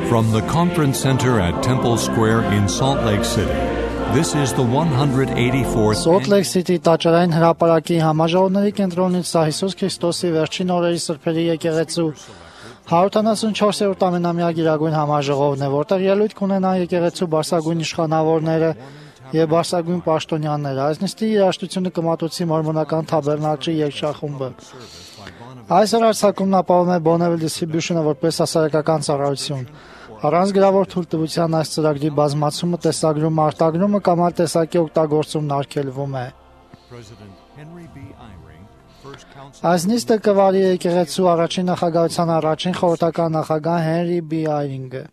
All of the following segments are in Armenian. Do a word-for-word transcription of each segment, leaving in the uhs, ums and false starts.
From the Conference Center at Temple Square in Salt Lake City, this is the one hundred eighty-fourth Salt Lake City տաճարային հրապարակի համաժողովների կենտրոնից սա Հիսուս Քրիստոսի վերջին օրերի սրբերի եկեղեցու հարյուրտասունչորսերորդ ամենամյա գիրագույն համաժողովն է, որտեղ ելույթ կունենան եկեղեցու բարձրագույն իշխանավորները եւ բարձրագույն պաշտոնյաները։ Այս նիստի երաժշտությունը կմատուցի մորմոնական թաբերնաճի երգչախումբը։ Այս հրացակումն ապահովում է Bonneville Distribution-ը որպես հասարակական ծառայություն։ Առանց գրավոր թույլտվության այս ծրագրի բազմացումը, տեսագրումը, արտագրումը կամ այլ տեսակի օգտագործումն արգելվում է։ Այս նիստը կվարի եկեղեցու առաջին նախագահության առաջին խորհրդական նախագահ Հենրի B. Eyring-ը։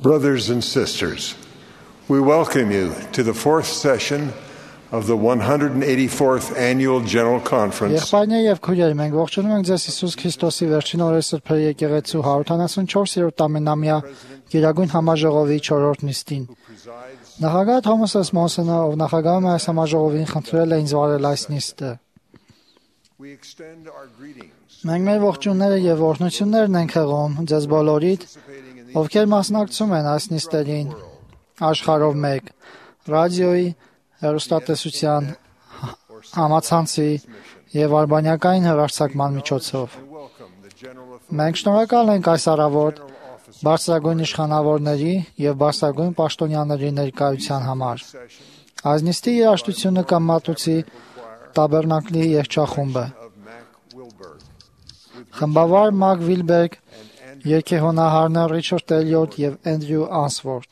Brothers and sisters, we welcome you to the fourth session of the one hundred eighty-fourth Annual General Conference. Եղբայրներ եւ քույրեր, մենք ողջունում ենք ձեզ Հիսուս Քրիստոսի վերջին օրերի սրբերի եկեղեցու հարյուրտասունչորսերորդ ամենամյա գերագույն համաժողովի չորրորդ նիստին։ Նախագահ Թոմաս Էս Մոնսոնը, ով նախագահում է այս համաժողովին, խնդրել է ինձ վարել այս նիստը։ Մենք մեր ողջույնները եւ օրհնություններն ենք հղում ձեզ բոլորիդ, ովքեր մասնակցում են այս նիստերին աշխարհով մեկ, ռադիոյի, հեռուստատեսության, համացանցի եւ արբանյակային հեռարձակման միջոցով։ Մենք շնորհակալ ենք այս առավոտ բարձրագույն իշխանավորների եւ բարձրագույն պաշտոնյաների ներկայության համար։ Այս նիստի երաժշտությունը կմատուցի Տաբերնակլի երգչախումբը։ Խմբավար Մակ Վիլբերգ, երգեհոնահարներ Ռիչարդ Էլիոտ եւ Էնդրյու Անսվորդ։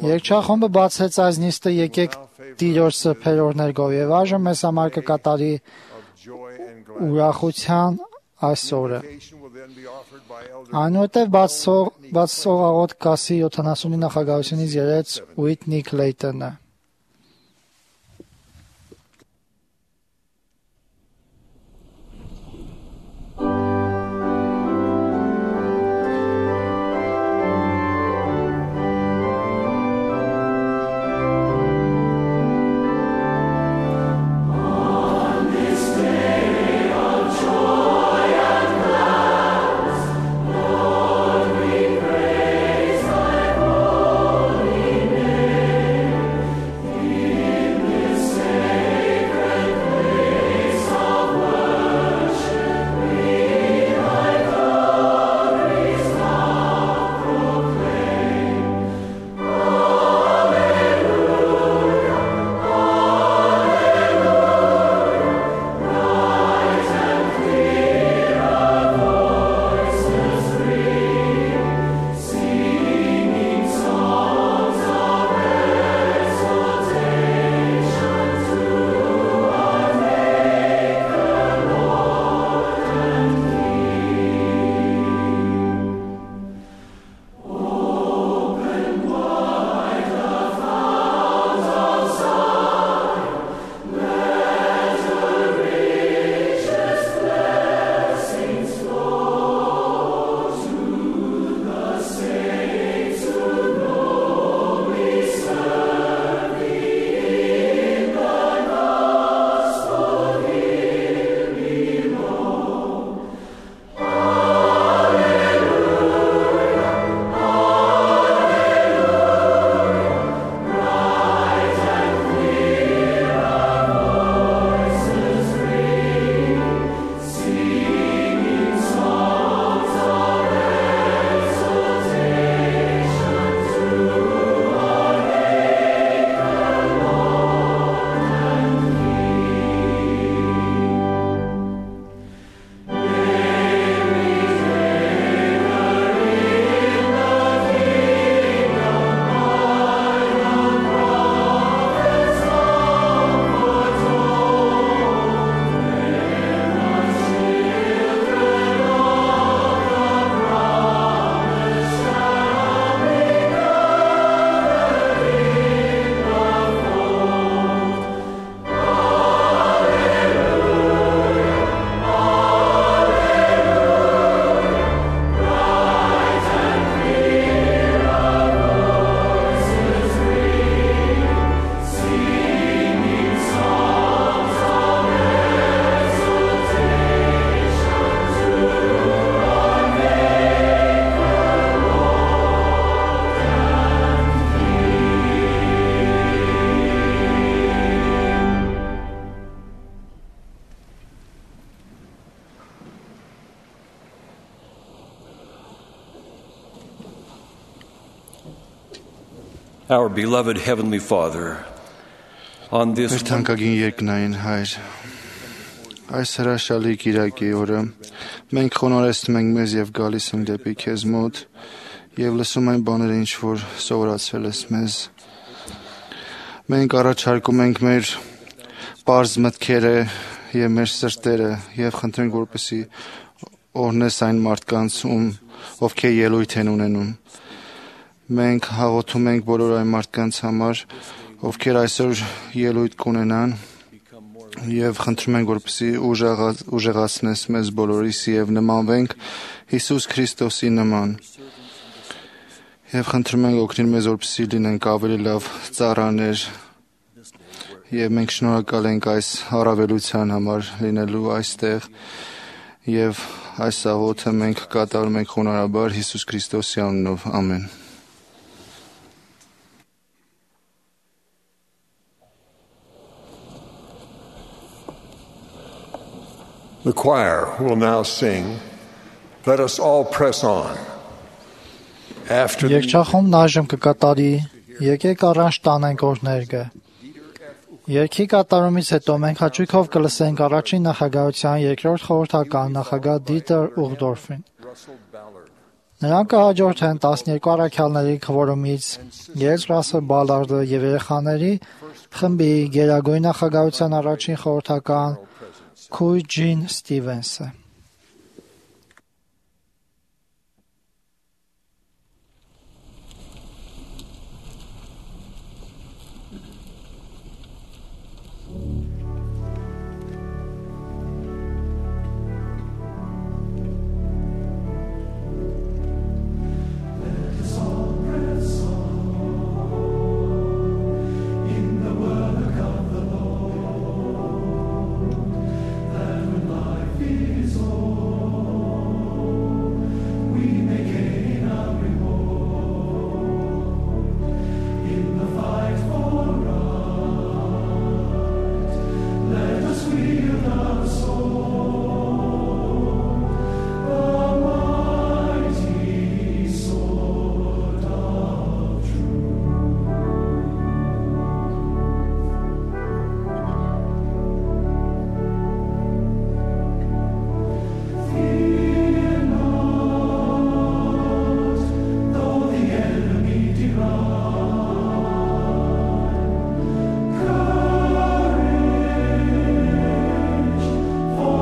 Երգչախումբը բացեց այս նիստը «Եկեք Տիրոջ սրբեր ներկով» եւ այժմ մեզ համար կկատարի ուրախության այս օրը։ Այնուհետև բացող աղոթք կասի յոթանասունի նախագահությունից ելած Ուիթնի Քլեյտոնը։ Our beloved Heavenly Father, on this Մեր թանկագին երկնային Հայր, այս հրաշալի կիրակի օրը մենք խոնարհեցնում ենք մեզ եւ գալիս ենք դեպի քեզ մոտ եւ լսում այն բաները, ինչ որ սովորացրել ես մեզ։ Մենք առաջարկում ենք մեր պարզ մտքերը եւ մեր սրտերը եւ խնդրենք, որպեսզի օրհնես այն մարդկանց, ում ովքեր ելույթ են ունենում։ Մենք հաղորդում ենք բոլոր այն մարդկանց համար, ովքեր այսօր ելույթ կունենան եւ խնդրում ենք, որպեսզի ուժեղացնես մեզ բոլորիս եւ նմանվենք Հիսուս Քրիստոսի նման։ Եվ խնդրում ենք օգնել մեզ, որպեսզի լինենք ավելի լավ ծառաներ եւ մենք շնորհակալ ենք այս առավելության համար լինելու այստեղ եւ այս աղոթը մենք կատարում ենք խոնարհաբար Հիսուս Քրիստոսի անունով։ Ամեն։ The choir will now sing, "Let us all press on." After the Երգչախումբն այժմ կկատարի «Եկեք առանց տանենք օրհներգը»։ Երգի կատարումից հետո մենք հաճույքով կլսենք առաջին նախագահության երկրորդ խորհրդական նախագահ Դիտեր Ուղդորֆին։ Նրան կհաջորդեն տասներկու առաքյալների քվորումից Ելս Ռասել Բալարդը եւ երեխաների խմբի գերագույն նախագահության առաջին խորհրդական Քույր Ջին Ստիվենսը։ For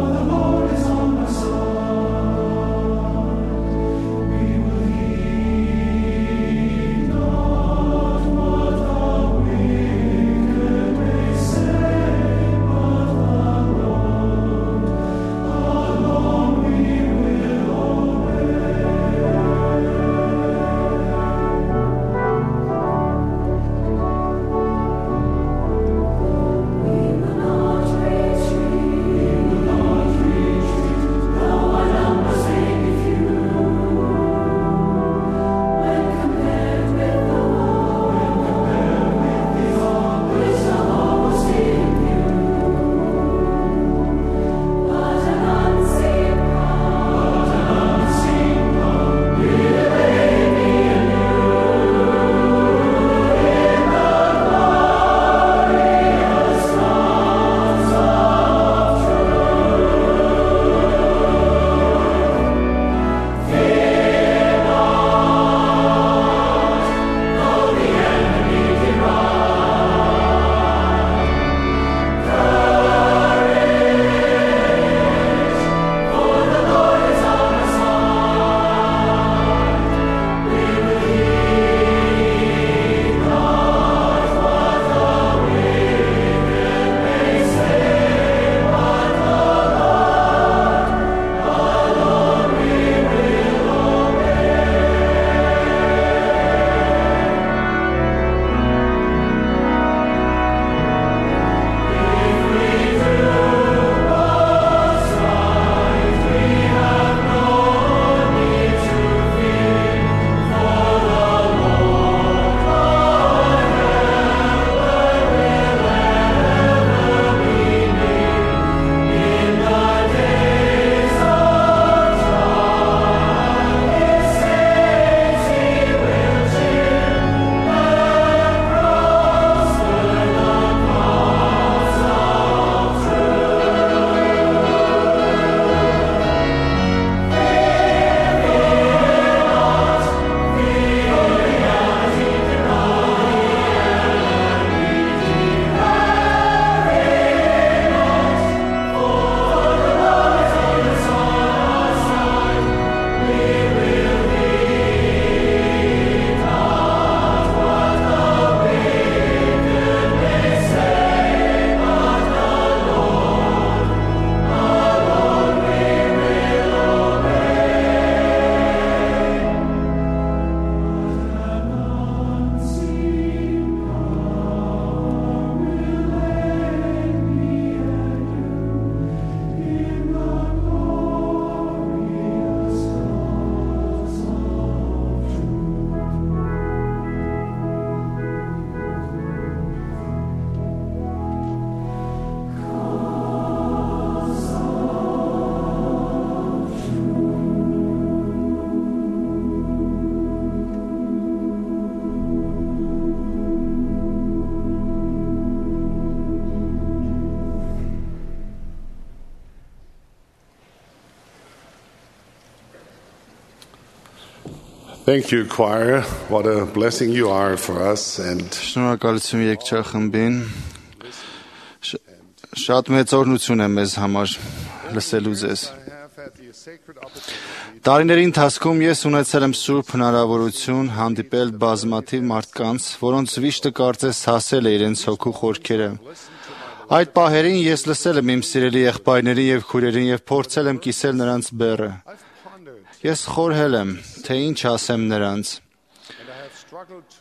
Thank you, choir. What a blessing you are for us. And Շնորհակալություն երգչախմբին։ Շ- Շատ մեծ օրհնություն է մեզ համար լսելու ձեզ։ Տարիների ընթացքում ես ունեցել եմ սուրբ հնարավորություն հանդիպել բազմաթիվ մարդկանց, որոնց վիշտը կարծես հասել է իրենց հոգու խորքերը։ Այդ պահերին ես լսել եմ իմ սիրելի եղբայրներին եւ քույրերին եւ փորձել եմ կիսել նրանց բեռը։ Ես խորհել եմ, թե ինչ ասեմ նրանց։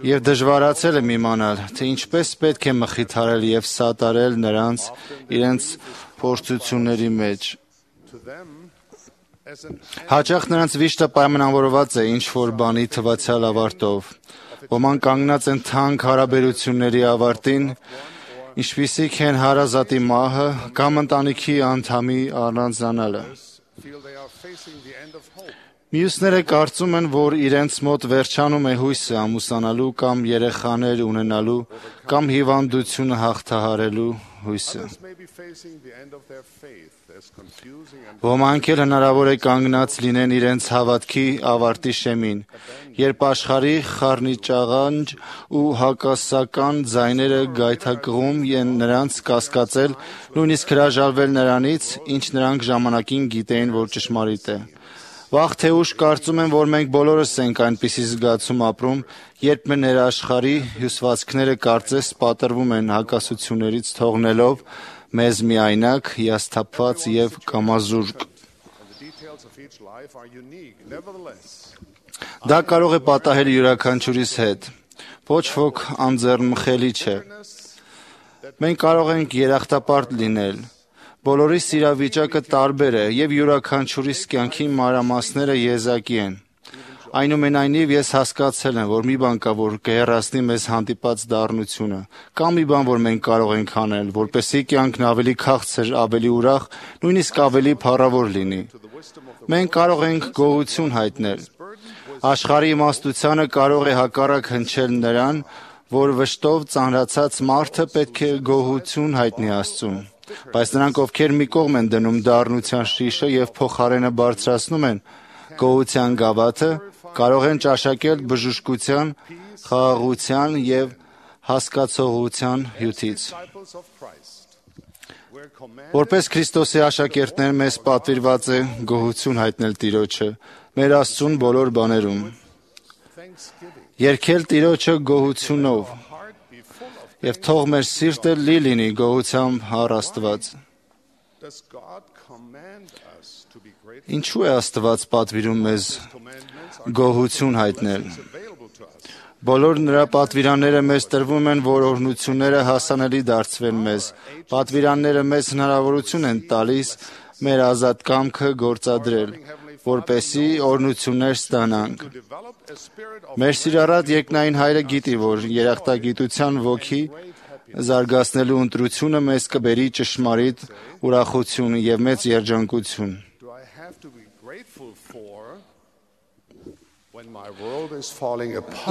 Եվ դժվարացել եմ իմանալ, թե ինչպես պետք է մխիթարել եւ սատարել նրանց իրենց փորձությունների մեջ։ Հաճախ նրանց վիշտը պայմանավորված է ինչ-որ բանի թվացյալ ավարտով։ Ոմանք կանգնած են թանկ հարաբերությունների ավարտին, ինչպիսիք են հարազատի մահը կամ ընտանիքի անդամի առանձնանալը։ Մյուսները կարծում են, որ իրենց մոտ վերջանում է հույսը ամուսնանալու կամ երեխաներ ունենալու կամ հիվանդությունը հաղթահարելու հույսը։ Ոմանք էլ հնարավոր է կանգնած լինեն իրենց հավատքի ավարտի շեմին, երբ աշխարհի խառնիճաղանջ ու հակասական ձայները գայթակղում են նրանց կասկածել, նույնիսկ հրաժարվել նրանից, ինչ նրանք ժամանակին գիտեին, որ ճշմարիտ է։ Վաղ թե ուշ կարծում եմ, որ մենք բոլորս ենք այնպիսի զգացում ապրում, երբ մեր ներաշխարհի հյուսվածքները կարծես պատրվում են հակասություններից թողնելով մեզ միայնակ, հիասթափված եւ կամազուրկ։ Դա կարող է պատահել յուրաքանչյուրիս հետ։ Ոչ ոք անձեռնմխելի չէ։ Մենք կարող ենք երախտապարտ լինել։ Բոլորիս իրավիճակը տարբեր է եւ յուրաքանչյուրիս կյանքի մանրամասները եզակի են։ Այնուամենայնիվ ես հասկացել եմ, որ մի բան կա, որ կհեռացնի մեզ հանդիպած դառնությունը, կամ մի բան, որ մենք կարող ենք անել, որպեսզի կյանքն ավելի քաղցր, ավելի ուրախ, նույնիսկ ավելի փառավոր լինի։ Մենք կարող ենք գոհություն հայտնել։ Աշխարհի իմաստությանը կարող է հակառակ հնչել նրան, որ վշտով ծանրացած մարդը պետք է գոհություն հայտնի Աստծուն։ Բայց նրանք, ովքեր մի կողմ են դնում դառնության շիշը եւ փոխարենը բարձրացնում են գոհության գավաթը, կարող են ճաշակել բժշկության, խաղաղության եւ հասկացողության հյութից։ Որպես Քրիստոսի աշակերտներ մեզ պատվիրված է գոհություն հայտնել Տիրոջը մեր Աստծուն բոլոր բաներում։ Երգել Տիրոջը գոհությունով եւ թող մեր սիրտը լի լինի գոհությամբ առ Աստված։ Ինչու է Աստված պատվիրում մեզ գոհություն հայտնել։ Բոլոր նրա պատվիրանները մեզ տրվում են, որ օրհնությունները հասանելի դարձվեն մեզ։ Պատվիրանները մեզ հնարավորություն են տալիս մեր ազատ կամքը գործադրել, որպեսզի օրհնություններ ստանանք։ Մեր սիրառատ երկնային Հայրը գիտի, որ երախտագիտության ոգի զարգացնելու ընտրությունը մեզ կբերի ճշմարիտ ուրախություն եւ մեծ երջանկություն։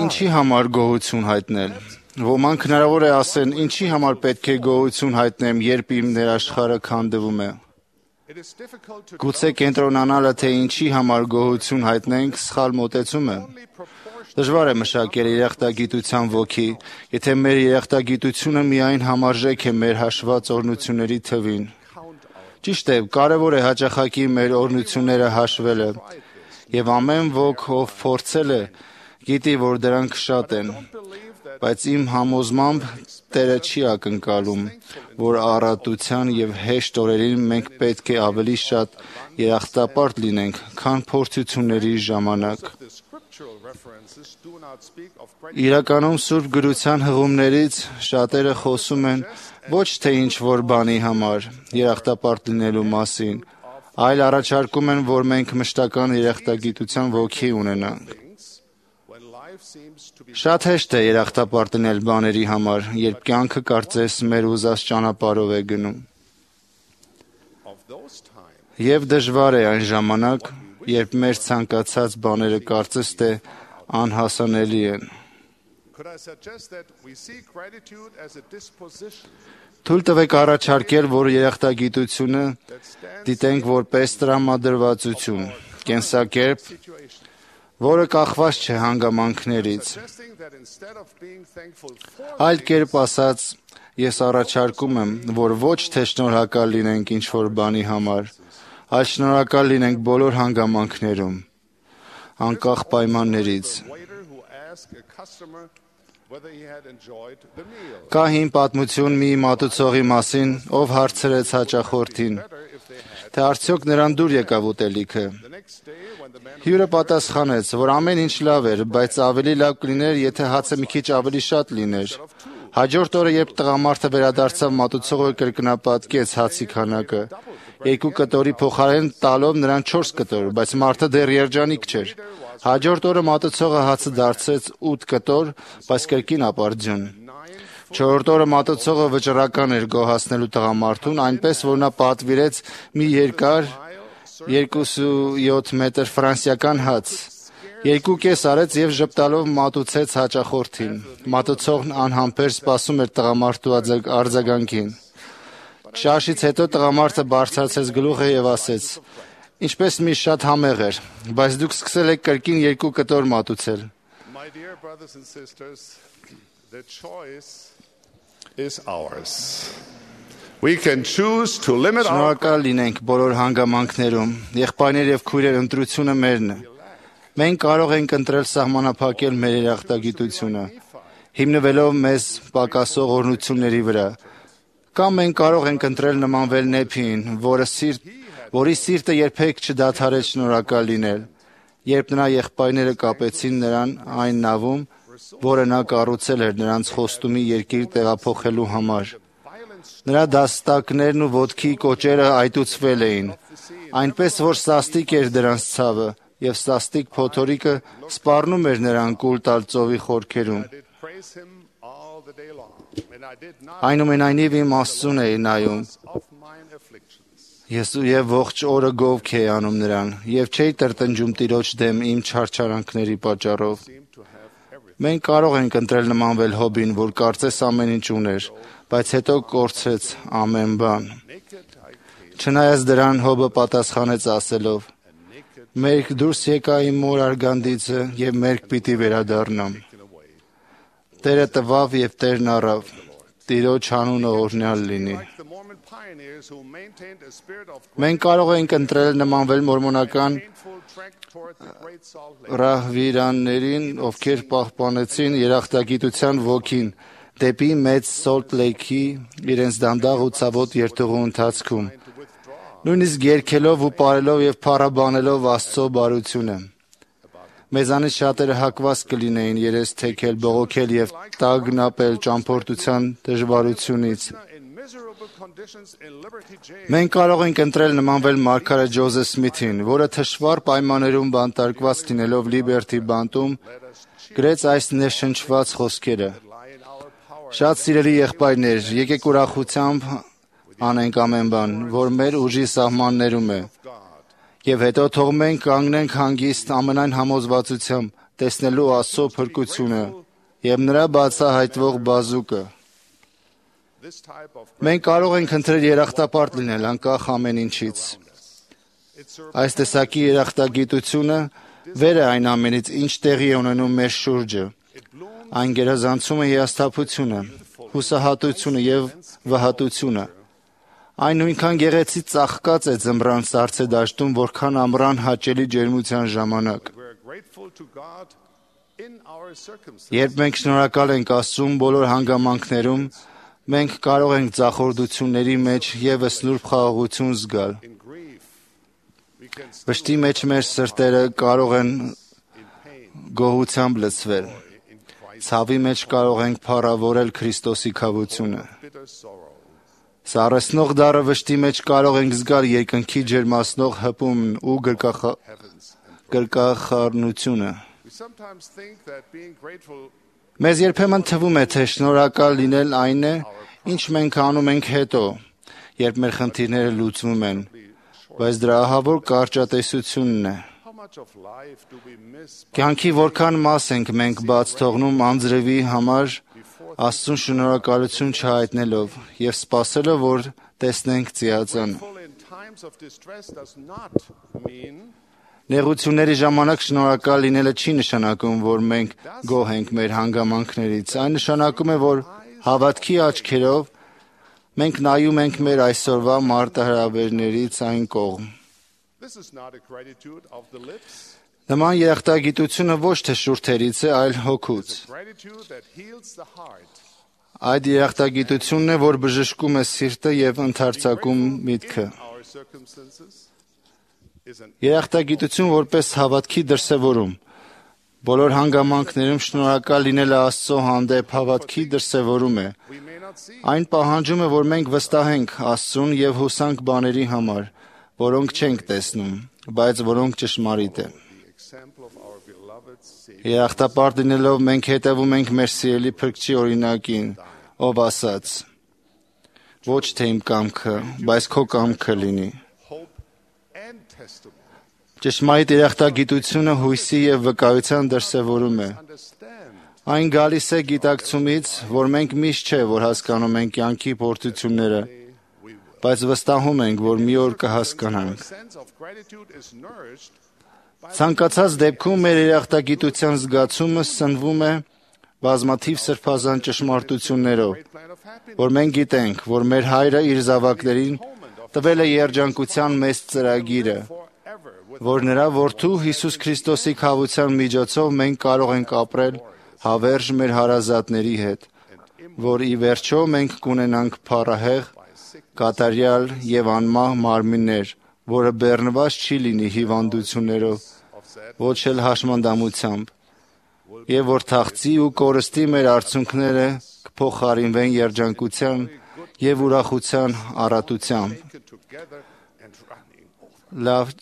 Ինչի համար գոհություն հայտնել։ Ոմանք հնարավոր է ասեն, ինչի համար պետք է գոհություն հայտնեմ, երբ իմ ներաշխարհը քանդվում է։ Գուցե կենտրոնանալը, թե ինչի համար գոհություն հայտնենք, սխալ մոտեցում է։ Դժվար է մշակել երախտագիտության ոգի, եթե մեր երախտագիտությունը միայն համարժեք է մեր հաշված օրհնությունների թվին։ Ճիշտ է, կարևոր է հաճախակի մեր օրհնությունները հաշվելը, եւ ամեն ոք, ով փորձել է, գիտի, որ դրանք շատ են, բայց իմ համոզմամբ Տերը չի ակնկալում, որ առատության եւ հեշտ օրերին մենք պետք է ավելի շատ երախտապարտ լինենք, քան փորձությունների ժամանակ։ Իրականում Սուրբ Գրության հղումներից շատերը խոսում են ոչ թե ինչ-որ բանի համար երախտապարտ լինելու մասին, այլ առաջարկում են, որ մենք մշտական երախտագիտության ոգի ունենանք։ Շատ հեշտ է երախտապարտ լինել բաների համար, երբ կյանքը կարծես մեր ուզած ճանապարհով է գնում։ Եվ դժվար է այն ժամանակ, երբ մեր ցանկացած բաները կարծես թե անհասանելի են։ Թույլ տվեք առաջարկել, որ երախտագիտությունը դիտենք որպես տրամադրվածություն, կենսակերպ, որը կախված չէ հանգամանքներից։ Այլ կերպ ասած, ես առաջարկում եմ, որ ոչ թե շնորհակալ լինենք ինչ-որ բանի համար, այլ շնորհակալ լինենք բոլոր հանգամանքներում, անկախ պայմաններից։ Կա հին պատմություն մի մատուցողի մասին, ով հարցրեց հաճախորդին, թե արդյոք նրան դուր եկավ ուտելիքը։ Հյուրը պատասխանեց, որ ամեն ինչ լավ էր, բայց ավելի լավ կլիներ, եթե հացը մի քիչ ավելի շատ լիներ։ Հաջորդ օրը, երբ տղամարդը վերադարձավ, մատուցողը կրկնապատկեց հացի քանակը, երկու կտորի փոխարեն տալով նրան չորս կտոր, բայց մարդը դեռ երջանիկ չէր։ Հաջորդ օրը մատուցողը հացը դարձրեց ութ կտոր, բայց կրկին ապարդյուն։ Չորրորդ օրը մատուցողը վճռական էր գոհացնելու տղամարդուն, այնպես որ նա պատվիրեց մի երկար երկուսույոթ մետր ֆրանսիական հաց։ Երկու կես արեց եւ ժպտալով մատուցեց հաճախորդին։ Մատուցողն անհամբեր սպասում էր տղամարդու արձագանքին։ Շաշից հետո տղամարդը բարձրացրեց գլուխը եւ ասեց. «Ինչպես մի շատ համեղ էր, բայց դուք սկսել եք կրկին երկու կտոր մատուցել»։ Շնորհակալ լինենք բոլոր հանգամանքներում, եղբայրներ եւ քույրեր, ընտրությունը մերն է։ Մենք կարող ենք ընտրել սահմանափակել մեր երախտագիտությունը, հիմնվելով մեզ պակասող օրհնությունների վրա, կամ մենք կարող ենք ընտրել նմանվել Նեփիին, որը սիրտ որի սիրտը երբեք չդադարեց շնորհակալ լինել, երբ նրա եղբայրները կապեցին նրան այն նավում, որը նա կառուցել էր նրանց խոստումի երկիր տեղափոխելու համար։ Նրա դաստակներն ու ոտքի կոճերը այտուցվել էին, այնպես որ սաստիկ էր դրանց ցավը, եւ սաստիկ փոթորիկը սպառնում էր նրան կուլ տալ ծովի խորքերում։ Այնուամենայնիվ իմ Աստծուն էի նայում, ես եւ ողջ օրը գովք էի անում նրան, եւ չէի տրտնջում Տիրոջ դեմ իմ չարչարանքների պատճառով։ Մենք կարող ենք ընտրել նմանվել Հոբին, որ կարծես ամեն ինչ ուներ, բայց հետո կորցրեց ամեն բան։ Չնայած դրան, Հոբը պատասխանեց ասելով. «Մերկ դուրս եկա իմ մոր արգանդիցը եւ մերկ պիտի վերադառնամ»։ Տերը տվավ եւ Տերն առավ, Տիրոջ անունը օրհնյալ լինի։ Մենք կարող ենք ընտրել նմանվել մորմոնական ռահվիրաններին, ովքեր պահպանեցին երախտագիտության ոգին դեպի մեծ Սոլտ Լեյքի իրենց դանդաղ ու ցավոտ երթուղու ընթացքում, նույնիսկ երգելով ու պարելով եւ փառաբանելով Աստծո բարությունը։ Մեզանից շատերը հակված կլինեին երես թեքել, բողոքել եւ տագնապել ճամփորդության դժվարությունից։ Մենք կարող ենք ընտրել նմանվել մարգարե Ջոզեֆ Սմիթին, որը թշվառ պայմաններում բանտարկված լինելով Լիբերթի բանտում գրեց այս ներշնչված խոսքերը. «Շատ սիրելի եղբայրներ, եկեք ուրախությամբ անենք ամեն բան, որ մեր ուժի սահմաններում է, եւ հետո թող մենք կանգնենք հանգիստ ամենայն համոզվածությամբ, տեսնելու Աստծո փրկությունը եւ նրա բացահայտվող բազուկը»։ Մենք կարող ենք ընտրել երախտապարտ լինել անկախ ամեն ինչից։ Այս տեսակի երախտագիտությունը վեր է այն ամենից, ինչ տեղի է ունենում մեր շուրջը։ Այն գերազանցում է հիասթափությունը, հուսահատությունը եւ վհատությունը։ Այն նույնքան գեղեցիկ ծաղկած է ձմռան սառցե դաշտում, որքան ամռան հաճելի ջերմության ժամանակ։ Երբ մենք շնորհակալ ենք Աստծուն բոլոր հանգամանքներում, մենք կարող ենք ձախորդությունների մեջ եւս նուրբ խաղաղություն զգալ։ Վշտի մեջ մեր սրտերը կարող են գոհությամբ լցվել։ Ցավի մեջ կարող ենք փառավորել Քրիստոսի քավությունը։ Սառեցնող դառը վշտի մեջ կարող ենք զգալ երկնքի ջերմացնող հպումն ու գրկախառնությունը։ Մեզ երբեմն թվում է, թե շնորհակալ լինել այն է, ինչ մենք անում ենք հետո, երբ մեր խնդիրները լուծվում են, բայց դրա ահավոր կարճատեսությունն է։ Կյանքի որքան մաս ենք մենք բաց թողնում անձրևի համար Աստծուն շնորհակալություն չհայտնելով եւ սպասելով, որ տեսնենք ծիածանը։ Նեղությունների ժամանակ շնորհակալ լինելը չի նշանակում, որ մենք գոհ ենք մեր հանգամանքներից։ Այն նշանակում է, որ հավատքի աչքերով մենք նայում ենք մեր այսօրվա մարտահրավերներից այն կողմ։ Նման երախտագիտությունը ոչ թե շուրթերից է, այլ հոգուց։ Այդ երախտագիտությունն է, որ բժշկում է սիրտը և ընդարձակում միտքը։ Երախտագիտություն որպես հավատքի դրսևորում։ Բոլոր հանգամանքներում շնորհակալ լինելը Աստծո հանդեպ հավատքի դրսևորում է։ Այն պահանջում է, որ մենք վստահենք Աստծուն և հուսանք բաների համար, որոնք չենք տեսնում, բայց որոնք ճշմարիտ են։ Երախտապարտ լինելով մենք հետևում ենք մեր սիրելի Փրկչի օրինակին, ով ասաց. ոչ թե իմ կամքը, բայց քո կամքը լինի։ Ճշմարիտ երախտագիտությունը հույսի և վկայության դրսևորում է։ Այն գալիս է գիտակցումից, որ մենք միշտ չէ, որ հասկանում ենք կյանքի փորձությունները, բայց վստահում ենք, որ մի օր կհասկանանք։ Ցանկացած դեպքում մեր երախտագիտության զգացումը սնվում է բազմաթիվ սրբազան ճշմարտություններով, որ մենք գիտենք, որ մեր Հայրը իր զավակներին տվել է երջանկության մեծ ծրագիրը, որ նրա Որդու Հիսուս Քրիստոսի քավության միջոցով մենք կարող ենք ապրել հավերժ մեր հարազատների հետ, որ ի վերջո մենք կունենանք փառահեղ, կատարյալ և անմահ մարմիններ, որը բեռնված չի լինի հիվանդություններով, ոչ էլ հաշմանդամությամբ, և որ թախծի ու կորստի մեր արցունքները կփոխարինվեն երջանկության և ուրախության առատությամբ։ Լավ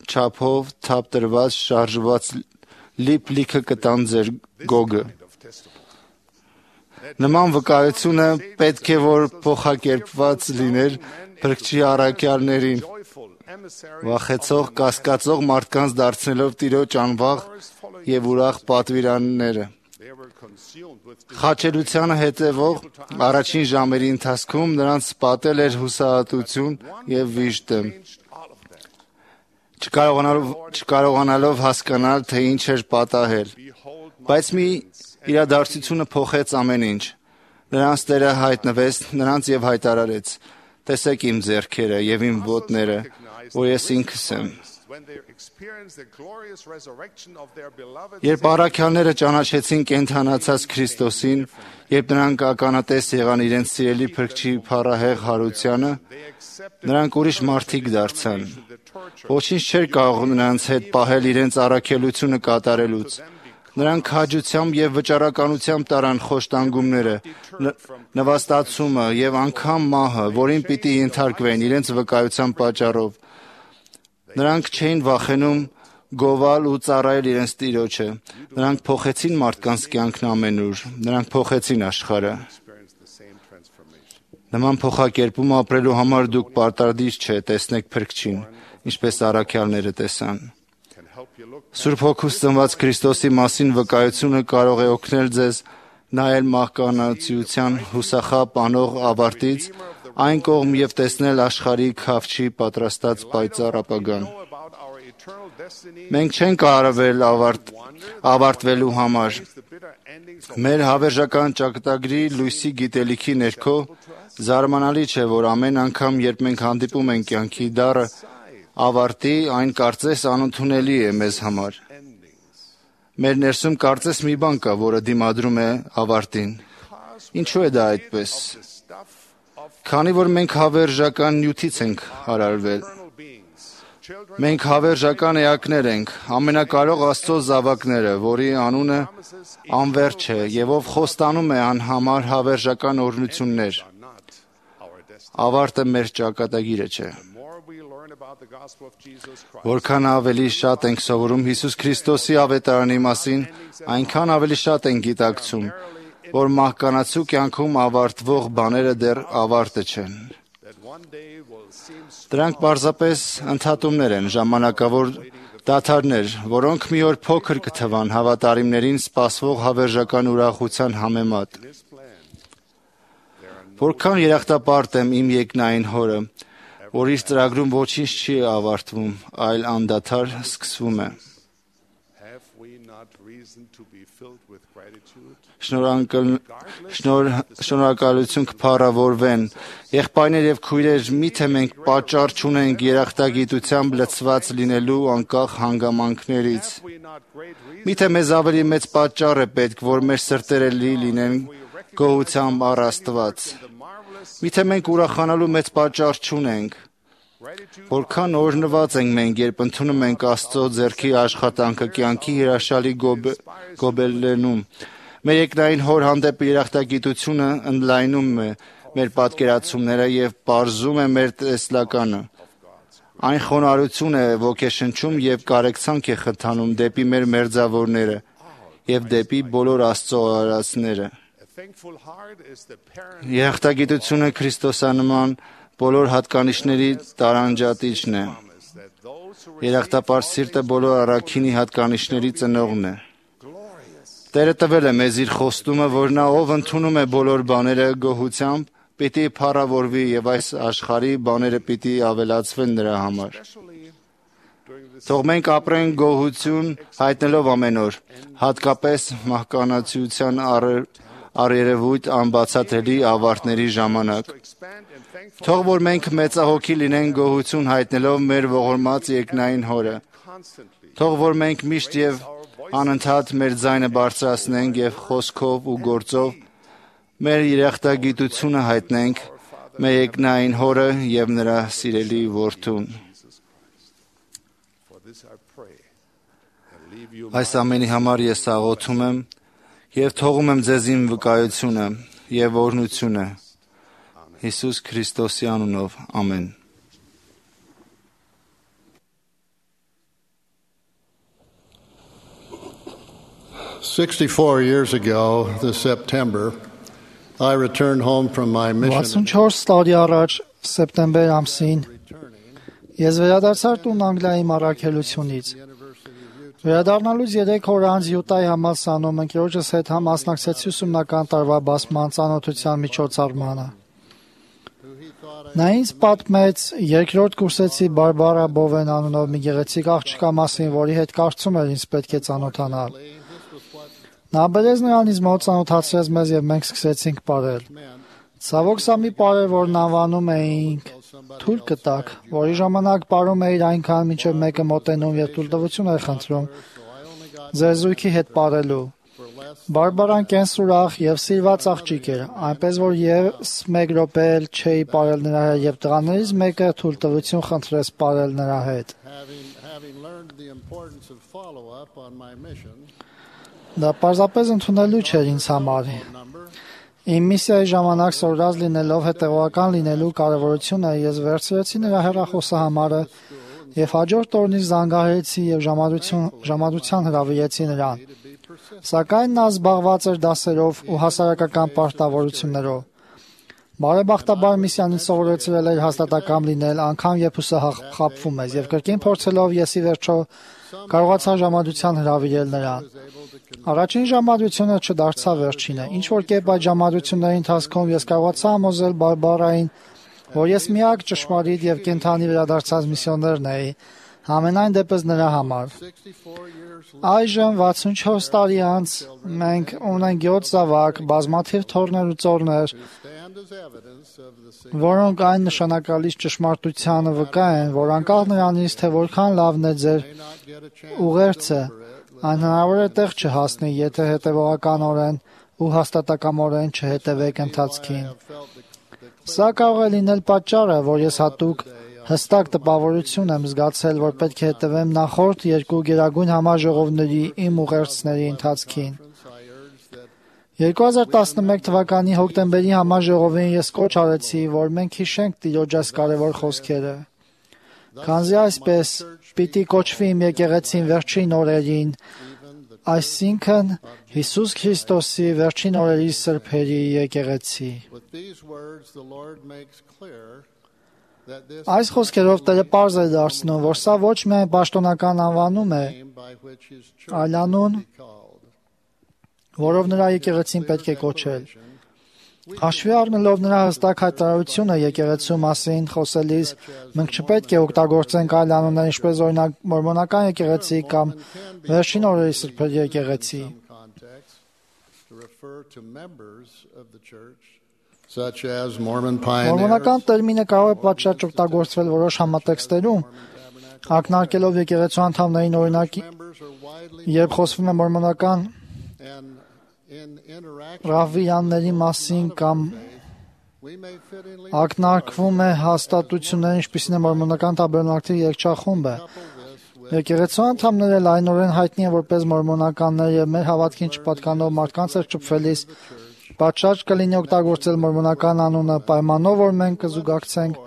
չափով թափ տրված շարժված լիփ-լիքը կտան ձեր գոգը։ Նման վկայությունը պետք է որ փոխակերպված լիներ Փրկչի առաքյալներին, վախեցող, կասկածող մարդկանց դարձնելով Տիրոջ անվաղ և ուրախ պատվիրանները։ Խաչելությանը հետևող առաջին ժամերի ընթացքում նրանց պատել էր հուսահատություն և վիժդը, չկարողանալով, չկարողանալով հասկանալ, թե ինչ էր պատահել։ Բայց մի իրադարձությունը փոխեց ամեն ինչ։ Նրանց Տերը հայտնվեց նրանց և հայտարարեց. «Տեսեք իմ ձեռքերը և իմ ոտները, որ ես ինքս եմ»։ Երբ առաքյալները ճանաչեցին կենդանացած Քրիստոսին, երբ նրանք ականատես եղան իրենց սիրելի Փրկչի փառահեղ հարությանը, նրանք ուրիշ մարդիկ դարձան։ Ոչինչ չէր կարող նրանց հետ պահել իրենց առաքելությունը կատարելուց։ Նրանք քաջությամբ և վճռականությամբ տարան խոշտանգումները, նվաստացումը և անգամ մահը, որին պիտի ենթարկվեն իրենց վկայության պատճառով։ Նրանք չէին վախենում գովալ ու ծառայել իրենց Տիրոջը։ Նրանք փոխեցին մարդկանց կյանքն ամենուր։ Նրանք փոխեցին աշխարհը։ Նման փոխակերպում ապրելու համար դուք պարտադիր չէ տեսնեք Փրկչին, ինչպես առաքյալները տեսան։ Սուրբ Հոգուց ծնված Քրիստոսի մասին վկայությունը կարող է օգնել ձեզ նայել մահկանացիության հուսախաբ անող ավարտից այն կողմ և տեսնել աշխարհի քավչի պատրաստած պայծառ ապագան։ Մենք չենք արվել ավարտ, ավարտվելու համար։ Մեր հավերժական ճակատագրի լույսի գիտելիքի ներքո զարմանալի չէ, որ ամեն անգամ, երբ մենք հանդիպում ենք կյանքի դառը ավարտի, այն կարծես անընդունելի է մեզ համար։ Մեր ներսում կարծես մի բան կա, որը դիմադրում է ավարտին։ Ինչու է դա այդպես։ Քանի որ մենք հավերժական նյութից ենք հարարվել։ Մենք հավերժական էակներ ենք, ամենակարող Աստծո զավակները, որի անունը անվերջ է և ով խոստանում է անհամար հավերժական օրհնություններ։ Ավարտը մեր ճակատագիրը չէ։ Որքան ավելի շատ ենք սովորում Հիսուս Քրիստոսի ավետարանի մասին, այնքան ավելի շատ ենք գիտակցում, որ մահկանացու կյանքում ավարտվող բաները դեռ ավարտը չեն։ Դրանք պարզապես ընդհատումներ են, ժամանակավոր դադարներ, որոնք մի օր փոքր կթվան հավատարիմներին սպասվող հավերժական ուրախության համեմատ։ Որքան երախտապարտ եմ իմ երկնային Հորը, որ իր ծրագրում ոչինչ չի ավարտվում, այլ անդադար սկսվում է։ Have we not reason to be filled with gratitude? Շնորհակալ- շնոր- Շնորհակալություն կփառավորվեն։ Եղբայրներ եւ քույրեր, միթե մենք պատճառ չունենք երախտագիտությամբ լցված լինելու անկախ հանգամանքներից։ Have we not great reason Միթե մեզ ավելի մեծ պատճառ է պետք, որ մեր սրտերը լի լինեն գոհությամբ առ Աստված։ the marvelous Միթե մենք ուրախանալու մեծ պատճառ չունենք։ gratitude Որքան օրհնված ենք մենք, երբ ընդունում ենք Աստծո ձեռքի աշխատանքը կյանքի հրաշալի գոբ- գոբելներում։ Մեր երկնային Հոր հանդեպ երախտագիտությունը ընդլայնում է մեր պատկերացումները եւ բարձում է մեր տեսլականը։ Այն խոնարհություն է ոգեշնչում եւ կարեկցանք է խթանում դեպի մեր մերձավորները եւ դեպի բոլոր Աստծո արարածները։ a thankful heart is the parent Երախտագիտությունը Քրիստոսանման բոլոր հատկանիշների տարանջատիչն է։ promise that those who Երախտապար սիրտը բոլոր առաքինի հատկանիշների ծնողն է։ glorious Տերը տվել է մեզ իր խոստումը, որ նա ով ընդունում է բոլոր բաները գոհությամբ, պիտի փառավորվի եւ այս աշխարհի բաները պիտի ավելացվեն նրա համար։ especially during this Թող մենք ապրենք գոհություն հայտնելով ամեն օր, հատկապես մահկանացության առ- առերևույթ անբացատրելի ավարտների ժամանակ։ expand and thankful Թող որ մենք մեծահոգի լինենք գոհություն հայտնելով մեր ողորմած երկնային Հորը։ constantly Թող որ մենք միշտ եւ անընդհատ մեր ձայնը բարձրացնենք եւ խոսքով ու գործով մեր երախտագիտությունը հայտնենք մեր երկնային Հորը եւ նրա սիրելի որդուն։ for this I pray and leave you Այս ամենի համար ես աղոթում եմ եւ թողում եմ ձեզ իմ վկայությունը եւ օրհնությունը Հիսուս Քրիստոսի անունով ամեն sixty-four years ago, this September, I returned home from my mission. վաթսունչորս տարի առաջ սեպտեմբեր ամսին ես վերադարձար տուն Անգլիայի մառաքելությունից։ Վերադառնալուց երեք օր անց Յուտայի համալսանում ընկերոջս հետ համասնակցեցի ուսումնական տարվա բացման ծանոթության միջոցառմանը։ Նա ինձ պատմեց երկրորդ կուրսեցի Բարբարա Բովեն անունով մի գեղեցիկ աղջկա մասին, որի հետ կարծում էր ինձ պետք է ծանոթանալ։ Նա բերեց նրան ինձ մոտ, ծանոթացրեց մեզ եւ մենք սկսեցինք պարել։ Ցավոք սա մի պար էր, որն անվանում էինք թույլ կտակ, որի ժամանակ պարում էիր այնքան, մինչև մեկը մոտենում եւ թույլտվություն էր խնդրում ձեր զույգի հետ պարելու։ Բարբարան կենսուրախ եւ սիրված աղջիկ էր, այնպես որ ես մեկ րոպե էլ չէի պարել նրա հետ եւ տղաներից մեկը թույլտվություն խնդրեց պարել նրա հետ։ Having, having learned the importance of follow-up on my mission, Դա պարզապես ընդունելու չէր ինձ համար։ Իմ միսիայի ժամանակ սորված լինելով հետևողական լինելու կարևորությունը ես վերցրեցի նրա հեռախոսահամարը եւ հաջորդ օրն ինձ զանգահարեցի եւ ժամադրություն ժամադրության հրավիրեցի նրան։ Սակայն նա զբաղված էր դասերով ու հասարակական պարտավորություններով։ Բարեբախտաբար միսիանից սովորեցրել էր հաստատակամ լինել, անգամ երբ հուսահ խաբվում ես եւ կրկին փորձելով ես ի վերջո կարողացա ժամադրության հրավիրել նրան։ Առաջին ժամադրությունը չդարձավ վերջինը։ Ինչ որ կերպ այդ ժամադրությունների ընթացքում ես կարողացա համոզել Բարբարային, որ ես միակ ճշմարիտ եւ կենթանի վերադարձած միսիոներն էի, համենայն դեպս նրա համար։ Այժմ վաթսունչորս տարի անց մենք ունենք յոթ զավակ, բազմաթիվ թոռներ ու ծոռներ, որոնք այն նշանակալից ճշմարտությանը վկա են, որ անկախ նրանից, թե որքան լավն է ձեր ուղերձը, այն հնարավոր է տեղ չհասնի, եթե հետևողականորեն ու հաստատակամորեն չհետևեք ընթացքին։ Սա կարող է լինել պատճառը, որ ես հատուկ հստակ տպավորություն եմ զգացել, որ պետք է հետևեմ նախորդ երկու գերագույն համաժողովների իմ ուղերձների ընթացքին։ երկու հազար տասնմեկ թվականի հոկտեմբերի համաժողովին ես կոչ արեցի, որ մենք հիշենք Տիրոջ այս կարևոր խոսքերը։ Քանզի այսպես պիտի կոչվի իմ եկեղեցին վերջին օրերին, այսինքն Հիսուս Քրիստոսի վերջին օրերի սրբերի եկեղեցի։ Այս խոսքերով Տերը պարզ է դարձնում, որ սա ոչ միայն պաշտոնական անվանում է, այլ անուն, որով նրա եկեղեցին պետք է կոչել։ Հաշվի առնելով նրա հստակ հայտարարությունը եկեղեցու մասին խոսելիս, մենք չպետք է օգտագործենք այլ անուններ, ինչպես օրինակ մորմոնական եկեղեցի կամ վերջին օրերի սրբերի եկեղեցի։ Մորմոնական տերմինը կարող է պատշաճ օգտագործվել որոշ համատեքստերում, ակնարկելով եկեղեցու անդամներին, օրինակ, երբ խոսվում է մորմոնական ռավվիյանների մասին կամ ակնարկվում է հաստատություններ, ինչպիսին է մորմոնական տաբերնակլի երգչախումբը։ Եկեղեցու անդամները լայնորեն հայտնի են որպես մորմոնականներ եւ մեր հավատքին չպատկանող մարդկանց հետ շփվելիս պատշաճ կլինի օգտագործել մորմոնական անունը պայմանով, որ մենք կզուգակցենք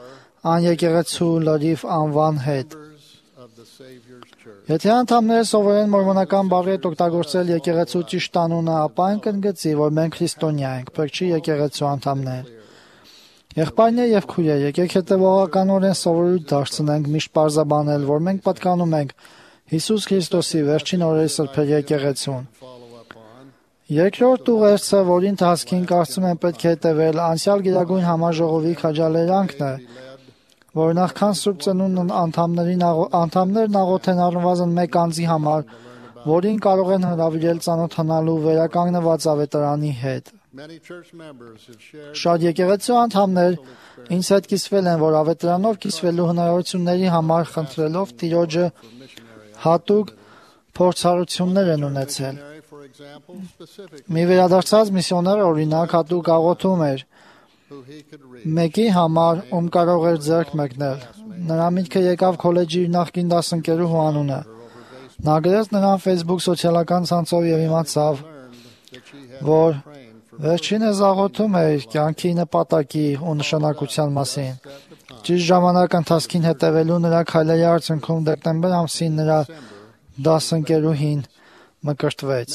այն եկեղեցու լրիվ անվան հետ։ Եթե անդամները սովորեն մորմոնական բառի հետ օգտագործել եկեղեցու ճիշտ անունը, ապա այն կընդգծի, որ մենք քրիստոնյա ենք, փրկչի եկեղեցու անդամներ։ Եղբայրներ եւ քույրեր, եկեք հետեւողականորեն սովորույթ դարձնենք միշտ պարզաբանել, որ մենք պատկանում ենք Հիսուս Քրիստոսի վերջին օրերի սրբերի եկեղեցուն։ Երկրորդ ուղերձը, որի ընթացքին կարծում եմ պետք է հետևել, անցյալ Գերագույն Համաժողովի քաջալերանքն է, որ նախքան Սուրբ Ծնունդն անդամներին անդամներն աղոթեն առնվազն մեկ անձի համար, որին կարող են հրավիրել ծանոթանալու վերականգնված ավետարանի հետ։ Շատ եկեղեցու անդամներ ինձ հետ կիսվել են, որ ավետարանով կիսվելու հնարավորությունների համար խնդրելով Տիրոջը հատուկ փորձառություններ են ունեցել։ Մի վերադարձած միսիոներ օրինակ հատուկ աղոթում էր մեկի համար, ում կարող էր ձեռք մեկնել։ Նրա միտքը եկավ քոլեջի իր նախկին դասընկերուհու անունը։ Նա գրեց նրան Facebook սոցիալական ցանցով եւ իմացավ, որ վերջինս աղոթում էր կյանքի նպատակի ու նշանակության մասին։ Ճիշտ ժամանակ ընթացքին հետևելու նրա քայլերի արդյունքում դեկտեմբեր ամսին նրա դասընկերուհին մկրտվեց։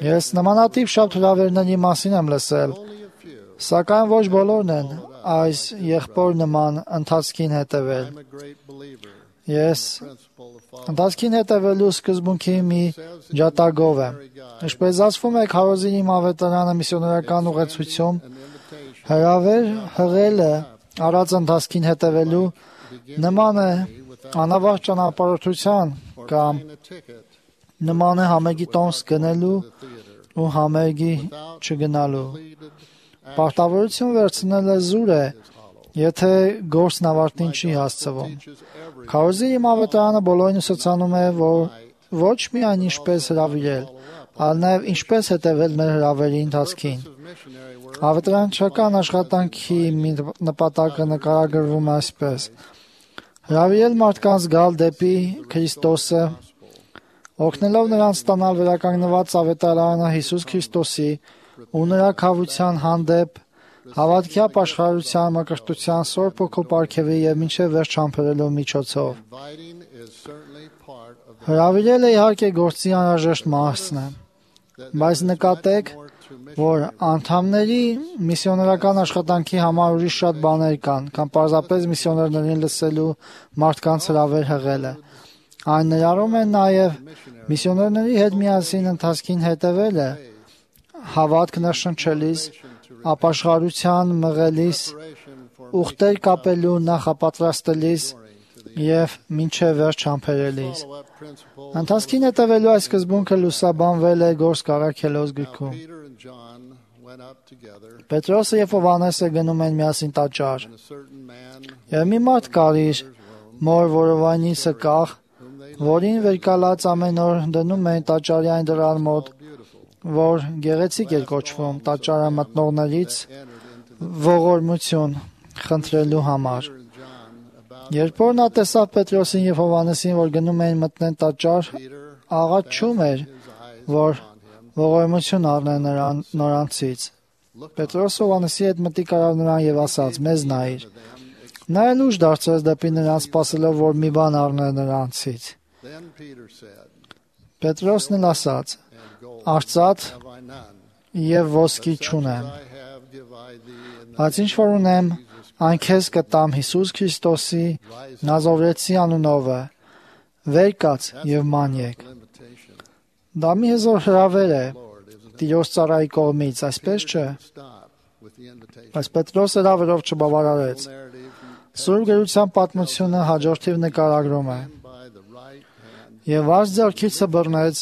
Ես նմանատիպ շատ հրավերների մասին եմ լսել, սակայն ոչ բոլորն են այս եղբոր նման ընթացքին հետևել։ Ես ընթացքին հետևելու սկզբունքի մի ջատագով եմ։ Ինչպես ասվում է, քարոզի իմ ավետարանը միսիոներական ուղեցույցում հրավեր հղելը առած ընթացքին հետևելու նման է անավարտ ճանապարհորդության կամ նման է համերգի տոմս գնելու ու համերգի չգնալու։ Պարտավորություն վերցնելը զուր է, եթե գործն ավարտին չի հասցվում։ Քարոզի իմ ավետարանը բոլորին ուսուցանում է, որ ոչ միայն ինչպես հրավիրել, այլ նաև ինչպես հետևել մեր հրավերի ընթացքին։ Ավետարանչական աշխատանքի մի նպատակը նկարագրվում այսպես. հրավիրել մարդկանց գալ դեպի Քրիստոսը, օգնելով նրանց ստանալ վերականգնված ավետարանը Հիսուս Քրիստոսի ու նրա քավության հանդեպ հավատքյապ աշխարհության մկրտության Սուրբ Հոգու պարգևի եւ մինչեւ վերջ համբերելու միջոցով։ Հրավիրելը իհարկե գործի անհրաժեշտ մասն է, բայց նկատեք, որ անդամների միսիոներական աշխատանքի համար ուրիշ շատ բաներ կան, կամ պարզապես միսիոներներին լսելու մարդկանց հրավեր հղելը։ Այն ներառում է նաև միսիոներների հետ միասին ընթացքին հետևելը, հավատք ներշնչելիս, ապաշխարության մղելիս, ուխտեր կապելու նախապատրաստելիս եւ մինչեւ վերջ համբերելիս։ Ընթացքին հետևելու այս սկզբունքը լուսաբանվել է Գործք Առաքելոց գրքում։ Պետրոսը եւ Հովհաննեսը գնում են միասին տաճար։ Եվ մի մարդ կար իր մոր որովայնի սկաղ, որին վերկալած ամեն օր դնում էին տաճարի այն դռան մոտ, որ գեղեցիկ էր կոչվում տաճարը մտնողներից ողորմություն խնդրելու համար։ Երբ որ նա տեսավ Պետրոսին եւ Հովհաննեսին, որ գնում էին մտնեն տաճար, աղաչում էր, որ ողորմություն առնեն նրան նրանցից։ Պետրոսը Հովհաննեսի հետ մտիկ արավ նրան եւ ասաց. «Մեզ նայիր»։ Նա էլ ուշ դարձրեց դեպի նրան, սպասելով, որ մի բան առնե նրանցից։ Պետրոսն էլ ասաց. «Արծաթ եւ ոսկի չունեմ, բայց ինչ որ ունեմ, այն քեզ կտամ Հիսուս Քրիստոսի Նազովրեցի անունով, վեր կաց եւ մանյեք»։ Դա մի հզոր հրավեր է Տիրոջ ծառայի կողմից, այսպես չէ։ Բայց Պետրոս հրավերով չբավարարեց։ Սուրբ Գրության պատմությունը հաջորդիվ նկարագրում է. Եվ այս ձեռքիցը բռնեց,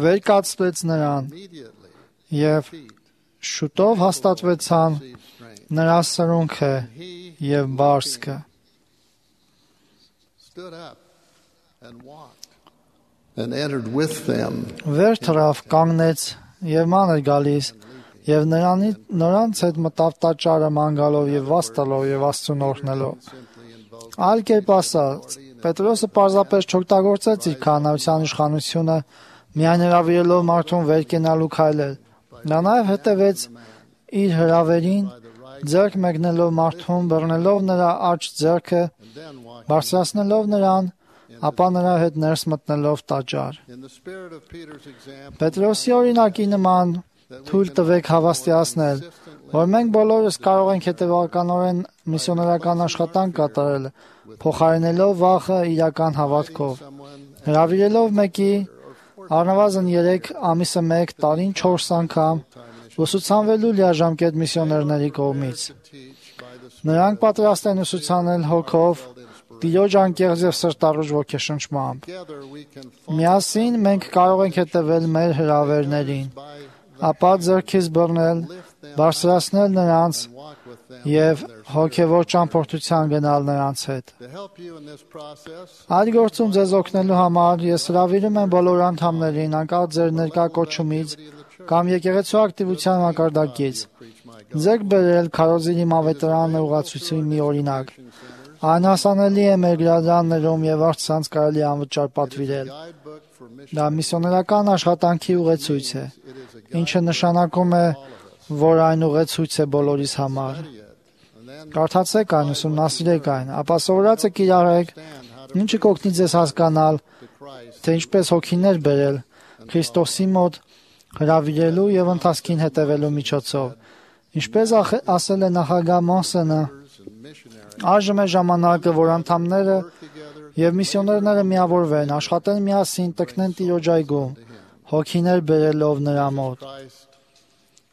վեր կացվեց նրան, եւ շուտով հաստատվեցան նրա սրունքը եւ բարձկը։ And entered with them. Վեր թռավ, կանգնեց եւ ման էր գալիս, եւ նրանի նրանց հետ մտավ տաճարը ման գալով եւ վաստալով եւ Աստծուն օրհնելով։ Այլ կերպ ասած, Պետրոսը պարզապես չօգտագործեց իր քահանայության իշխանությունը, միայն հրավիրելով մարդուն վեր կենալու քայլել։ Նա նաեւ հետևեց իր հրավերին, ձեռք մեկնելով մարդուն, բռնելով նրա աջ ձեռքը, բարձրացնելով նրան, ապա նրա հետ ներս մտնելով տաճար։ Պետրոսի օրինակի նման թույլ տվեք հավաստիացնել, որ մենք բոլորս կարող ենք հետևականորեն միսիոներական աշխատանք կատարել, փոխարինելով վախը իրական հավատքով, հրավիրելով մեկի առնվազն երեք ամիսը մեկ տարին չորս անգամ ուսուցանվելու լիաժամկետ միսիոներների կողմից։ Նրանք պատրաստ են ուսուցանել հոգով, Տիրոջ անկեղծ եւ սրտառուժ ոգեշնչմամբ։ Միասին մենք կարող ենք հետևել մեր հրավերներին, ապա ձեռքից բռնել, բարձրացնել նրանց եւ հոգեվոր ճամփորդության գնալ նրանց հետ։ Այդ գործում ձեզ օգնելու համար ես հրավիրում եմ բոլոր անդամներին, անկախ ձեր ներկա կոչումից կամ եկեղեցու ակտիվության մակարդակից, ձեռք բերել քարոզինի մավետարանը ուղղացուցի մի օրինակ։ Այն հասանելի է մեր գրադարաններում եւ առցանց կարելի անվճար պատվիրել։ Դա միսիոներական աշխատանքի ուղեցույց է, ինչը նշանակում է, որ այն ուղեցույց է բոլորիս համար։ Կարդացեք այն, ուսումնասիրեք այն, ապա սովորածը կիրառեք, ինչը կօգնի ձեզ հասկանալ, թե ինչպես հոգիներ բերել Քրիստոսի մոտ հրավիրելու եւ ընթացքին հետևելու միջոցով։ Ինչպես ասել է նախագահ Մոնսենը, այժմ է ժամանակը, որ անդամները եւ միսիոներները միավորվեն, աշխատեն միասին, տքնեն Տիրոջ այգում, հոգիներ բերելով նրա մոտ։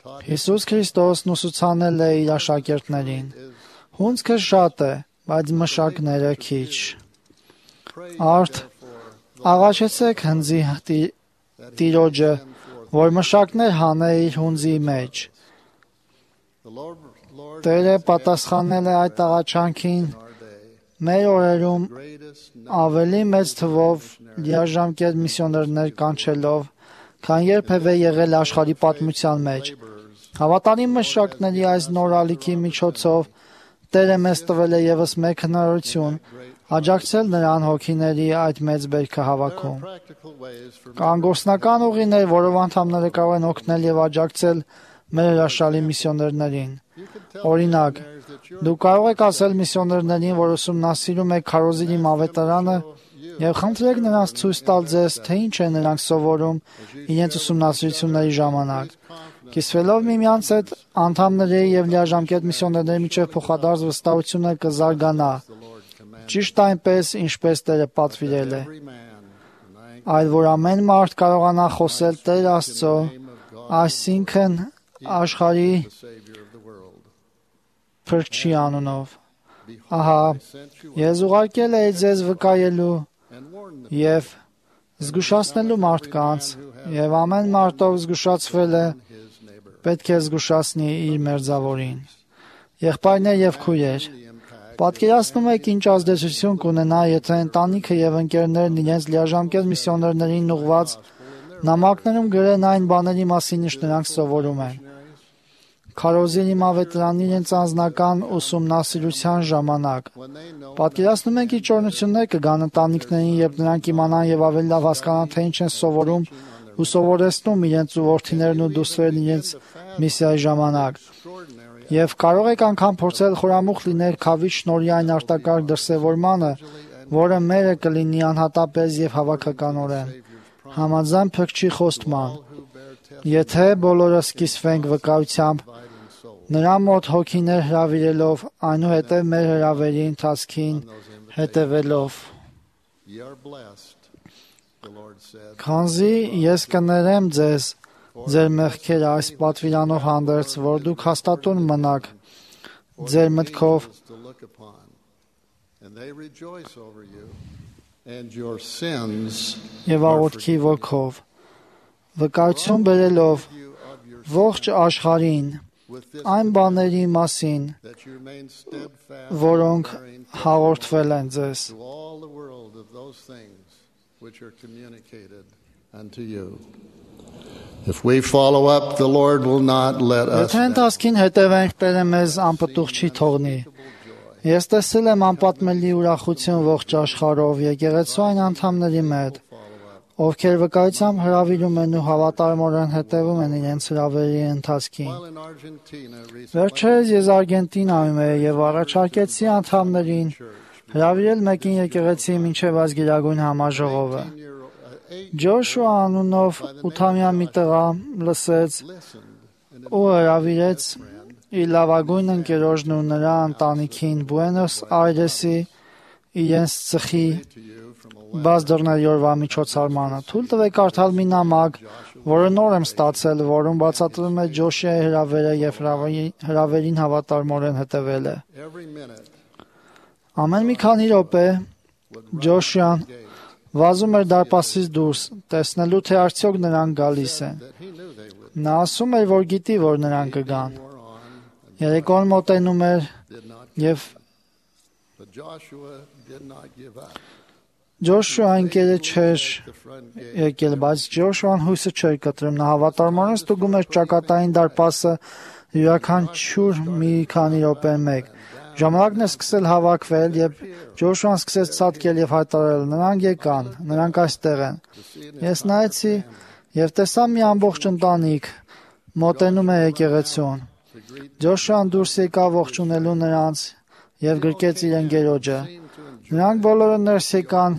Հիսուս Քրիստոսն ուսուցանել է իր աշակերտներին. հունձքը շատ է, բայց մշակները քիչ։ Արդ աղաչեցեք հնձի Տիրոջը, որ մշակներ հանե իր հունձի մեջ։ Տերը պատասխանել է այդ աղաչանքին մեր օրերում ավելի մեծ թվով լիաժամկետ միսիոներներ կանչելով, քան երբևէ եղել աշխարհի պատմության մեջ։ Հավատարիմ մշակների այս նոր ալիքի միջոցով Տերը մեզ տվել է եւս մեկ հնարավորություն աջակցել նրան հոգիների այդ մեծ բերքը հավաքում։ Կան գործնական ուղիներ, որով անդամները կարող են օգնել եւ աջակցել մեր հրաշալի միսիոներներին։ Օրինակ, դուք կարող եք ասել միսիոներներին, որ ուսումնասիրում եք քարոզինի մավետարանը եւ խնդրեք նրանց ցույց տալ ձեզ, թե ինչ են նրանք սովորում իրենց ուսումնասիրությունների ժամանակ։ Կիսվելով միմյանց հետ, անդամների եւ լիաժամկետ միսիոներների միջեւ փոխադարձ վստահությունը կզարգանա, ճիշտ այնպես, ինչպես Տերը պատվիրել է։ Այլ որ ամեն մարդ կարողանա խոսել Տեր Աստծո, այսինքն աշխարհի Փրկչի անունով։ Ահա, ես ուղարկել էի ձեզ վկայելու եւ զգուշացնելու մարդկանց, եւ ամեն մարդով զգուշացվել է, պետք է զգուշացնի իր մերձավորին։ Եղբայրներ եւ քույրեր, պատկերացնում եք ինչ ազդեցություն կունենա, եթե ընտանիքը եւ ընկերներն իրենց լիաժամկետ միսիոներներին ուղղված նամակներում գրեն այն բաների մասին, ինչ նրանք սովորում են։ Քարոզինի մավետարանի իրենց անձնական ուսումնասիրության ժամանակ։ Պատկերացնում եք ինչ օրհնություններ կգան ընտանիքներին, երբ նրանք իմանան եւ ավելի լավ հասկանան, թե ինչ են սովորում ու սովորեցնում իրենց որդիներն ու դուստրերն իրենց միսիայի ժամանակ։ Եվ կարող եք անգամ փորձել խորամուխ լինել քավի շնորհի այն արտակարգ դրսևորմանը, որը մերը կլինի անհատապես եւ հավաքականորեն։ Համաձայն Փրկչի խոստման, եթե բոլորս կիսվենք վկայությամբ, նրա մոտ հոգիներ հրավիրելով, այնուհետև մեր հրավերի ընթացքին հետևելով։ Քանզի ես կներեմ ձեզ, ձեր մեղքերը այս պատվիրանով հանդերձ, որ դուք հաստատուն մնաք ձեր մտքով to look upon, and they rejoice over you, and your sins եւ աղոթքի ոգով, վկայություն բերելով ողջ աշխարհին with this այն բաների մասին, that you remain steadfast, որոնք bearing հաղորդվել են ձեզ։ to all the world of those things which are communicated unto you. If we follow up, the Lord will not let us Եթե ընթացքին հետևենք, Տերը մեզ անպտուղ չի թողնի։ Ես տեսել եմ անպատմելի ուրախություն ողջ աշխարհով եկեղեցու այն անդամների մոտ, ովքեր վկայությամբ հրավիրում են ու հավատարմորեն հետևում են իրենց հրավերի ընթացքին։ While in Argentina recently, Վերջերս ես Արգենտինայում եի եւ առաջարկեցի անդամներին հրավիրել մեկին եկեղեցի մինչեւ այս գերագույն համաժողովը։ Ջոշուա անունով ութամյա մի տղա լսեց ու հրավիրեց իր լավագույն ընկերոջն ու նրա ընտանիքին Բուենոս Այրեսի իրենց ծխի բաց դռների օրվա միջոցառմանը։ Թույլ տվեք կարդալ մի նամակ, որը նոր եմ ստացել, որում բացատրվում է Ջոշուայի հրավերը եւ հրավերին հավատարմորեն հետևելը։ every minute Ամեն մի քանի րոպե Ջոշուան վազում էր դարպասից դուրս, տեսնելու թե արդյոք նրանք գալիս են։ that he knew they would Նա ասում էր, որ գիտի, որ նրանք կգան։ more on, Երեկոն մոտենում էր did not, եւ but Joshua did not give up. Ջոշուա ընկերը չէր The front gate եկել, բայց Ջոշուան հույսը չէր կտրում։ Նա հավատարմորեն ստուգում էր ճակատային դարպասը յուրաքանչյուր մի քանի րոպե մեկ։ Ժամանակն է սկսել հավաքվել, եւ Ջոշուան սկսեց ցատկել եւ հայտարարել. նրանք եկան, նրանք այստեղ են։ Ես նայեցի եւ տեսա մի ամբողջ ընտանիք մոտենում է եկեղեցուն։ Ջոշուան դուրս եկավ ողջունելու նրանց եւ գրկեց իր ընկերոջը։ Նրանք բոլորը ներս եկան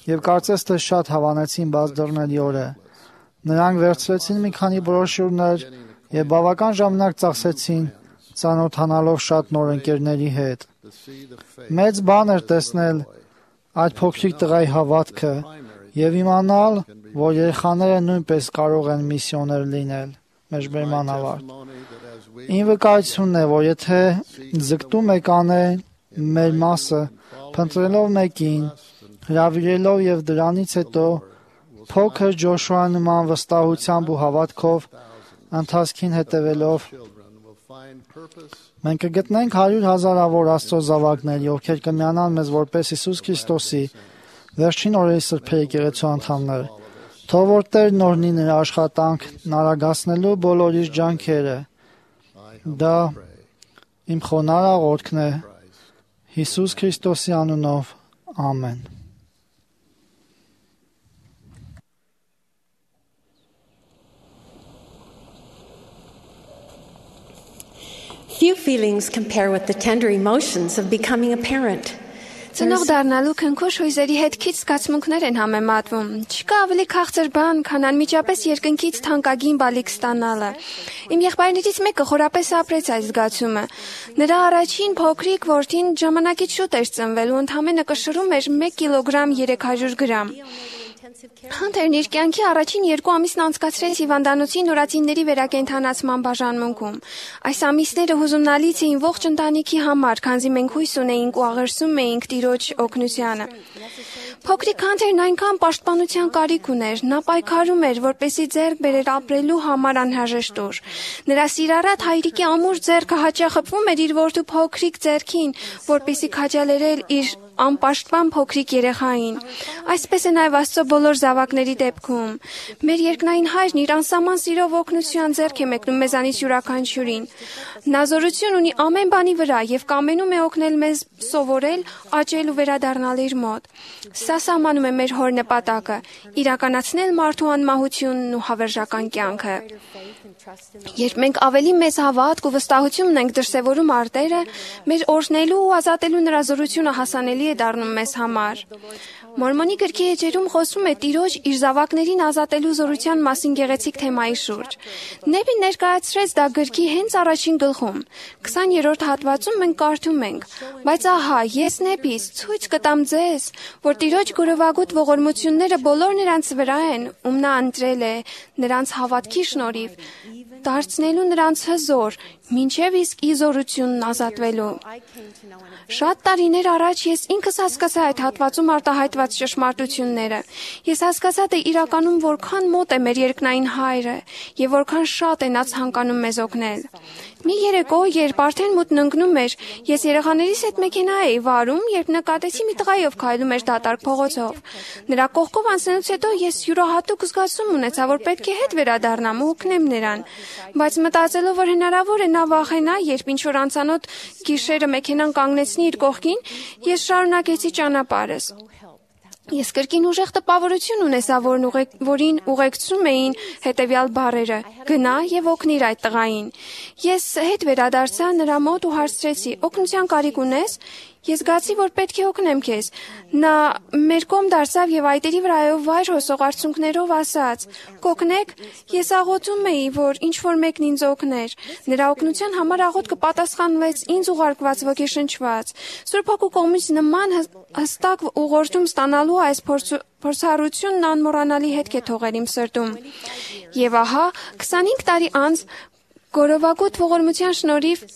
եւ կարծես թե շատ հավանեցին բաց դռների օրը։ Նրանք վերցրեցին մի քանի բրոշյուրներ եւ բավական ժամանակ ծախսեցին ծանոթանալով շատ նոր ընկերների հետ։ to see the faith Մեծ բան էր տեսնել այդ փոքրիկ տղայի հավատքը եւ իմանալ, որ երեխաները նույնպես կարող են միսիոներ լինել։ Մեջբերման ավարտ։ testimony that as we Ին վկայությունն է, որ եթե ձգտում եք անել մեր մասը, փնտրելով մեկին, հրավիրելով եւ դրանից հետո փոքր Ջոշուա նման վստահությամբ ու հավատքով ընթացքին հետևելով children will find purpose մենք կգտնենք հարյուր հազարավոր Աստծո զավակներ, ովքեր կմիանան մեզ որպես Հիսուս Քրիստոսի վերջին օրերի սրբերի եկեղեցու անդամներ։ Թող որ Տերն օրհնի նրա աշխատանքն արագացնելու բոլոր իր ջանքերը։ Դա իմ խոնարհ աղոթքն է Հիսուս Քրիստոսի անունով։ Ամեն։ Few feelings compare with the tender emotions of becoming a parent. Ծնող դառնալու քնքուշ հույզերի հետ քիչ զգացմունքներ են համեմատվում։ Չկա ավելի քաղցր բան, քան անմիջապես երկնքից թանկագին բալիկ ստանալը։ Իմ եղբայրներից մեկը խորապես ապրեց այս զգացումը։ Նրա առաջին փոքրիկ որդին ժամանակից շուտ էր ծնվել ու ընդամենը կշռում էր մեկ կիլոգրամ երեք հարյուր գրամ։ Հանթերն իր կյանքի առաջին երկու ամիսն անցկացրեց հիվանդանոցի նորածինների վերակենդանացման բաժանմունքում։ Այս ամիսները հուզումնալից էին ողջ ընտանիքի համար, քանզի մենք հույս ունեինք ու աղերսում էինք Տիրոջ օգնությանը։ Փոքրիկ Հանթերն այնքան պաշտպանության կարիք ուներ, նա պայքարում էր, որպեսզի ձեռք բերեր ապրելու համար անհրաժեշտ ուժ։ Նրա սիրառատ հայրիկի ամուր ձեռքը հաճախ խփվում էր իր որդու փոքրիկ ձեռքին, որպեսզի քաջալերել իր անպաշտպան փոքրիկ երեխային։ Այսպես է նաև Աստծո բոլոր զավակների դեպքում։ Մեր երկնային հայրն իր անսահման սիրով օգնության ձեռք է մեկնում մեզանից յուրաքանչյուրին։ Նա զորություն ունի ամեն բանի վրա եւ կամենում է օգնել մեզ սովորել, աճել ու վերադառնալ իր մոտ։ Սա սահմանում է մեր հոր նպատակը՝ իրականացնել մարդու անմահությունն ու հավերժական կյանքը։ Երբ մենք ավելի մեծ հավատք ու վստահություն ունենք դրսևորում արտերը, մեր օրհնելու ու ազատելու նրա զորությունը հասանելի է դառնում մեզ համար։ Մորմոնի գրքի էջերում խոսվում է, է Տիրոջ իր զավակներին ազատելու զորության մասին գեղեցիկ թեմայի շուրջ։ Նեբին ներկայացրեց դա գրքի հենց առաջին գլխում։ քսաներորդ հատվածում մենք կարդում ենք. «Բայց ահա, ես Նեբիս ցույց կտամ ձեզ, որ Տիրոջ գորովագութ ողորմությունները բոլոր նրանց վրա են, ում նա ընտրել է, նրանց հավատքի շնորհիվ, դարձնելու նրանց հզոր, մինչև իսկ իզորությունն ազատվելու»։ Շատ տարիներ առաջ ես ինքս հասկացա այդ հատվածում արտահայտված ճշմարտությունները։ Ես հասկացա, թե իրականում որքան մոտ է մեր երկնային Հայրը եւ որքան շատ է նա ցանկանում մեզ օգնել։ Մի երեկո, երբ արդեն մութն ընկնում էր, ես երեխաներիս հետ մեքենա էի վարում, երբ նկատեցի մի տղայի, ով քայլում էր դատարկ փողոցով։ Նրա կողքով անցնելուց հետո ես յուրահատուկ զգացում ունեցա, որ պետք է հետ վերադառնամ ու օգնեմ նրան։ Բայց մտածելով, որ հնարավոր է նա վախենա, երբ ինչ-որ անծանոթ գիշերը մեքենան կանգնեցնի իր կողքին, ես շարունակեցի ճանապարհս։ Ես կրկին ուժեղ տպավորություն ունեցա, որն ուղեկ, որին ուղեկցում էին հետևյալ բառերը. «Գնա եւ օգնիր այդ տղային»։ Ես հետ վերադարձա նրա մոտ ու հարցրեցի. «Օգնության կարիք ունես»։ Ես զգացի, որ պետք է օգնեմ քեզ։ Նա մեր կողմ դարձավ եւ այտերի վրայով վայր հոսող արցունքներով ասաց. «Կօգնեք»։ Ես աղոթում էի, որ ինչ որ մեկն ինձ օգներ։ Նրա օգնության համար աղոթքը պատասխանվեց ինձ ուղարկված ոգեշնչված։ Սուրբ Հոգու կողմից նման հստակ ուղղորդում ստանալու այս փորձառությունն անմոռանալի հետք է թողել իմ սրտում։ Եվ ահա, քսանհինգ տարի անց գորովագութ ողորմության շնորհիվ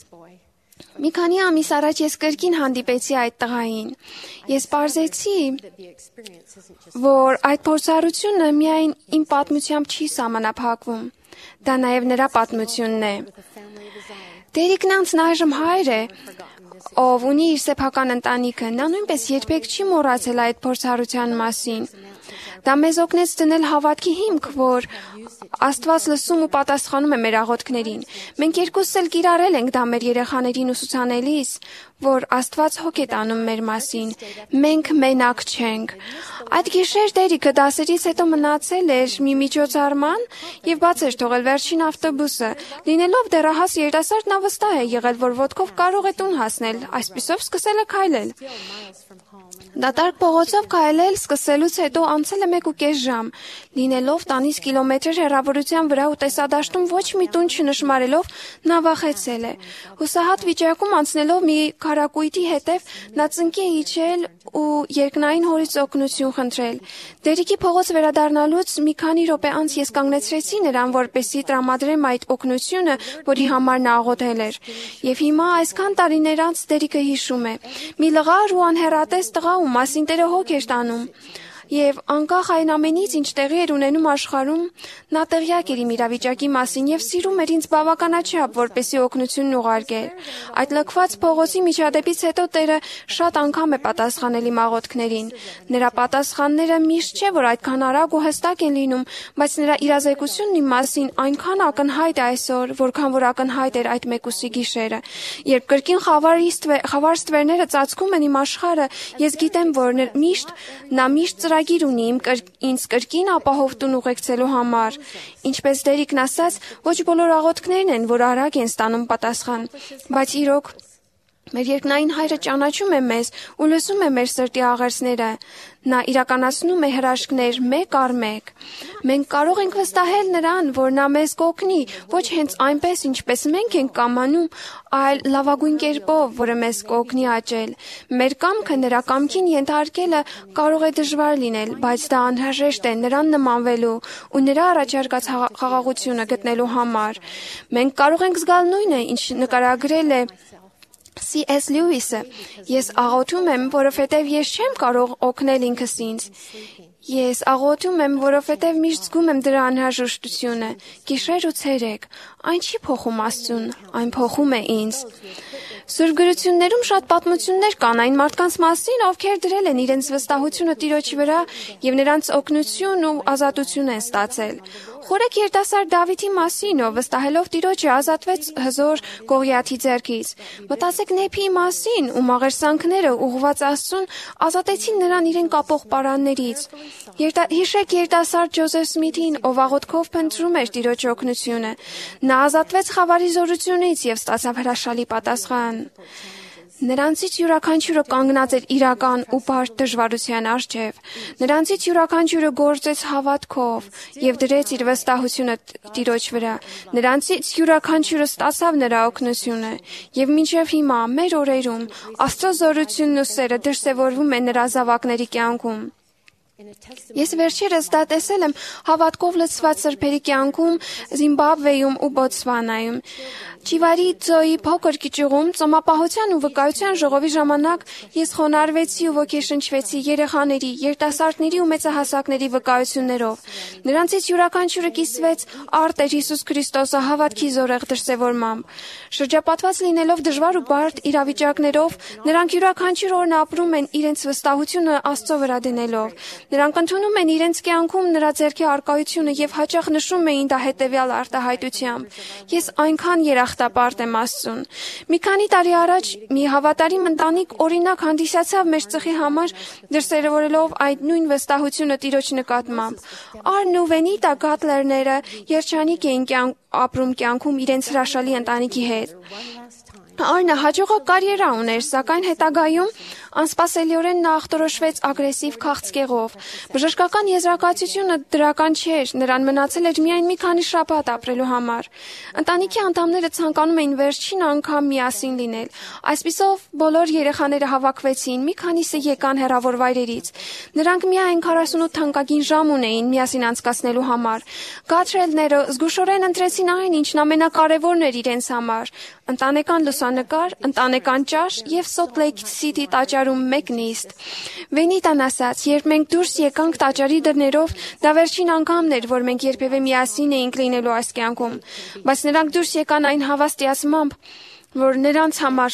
մի քանի ամիս առաջ ես կրկին հանդիպեցի այդ տղային։ Ես պարզեցի, որ այդ փորձառությունը միայն իմ պատմությամբ չի սահմանափակվում։ Դա նաև նրա պատմությունն է։ Տերիկնանցն այժմ հայր է, ով ունի իր սեփական ընտանիքը, նա նույնպես երբեք չի մոռացել այդ փորձառության մասին։ Դա մեզ օգնեց դնել հավատքի հիմք, որ Աստված լսում ու պատասխանում է մեր աղոթքներին։ Մենք երկուսս էլ կիրառել ենք դա մեր երեխաներին ուսուցանելիս, որ Աստված հոգ է տանում մեր մասին։ Մենք մենակ չենք։ Այդ գիշեր Տերիկը դասերից հետո մնացել էր մի միջոցառման եւ բաց էր թողել վերջին ավտոբուսը։ Լինելով դեռահաս երիտասարդ, նա վստահ է եղել, որ ոտքով կարող է տուն հասնել, այսպիսով սկսել է քայլել։ Դատարկ փողոցով քայլել սկսելուց հետո անցել է մեկ ու կես ժամ։ Լինելով տանից կիլոմետրեր հեռավորության վրա ու տեսադաշտում ոչ մի տուն չնշմարելով, նա վախեցել է։ Հուսահատ վիճակում անցնելով մի քարակույտի հետև, նա ծնկի է իջել ու երկնային հորից օգնություն խնդրել։ Տերիկի փողոց վերադառնալուց մի քանի րոպե անց ես կանգնեցրեցի նրան, որպեսզի տրամադրեմ այդ օգնությունը, որի համար նա աղոթել էր։ Եվ հիմա այսքան տարիներ անց Տերիկը հիշում է. մի լղար ու անհեռատես տղա, ում մասին Տերը հոգ էր տանում։ Եվ անկախ այն ամենից, ինչ տեղի էր ունենում աշխարհում, նա տեղյակ էր իմ իրավիճակի մասին եւ սիրում էր ինձ բավականաչափ, որպեսզի օգնությունն ուղարկեր։ Այդ լքված փողոցի միջադեպից հետո Տերը շատ անգամ է պատասխանել իմ աղոթքներին։ Նրա պատասխանները միշտ չէ, որ այդքան արագ ու հստակ են լինում, բայց նրա իրազեկությունն իմ մասին այնքան ակնհայտ է այսօր, որքան որ ակնհայտ էր այդ մեկուսի գիշերը։ Երբ կրկին խավար ստվերները ծածկում են իմ աշխարհը, ես գիտեմ, որ միշտ նա միշտ ծրագիր ունի իմ կր, ինձ կրկին ապահով տուն ուղեկցելու համար։ Ինչպես Տերիկն ասաց, ոչ բոլոր աղոթքներն են, որ արագ են ստանում պատասխան, բայց իրոք մեր երկնային Հայրը ճանաչում է մեզ ու լսում է մեր սրտի աղերսները։ Նա իրականացնում է հրաշքներ մեկ առ մեկ։ Մենք կարող ենք վստահել նրան, որ նա մեզ կօգնի, ոչ հենց այնպես, ինչպես մենք ենք կամանում, այլ լավագույն կերպով, որը մեզ կօգնի աճել։ Մեր կամքը նրա կամքին ենթարկելը կարող է դժվար լինել, բայց դա անհրաժեշտ է նրան նմանվելու ու նրա առաջարկած խաղաղությունը գտնելու համար։ Մենք կարող ենք զգալ նույնը, ինչ նկարագրել է Սի Էս Լյուիսը. ես աղոթում եմ, որովհետև ես չեմ կարող օգնել ինքս ինձ։ Ես աղոթում եմ, որովհետև միշտ զգում եմ դրա անհրաժեշտությունը։ Գիշեր ու ցերեկ, այն չի փոխում Աստծուն, այն փոխում է ինձ։ Սուրբ գրություններում շատ պատմություններ կան այն մարդկանց մասին, ովքեր դրել են իրենց վստահությունը Տիրոջի վրա եւ նրանց օգնություն ու ազատություն են ստացել։ Խորեք երիտասարդ Դավիթի մասին, ով վստահելով Տիրոջը ազատվեց հզոր Գողիաթի ձեռքից։ Մտածեք Նեբիի մասին, ում աղերսանքները ուղղված Աստծուն ազատեցին նրան իրեն կապող պարաններից։ Երտա, հիշեք երիտասարդ Ջոզեֆ Սմիթին, ով աղոթքով փնտրում էր Տիրոջի օգնությունը։ Նա ազատվեց խավարի զորությունից եւ ստացավ հրաշալի պատասխան։ Նրանցից յուրաքանչյուրը կանգնած էր իրական ու բարդ դժվարության առջև։ Նրանցից յուրաքանչյուրը գործեց հավատքով եւ դրեց իր վստահությունը Տիրոջ վրա։ Նրանցից յուրաքանչյուրը ստացավ նրա օգնությունը եւ մինչեւ հիմա մեր օրերում Աստծո զորությունն ու սերը դրսևորվում է նրա զավակների կյանքում։ Ես վերջերս դա տեսել եմ հավատքով լցված սրբերի կյանքում Զիմբաբվեում ու Բոտսվանայում։ Չիվարի ծոյի փոքր կիճուղում ծոմապահության ու վկայության ժողովի ժամանակ ես խոնարհվեցի ու ոգեշնչվեցի երեխաների, երիտասարդների ու մեծահասակների վկայություններով։ Նրանցից յուրաքանչյուրը կիսվեց առ Տեր Հիսուս Քրիստոսը հավատքի զորեղ դրսևորմամբ։ Շրջապատված լինելով դժվար ու բարդ իրավիճակներով, նրանք յուրաքանչյուր օրն ապրում են իրենց վստահությունը Աստծո վրա դնելով։ Նրանք ընդունում են իրենց կյանքում նրա ձեռքի արկայությունը եւ հաճախ նշում էին դա հետեւյալ արտահայտությամբ. Ես այնքան երախտապարտ եմ Աստծուն։ Մի քանի տարի առաջ մի հավատարիմ ընտանիք օրինակ հանդիսացավ մեր ծխի համար, դրսևորելով այդ նույն վստահությունը Տիրոջ նկատմամբ։ Արն ու Վենիտա Գատլերները երջանիկ էին կյանք ապրում կյանքում իրենց հրաշալի ընտանիքի հետ։ Արնը հաջողակ կարիերա ուներ, սակայն հետագայում անսպասելիորեն նա ախտորոշվեց ագրեսիվ քաղցկեղով։ Բժշկական եզրակացությունը դրական չէր, նրան մնացել էր միայն մի քանի շաբաթ ապրելու համար։ Ընտանիքի անդամները ցանկանում էին վերջին անգամ միասին լինել։ Այսպիսով բոլոր երեխաները հավաքվեցին, մի քանիսը եկան հեռավոր վայրերից։ Նրանք միայն քառասունութ թանկագին ժամ ունեին միասին անցկացնելու համար։ Գատրելները զգուշորեն ընտրեցին այն, ինչն ամենակարևորն էր իրենց համար՝ ընտանեկան լուսանկար, ընտանեկան ճաշ եւ Salt Lake City տաճարում մեկ նիստ։ Վենիտան ասաց, երբ մենք դուրս եկանք տաճարի դռներով, դա վերջին անգամն էր, որ մենք երբևէ միասին էինք լինելու այս կյանքում, բայց նրանք դուրս եկան այն հավաստիացմամբ, որ նրանց համար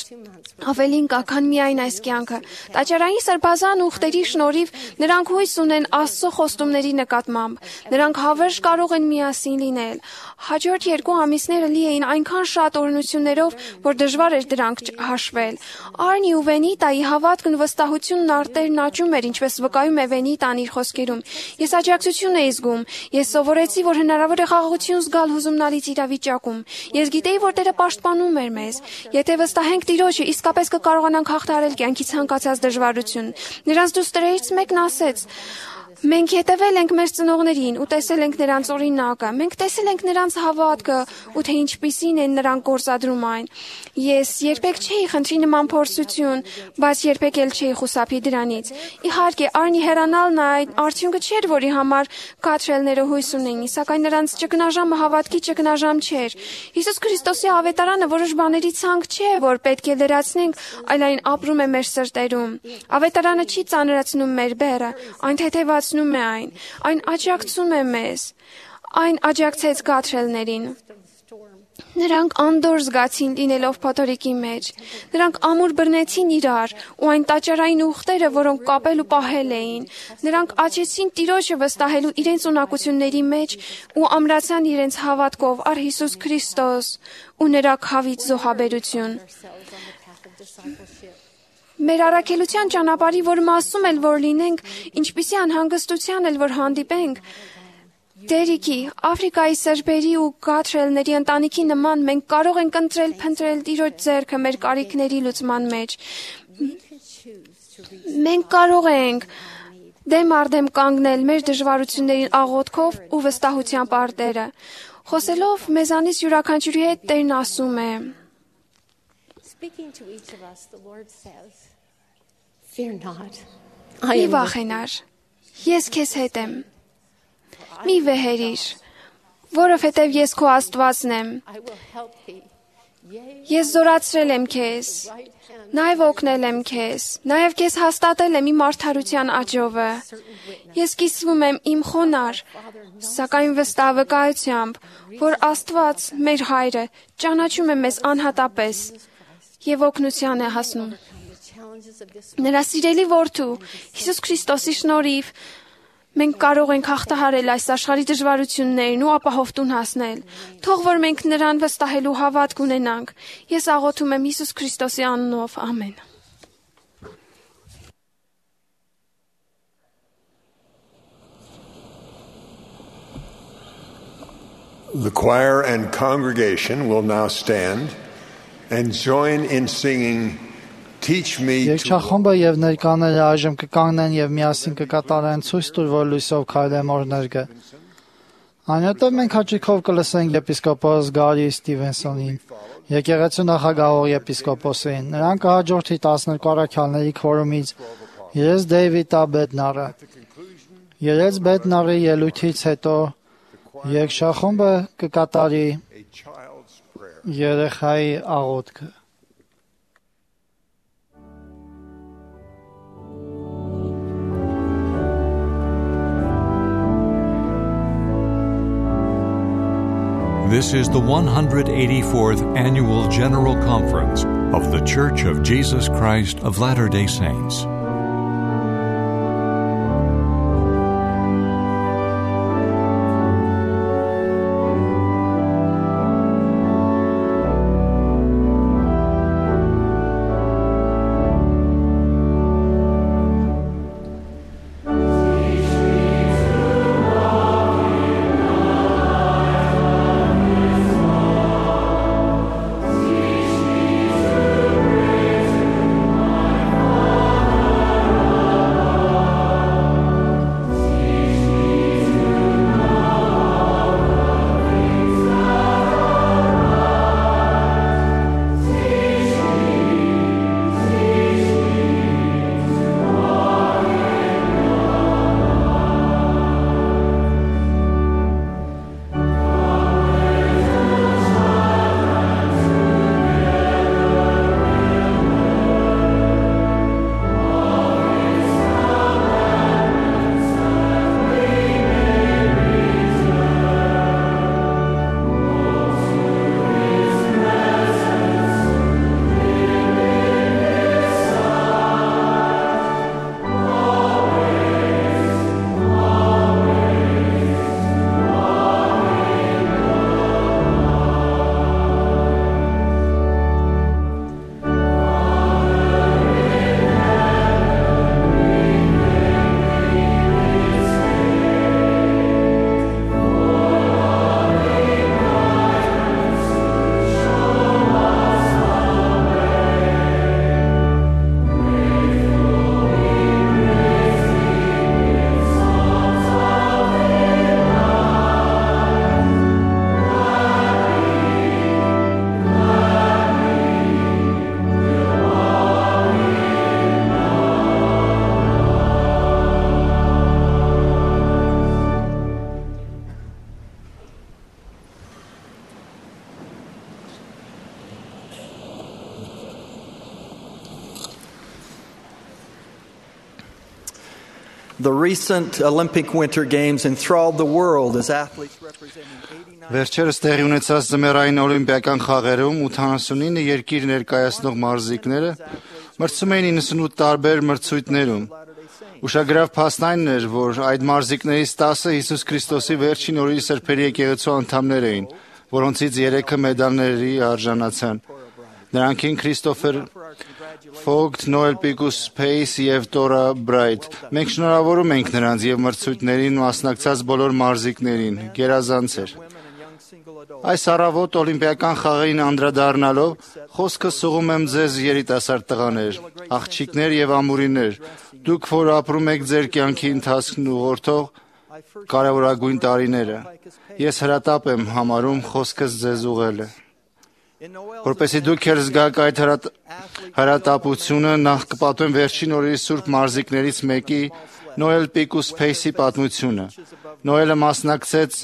ավելին կա, քան միայն այս կյանքը։ Տաճարային սրբազան ուխտերի շնորհիվ նրանք հույս ունեն Աստծո խոստումների նկատմամբ։ Նրանք հավերժ կարող են միասին լինել։ Հաջորդ երկու ամիսները լի էին այնքան շատ օրհնություններով, որ դժվար էր դրանք հաշվել։ Արնի ու Վենիտայի հավատքն ու վստահությունն արտերն աճում էր, ինչպես վկայում է Վենիտան իր խոսքերում։ Ես աջակցություն էի զգում։ Ես սովորեցի, որ հնարավոր է խաղաղություն զգալ հուզումնալից իրավիճակում։ Ես գիտեի, որ Տերը պաշտպանում էր մեզ։ Եթե վստահենք Տիրոջը, իսկապես կկարողանանք հաղթահարել կյանքի ցանկացած դժվարություն։ Նրանց դուստրերից մեկն ասեց. Մենք հետևել ենք մեր ծնողներին ու տեսել ենք նրանց օրինակը։ Մենք տեսել ենք նրանց հավատքը ու թե ինչպիսին են նրանք գործադրում այն։ Ես երբեք չէի խնդրի նման փորձություն, բայց երբեք էլ չէի խուսափի դրանից։ Իհարկե, Արնի հեռանալն այն արդյունքը չէր, որի համար Գատրելները հույս ունեին, սակայն նրանց ճգնաժամը հավատքի ճգնաժամ չէր։ Հիսուս Քրիստոսի ավետարանը որոշ բաների ցանկ չէ, որ պետք է լրացնենք, այլ այն ապրում է մեր սրտերում։ Ավետարանը չի ծանրացնում մեր բեռը, այն թեթևացնում է այն, այն աջակցում է մեզ, այն աջակցեց Գատրելներին։ Նրանք անդոր զգացին լինելով փոթորիկի մեջ։ Նրանք ամուր բռնեցին իրար ու այն տաճարային ուխտերը, որոնք կապել ու պահել էին։ Նրանք աճեցին Տիրոջը վստահելու իրենց ունակությունների մեջ ու ամրացան իրենց հավատքով առ Հիսուս Քրիստոս ու նրա քավից զոհաբերություն։ Մեր առաքելության ճանապարհի, որ մասում էլ որ լինենք, ինչպիսի անհանգստության էլ որ հանդիպենք, Դերիքի, Աֆրիկայի սրբերի ու Գատրելների ընտանիքի նման մենք կարող ենք ընտրել փնտրել Տիրոջ ձեռքը մեր կարիքների լուծման մեջ։ Մենք կարող ենք դեմ առ դեմ կանգնել մեր դժվարություններին աղոթքով ու վստահությամբ առ Տերը։ Խոսելով մեզանից յուրաքանչյուրի հետ Տերն ասում է. Մի վախենար, ես քեզ հետ եմ։ Մի վեհերիր, որովհետև ես քո Աստվածն եմ։ Ես զորացրել եմ քեզ, նաև օգնել եմ քեզ, նաև քեզ հաստատել եմ իմ արդարության աջովը։ Ես կիսվում եմ իմ խոնար, սակայն վստահ վկայությամբ, որ Աստված, մեր Հայրը, ճանաչում է մեզ անհատապես և օգնության է հասնում։ Նրա սիրելի որդու, Հիսուս Քրիստոսի շնորհիվ, մենք կարող ենք հաղթահարել այս աշխարհի դժվարություններն ու ապահով տուն հասնել։ Թող որ մենք նրան վստահելու հավատք ունենանք։ Ես աղոթում եմ Հիսուս Քրիստոսի անունով, ամեն։ The choir and congregation will now stand and join in singing Teach me to Երկչախումբը եւ ներկաները այժմ կկանգնեն եւ միասին կկատարեն ցույց տուր, որ լույսով քայլեմ օրներգը։ Այնուհետև մենք հաճիկով կլսենք եպիսկոպոս Գարի Ստիվենսոնին, եկեղեցու նախագահող եպիսկոպոսին։ Նրան կհաջորդի տասներկու առաքյալների քորումից Երես Դեյվիդ Բեդնարը։ Երես Բեդնարի ելույթից հետո երկչախումբը կկատարի a child's prayer. երեխայի աղոթքը։ This is the one hundred eighty-fourth Annual General Conference of The Church of Jesus Christ of Latter-day Saints. The recent Olympic Winter Games enthralled the world as athletes representing eighty-nine Վերջերս տեղի ունեցած ձմեռային օլիմպիական խաղերում ութանասունինը երկիր ներկայացնող մարզիկները մրցում էին իննսունութ տարբեր մրցույթներում։ Ուշագրավ փաստն էր, որ այդ մարզիկներից տասը Հիսուս Քրիստոսի վերջին օրերի սրբերի եկեղեցու անդամներ էին, որոնցից երեքը մեդալների արժանացան։ Նրանք են Քրիստոֆեր Ֆոգտ, Նոել Պիկուս Փեյս եւ Տորա Բրայթ։ Մենք շնորհավորում ենք նրանց եւ մրցույթներին մասնակցած բոլոր մարզիկներին։ Գերազանց էր։ Այս առավոտ օլիմպիական խաղերին անդրադառնալով խոսքը սուղում եմ ձեզ երիտասարդ տղաներ, աղջիկներ եւ ամուրիներ, դուք որ ապրում եք ձեր կյանքի ընթացքն ուղղորդող կարևորագույն տարիները։ Ես հրատապ եմ համարում խոսքս ձեզ ուղղելը։ Որպեսզի դուք էլ զգաք այդ հրատապությունը, նախ կպատմեմ վերջին օրերի սուրբ մարզիկներից մեկի Նոել Պիկուս Փեյսի պատմությունը։ Նոելը մասնակցեց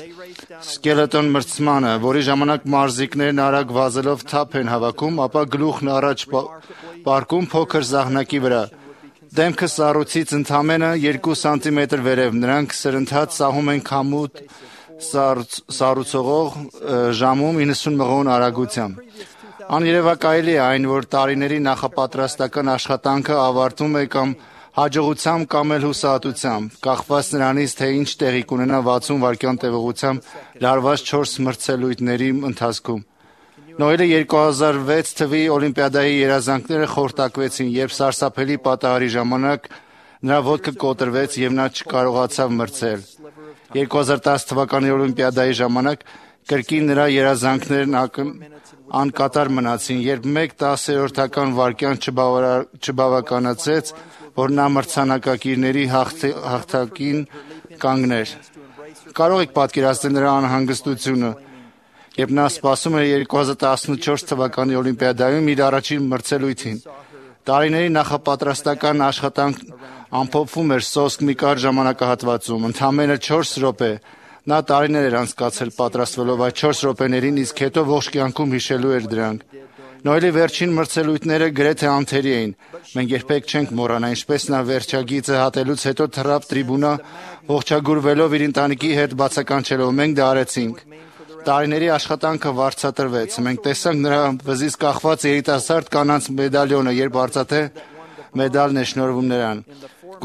սկելետոն մրցմանը, որի ժամանակ մարզիկներն արագ վազելով թափ են հավաքում, ապա գլուխն առաջ պարկում փոքր զահնակի վրա։ Դեմքը սառույցից ընդամենը երկու սանտիմետր վերև, նրանք սրընթաց սահում են քամուտ սառուցողող ժամում իննսուն մղոն արագությամբ։ Աներևակայելի է այն, որ տարիների նախապատրաստական աշխատանքը ավարտվում է կամ հաջողությամբ կամ էլ հուսահատությամբ, կախված նրանից, թե ինչ տեղի կունենա վաթսուն վայրկյան տևողությամբ լարված չորս մրցելույթների ընթացքում։ Նոելը երկու հազար վեց թվականի օլիմպիադայի երազանքները խորտակվեցին, երբ սարսափելի պատահարի ժամանակ նրա ոտքը կոտրվեց եւ նա չկարողացավ մրցել։ երկու հազար տասը թվականի օլիմպիադայի ժամանակ կրկին նրա երազանքներն անկատար մնացին, երբ մեկ տասերորդական վայրկյան չբավականացեց, որ նա մրցանակակիրների հաղթակին կանգներ։ Կարող եք պատկերացնել նրա անհանգստությունը, երբ նա սպասում էր երկու հազար տասնչորս թվականի Օլիմպիադայում իր առաջին մրցելույթին։ Տարիների նախապատրաստական աշխատանքն ամփոփվում էր սոսկ մի կարճ ժամանակահատվածում, ընդամենը չորս րոպե։ Նա տարիներ էր անցկացրել պատրաստվելով այդ չորս րոպեներին, իսկ հետո ողջ կյանքում հիշելու էր դրանք։ Նոյելի վերջին մրցելույթները գրեթե անթերի էին։ Մենք երբեք չենք մոռանա, ինչպես նա վերջագիծը հատելուց հետո թռավ տրիբունա, ողջագուրվելով իր ընտանիքի հետ բացականչելով։ Մենք դա արեցինք։ Տարիների աշխատանքը վարձատրվեց։ Մենք տեսանք նրա վզից կախված երիտասարդ կանանց մեդալյոնը, երբ արծաթե մեդալն է շնորհվում նրան։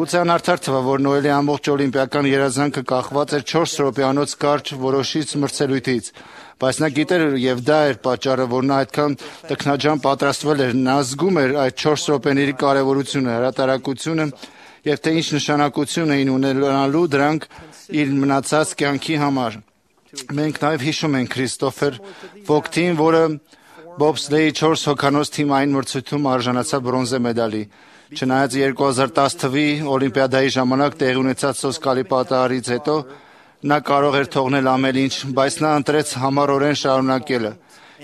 Գուցե անարդար թվա, որ Նոյելի ամբողջ օլիմպիական երազանքը կախված էր չորս րոպեանոց կարճ որոշիչ մրցելույթից, բայց նա գիտեր, եւ դա էր պատճառը, որ նա այդքան տքնաջան պատրաստվել էր։ Նա զգում էր այդ չորս րոպեների կարևորությունը, հրատարակությունը եւ թե ինչ նշանակություն էին ունենալու դրանք իր մնացած կյանքի համար։ Մենք նաեւ հիշում ենք Քրիստոֆեր Վոգթին, որը բոբսլեյի չորս հոգանոց թիմային մրցույթում արժանացավ բրոնզե մեդալի։ Չնայած երկու հազար տասը թվականի Օլիմպիադայի ժամանակ տեղի ունեցած սոսկալի պատահարից հետո նա կարող էր թողնել ամեն ինչ, բայց նա ընտրեց համառորեն շարունակելը։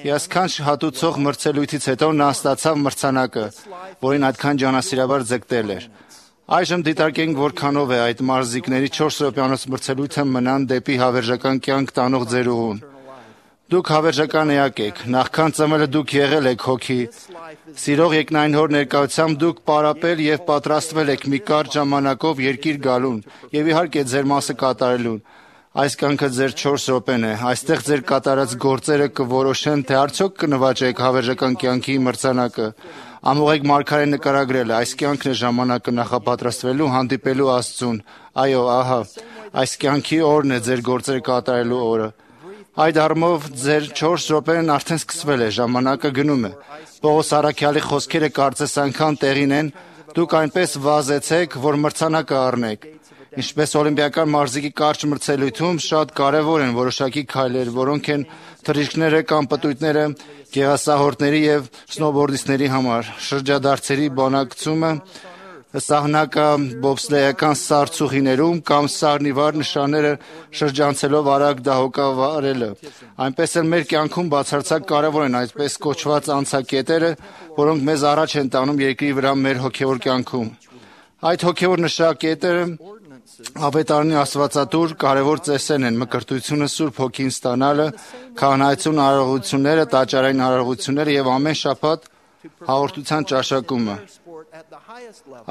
Հիասքանչ հատուցող մրցելույթից հետո նա ստացավ մրցանակը, որին այդքան ջանասիրաբար ձգտել էր։ Այժմ դիտարկենք որքանով է այդ մարզիկների չորս րոպեանոց մրցելույթը մնան դեպի հավերժական կյանք տանող ձեր ուղուն։ Դուք հավերժական էակ եք, նախքան ծնվելը դուք եղել եք հոգի։ Սիրող եկնային հոր ներկայությամբ դուք պարապել եւ պատրաստվել եք մի կարճ ժամանակով երկիր գալուն եւ իհարկե ձեր մասը կատարելուն։ Այս կյանքը ձեր չորս րոպեն է, այստեղ ձեր կատարած գործերը կորոշեն, թե արդյոք կնվաճեք հավերժական կյանքի մրցանակը։ Ամուղեք մարգարեն նկարագրել է, այս կյանքն է ժամանակը նախապատրաստվելու, հանդիպելու Աստծուն։ Այո, ահա, այս կյանքի օրն է ձեր գործերը կատարելու օրը։ Այդ առումով ձեր չորս րոպեն արդեն սկսվել է, ժամանակը գնում է։ Պողոս առաքյալի խոսքերը կարծես այնքան տեղին են, դուք այնպես վազեցեք, որ մրցանակը առնեք։ Ինչպես օլիմպիական մարզիկի կարճ մրցելույթում շատ կարևոր են որոշակի քայլեր, որոնք են թռիչքները կամ պտույտները գեղասահորդների եւ սնոուբորդիստների համար, շրջադարձերի բանակցումը, սահնակա բոբսլեյական սարցուղիներում կամ սառնիվար նշանները շրջանցելով արագ դահոկավարելը։ Այնպես էլ մեր կյանքում բացարձակ կարևոր են այսպես կոչված անցակետերը, որոնք մեզ առաջ են տանում երկրի վրա մեր հոգևոր կյանքում։ Այդ հոգևոր նշակետերը ավետարանի աստվածատուր կարևոր ծեսերն են՝ մկրտությունը, Սուրբ Հոգին ստանալը, քահանայություն արարողությունները, տաճարային արարողությունները եւ ամեն շաբաթ հաղորդության ճաշակումը։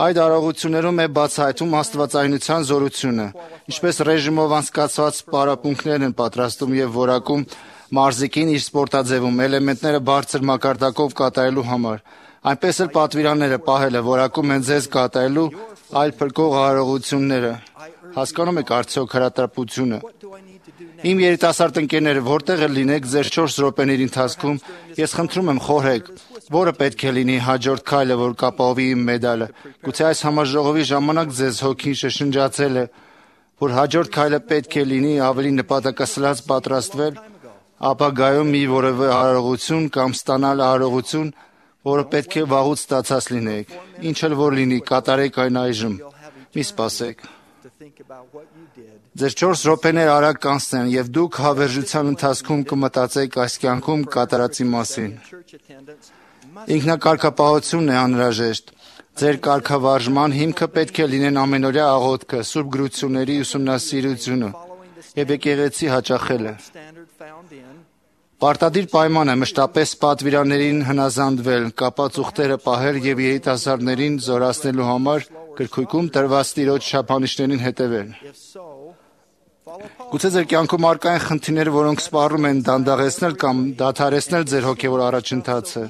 Այդ արարողություններում է բացահայտում աստվածայնության զորությունը, ինչպես ռեժիմով անցկացված պարապմունքներն են պատրաստում եւ որակում մարզիկին իր սպորտաձևում էլեմենտները բարձր մակարդակով կատարելու համար։ Այնպես էլ պատվիրանները պահելը որակում են ձեզ կատարելու այլ փրկող արարողությունները։ Հասկանում եք արդյոք հրատրապությունը։ Իմ երիտասարդ ընկերները, որտեղ էլ լինեք ձեր չորս րոպեների ընթացքում, ես խնդրում եմ խորհեք, որը պետք է լինի հաջորդ քայլը, որ կապահովի իմ մեդալը։ Գուցե այս համաժողովի ժամանակ ձեզ հոգին շշնջացել է, որ հաջորդ քայլը պետք է լինի ավելի նպատակասլաց պատրաստվել, ապագայում մի որևէ արարողություն կամ ստանալ արարողություն, որը պետք է վաղուց ստացած լինեք։ Ինչ էլ որ լինի, կատարեք այն այժմ։ Մի սպասեք։ Ձեր չորս րոպեներ արագ կանցնեն եւ դուք հավերժության ընթացքում կմտածեք այս կյանքում կատարածի մասին։ Ինքնակարգապահությունն է անհրաժեշտ։ Ձեր կարգավարժման հիմքը պետք է լինեն ամենօրյա աղոթքը, սուրբ գրությունների ուսումնասիրությունը եւ եկեղեցի հաճախելը։ Պարտադիր պայման է մշտապես պատվիրաններին հնազանդվել, կապած ուխտերը պահել եւ երիտասարդներին զորացնելու համար գրքույկում տրված տիրոջ չափանիշներին հետևել։ Գուցե ձեր կյանքում առկա են խնդիրներ, որոնք սպառում են դանդաղեցնել կամ դադարեցնել ձեր հոգևոր առաջընթացը։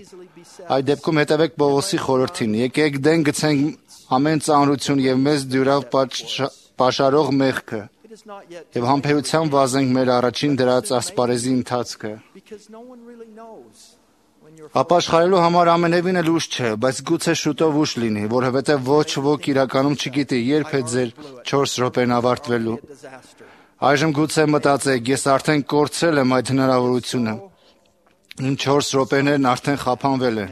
Այդ դեպքում հետևեք Պողոսի խորհրդին։ Եկեք դեն գցենք ամեն ծանրություն եւ մեզ դյուրավ պաշարող մեղքը եւ համբերությամբ վազենք մեր առաջին դրած ասպարեզի ընթացքը։ Ապաշխարելու համար ամենևին էլ ուշ չէ, բայց գուցե շուտով ուշ լինի, որովհետեւ ոչ ոք իրականում չգիտի երբ է ձեր չորս րոպեն ավարտվելու։ Այժմ գուցե մտածեք, ես արդեն կորցրել եմ այդ հնարավորությունը։ Իմ չորս րոպեներն արդեն խափանվել են։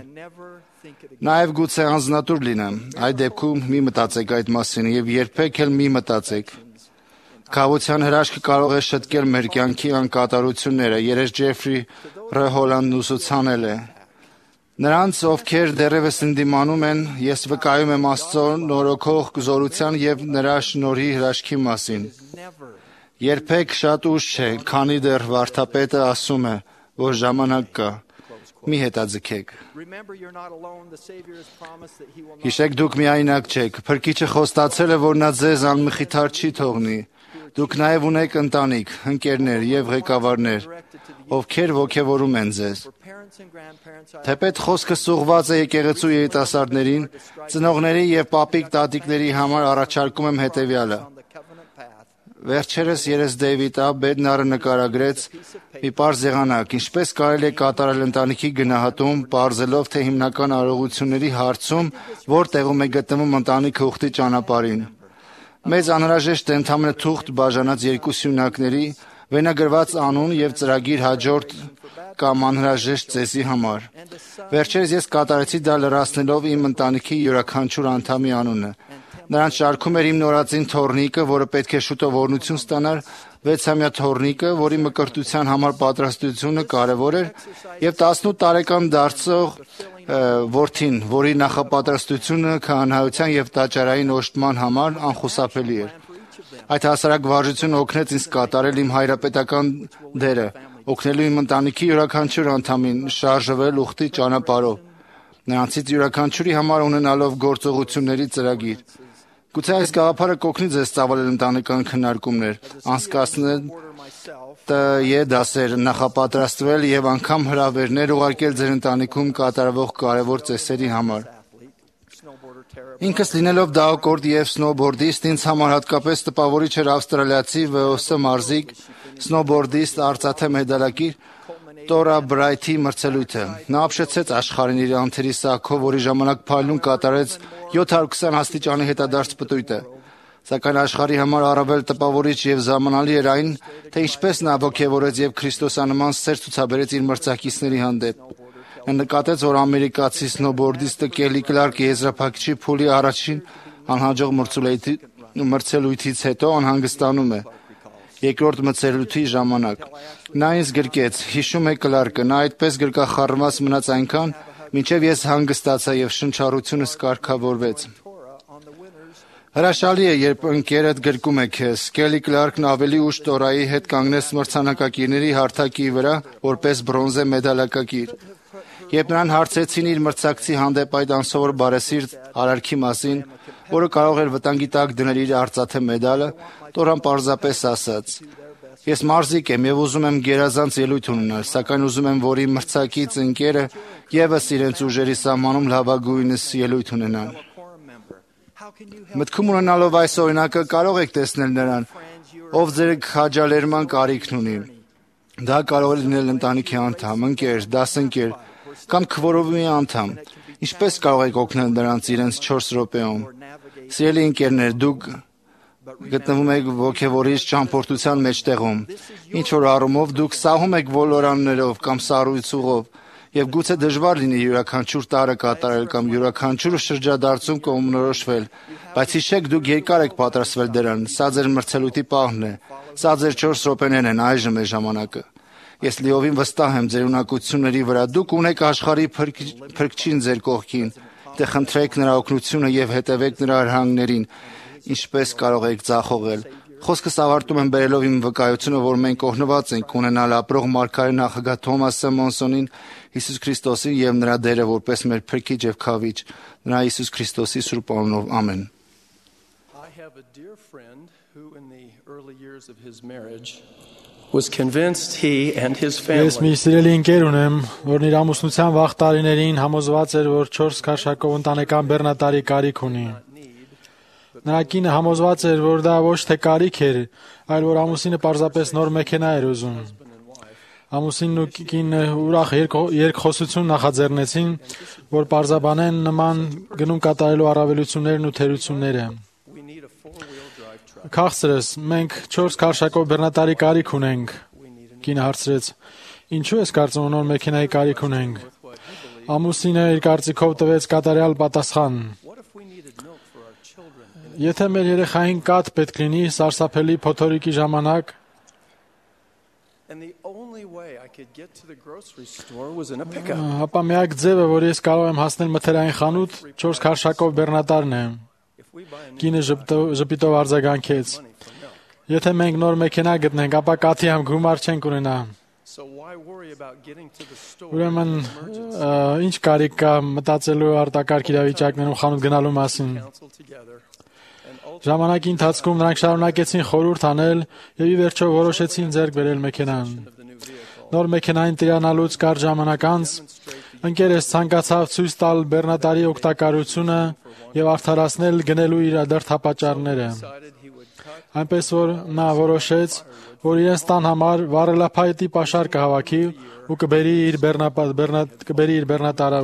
Նաև գուցե անձնատուր լինեմ։ Այդ դեպքում մի մտածեք այդ մասին եւ երբեք էլ մի մտածեք։ Քավության հրաշքը կարող է շտկել մեր կյանքի անկատարությունները։ Երես Ջեֆրի Ռ. Հոլանդն ուսուցանել է. Նրանց, ովքեր դեռևս ընդդիմանում են, ես վկայում եմ Աստծո նորոգող զորության եւ նրա շնորհի հրաշքի մասին։ Երբեք շատ ուշ չէ, քանի դեռ վարդապետը ասում է, որ ժամանակ կա։ Մի հետաձգեք։ Հիշեք, դուք միայնակ չեք։ Փրկիչը խոստացել է, որ նա ձեզ անմխիթար չի թողնի։ Դուք նաև ունեք ընտանիք, ընկերներ եւ ղեկավարներ, ովքեր ոգևորում են ձեզ։ Թեպետ խոսքը սուղված է եկեղեցու երիտասարդներին, ծնողների եւ պապիկ տատիկների համար առաջարկում եմ հետեւյալը։ Վերջերս երես Դեյվիդ Ա. Բեդնարը նկարագրեց մի պարզ եղանակ, ինչպես կարելի է կատարել ընտանիքի գնահատում, պարզելով, թե հիմնական արարողությունների հարցում որտեղում է գտնվում ընտանիքը ուխտի ճանապարհին։ Մեզ անհրաժեշտ է ընդհանրապես թուղթ բաժանած երկու սյունակների, վենագրված անուն եւ ծրագիր հաջորդ կամ անհրաժեշտ ծեսի համար։ Վերջերս ես կատարեցի դա լրացնելով իմ ընտանիքի յուրաքանչյուր անդամի անունը։ Նրանց շարքում էր իմ նորածին թոռնիկը, որը պետք է շուտով օրհնություն ստանար, վեցամյա թոռնիկը, որի մկրտության համար պատրաստությունը կարևոր էր, եւ տասնութ տարեկան դարձող որդին, որի նախապատրաստությունը քահանայության եւ տաճարային օժտման համար անխուսափելի էր։ Այդ հասարակ վարժությունը օգնեց ինձ կատարել իմ հայրապետական դերը, օգնելու իմ ընտանիքի յուրաքանչյուր անդամին շարժվել ուխտի ճանապարհով, նրանցից յուրաքանչյուրի համար ունենալով գործողությունների ծրագիր։ Գուցե այս գաղափարը կօգնի ձեզ ծավալել ընտանեկան քննարկումներ, անցկացնել ՏԵ դասեր, նախապատրաստվել եւ անգամ հրավերներ ուղարկել ձեր ընտանիքում կատարվող կարևոր ծեսերի համար։ Ինքս լինելով դահոկորդ եւ սնոուբորդիստ, ինձ համար հատկապես տպավորիչ էր ավստրալիացի V O S մարզիկ, սնոուբորդիստ, արծաթե մեդալակիր Տորա Բրայթի մրցելույթը։ Նա ապշեցեց աշխարհին իր անթերի սակով, որի ժամանակ փայլուն կատարեց յոթ հարյուր քսան աստիճանի հետադարձ պտույտը։ Սակայն աշխարհի համար առավել տպավորիչ եւ զարմանալի էր այն, թե ինչպես նա ոգևորեց եւ քրիստոսանման սեր ցուցաբերեց իր մրցակիցների հանդեպ։ Նա նկատեց, որ ամերիկացի սնոուբորդիստը Կելի Կլարկը եզրափակիչի փուլի առաջին անհաջող մրցելույթից հետո անհանգստանում է։ Երկրորդ մրցելույթի ժամանակ նա ինձ գրկեց, հիշում է Կլարկը, նա այդպես գրկախառնված մնաց այնքան, մինչև ես հանգստացա եւ շնչառությունս կարգավորվեց։ Հրաշալի է, երբ ընկերդ գրկում է քեզ։ Կելի Կլարկն ավելի ուշ Տորայի հետ կանգնեց մրցանակակիրների հարթակի վրա, որպես բրոնզե մեդալակակիր։ Երբ նրան հարցրեցին իր մրցակցի հանդեպ այդ անսովոր բարեսիրտ արարքի մասին, որը կարող էր վտանգի տակ դնել իր արծաթե մեդալը, Տորան պարզապես ասաց. Ես մարզիկ եմ եւ ուզում եմ գերազանց ելույթ ունենալ, սակայն ուզում եմ, որ իմ մրցակից ընկերը եւս իրենց ուժերի սահմանում լավագույնս ելույթ ունենան։ Մտքում ունենալով այս օրինակը կարող եք տեսնել նրան, ով ձեր քաջալերման կարիքն ունի։ Դա կարող է լինել ընտանիքի անդամ, ընկեր, դասընկեր կամ քվորովի անդամ։ Ինչպես կարող եք օգնել նրանց իրենց չորս րոպեում։ Սիրելի ընկերներ, դուք գտնվում եք ոգևորիչ ճամփորդության մեջտեղում։ Ինչ որ առումով դուք սահում եք ոլորաններով կամ սառույցուղով, եւ գուցե դժվար լինի յուրաքանչյուր տարը կատարել կամ յուրաքանչյուր շրջադարձում կողմնորոշվել, բայց հիշեք, դուք երկար եք պատրաստվել դրան։ Սա ձեր մրցելույթի պահն է։ Սա ձեր չորս րոպեներն են, այժմ է ժամանակը։ Ես լիովին վստահ եմ ձեր ունակությունների վրա։ Դուք ունեք աշխարհի փրկչին ձեր կողքին։ Դե խնդրեք նրա օգնությունը եւ հետևեք նրա հրահանգներին, ինչպես կարող եք ձախողել։ Խոսքս ավարտում եմ բերելով իմ վկայությունը, որ մենք օգնված ենք ունենալ ապրող մարգարե նախագահ Թոմաս Սեմոնսոնին, Հիսուս Քրիստոսին եւ նրա դերը որպես մեր փրկիչ եւ քավիչ, նրա Հիսուս Քրիստոսի սուրբ անունով, ամեն։ I have a dear friend who in the early years of his marriage was convinced he and his family. Ես մի սիրելի ընկեր ունեմ, որն իր ամուսնության վաղ տարիներին համոզված էր, որ չորս քաշակով ընտանեկան բեռնատարի կարիք ունի։ Նրա կինը համոզված էր, որ դա ոչ թե կարիք էր, այլ որ ամուսինը պարզապես նոր մեքենա էր ուզում։ Ամուսինն ու կինը ուրախ երկխոսություն նախաձեռնեցին, որ պարզաբանեն նման գնում կատարելու առավելություններն ու թերությունները։ Քաղցրս, մենք չորս քաշակով բեռնատարի կարիք ունենք, կինը հարցրեց։ Ինչու ես կարծում նոր մեքենայի կարիք ունենք։ Ամուսինը իր կարծիքով տվեց կատարյալ պատասխան։ Եթե մեր երեխային կաթ պետք լինի սարսափելի փոթորիկի ժամանակ, ապա միակ ձևը, որ ես կարող եմ հասնել մթերային խանութ, չորս քարշակով բեռնատարն է։ Կինը ժպիտով արձագանքեց. Եթե մենք նոր մեքենա գտնենք, ապա կաթի համ գումար չենք ունենա։ Ուրեմն ինչ կարիք կա մտածելու արտակարգ իրավիճակներում խանութ գնալու մասին։ Ժամանակի ընթացքում նրանք շարունակեցին խորհուրդ անել եւ ի վերջո որոշեցին ձեռք բերել մեքենան։ Նոր մեքենային տիրանալուց կարճ ժամանակ անց ընկերս ցանկացավ ցույց տալ բեռնատարի օգտակարությունը եւ արդարացնել գնելու իր դրդապատճառները։ Այնպես որ նա որոշեց, որ իրենց տան համար վառելափայտի պաշար կհավաքի ու կբերի իր կբերի իր բեռնատարը։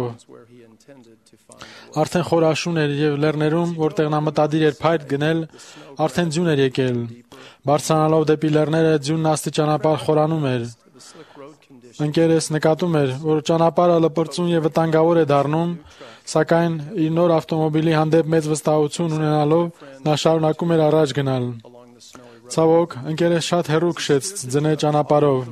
Արդեն խորաշուն էր եւ լեռներում, որտեղ նա մտադիր էր փայտ գնել, արդեն ձյուն էր եկել։ Բարձրանալով դեպի լեռները ձյունն աստիճանաբար խորանում էր։ Ընկերս նկատում էր, որ ճանապարհը լպրծուն եւ վտանգավոր է դառնում, սակայն իր նոր ավտոմոբիլի հանդեպ մեծ վստահություն ունենալով նա շարունակում էր առաջ գնալ։ Ցավոք, ընկերս շատ հեռու քշեց ձնե ճանապարհով։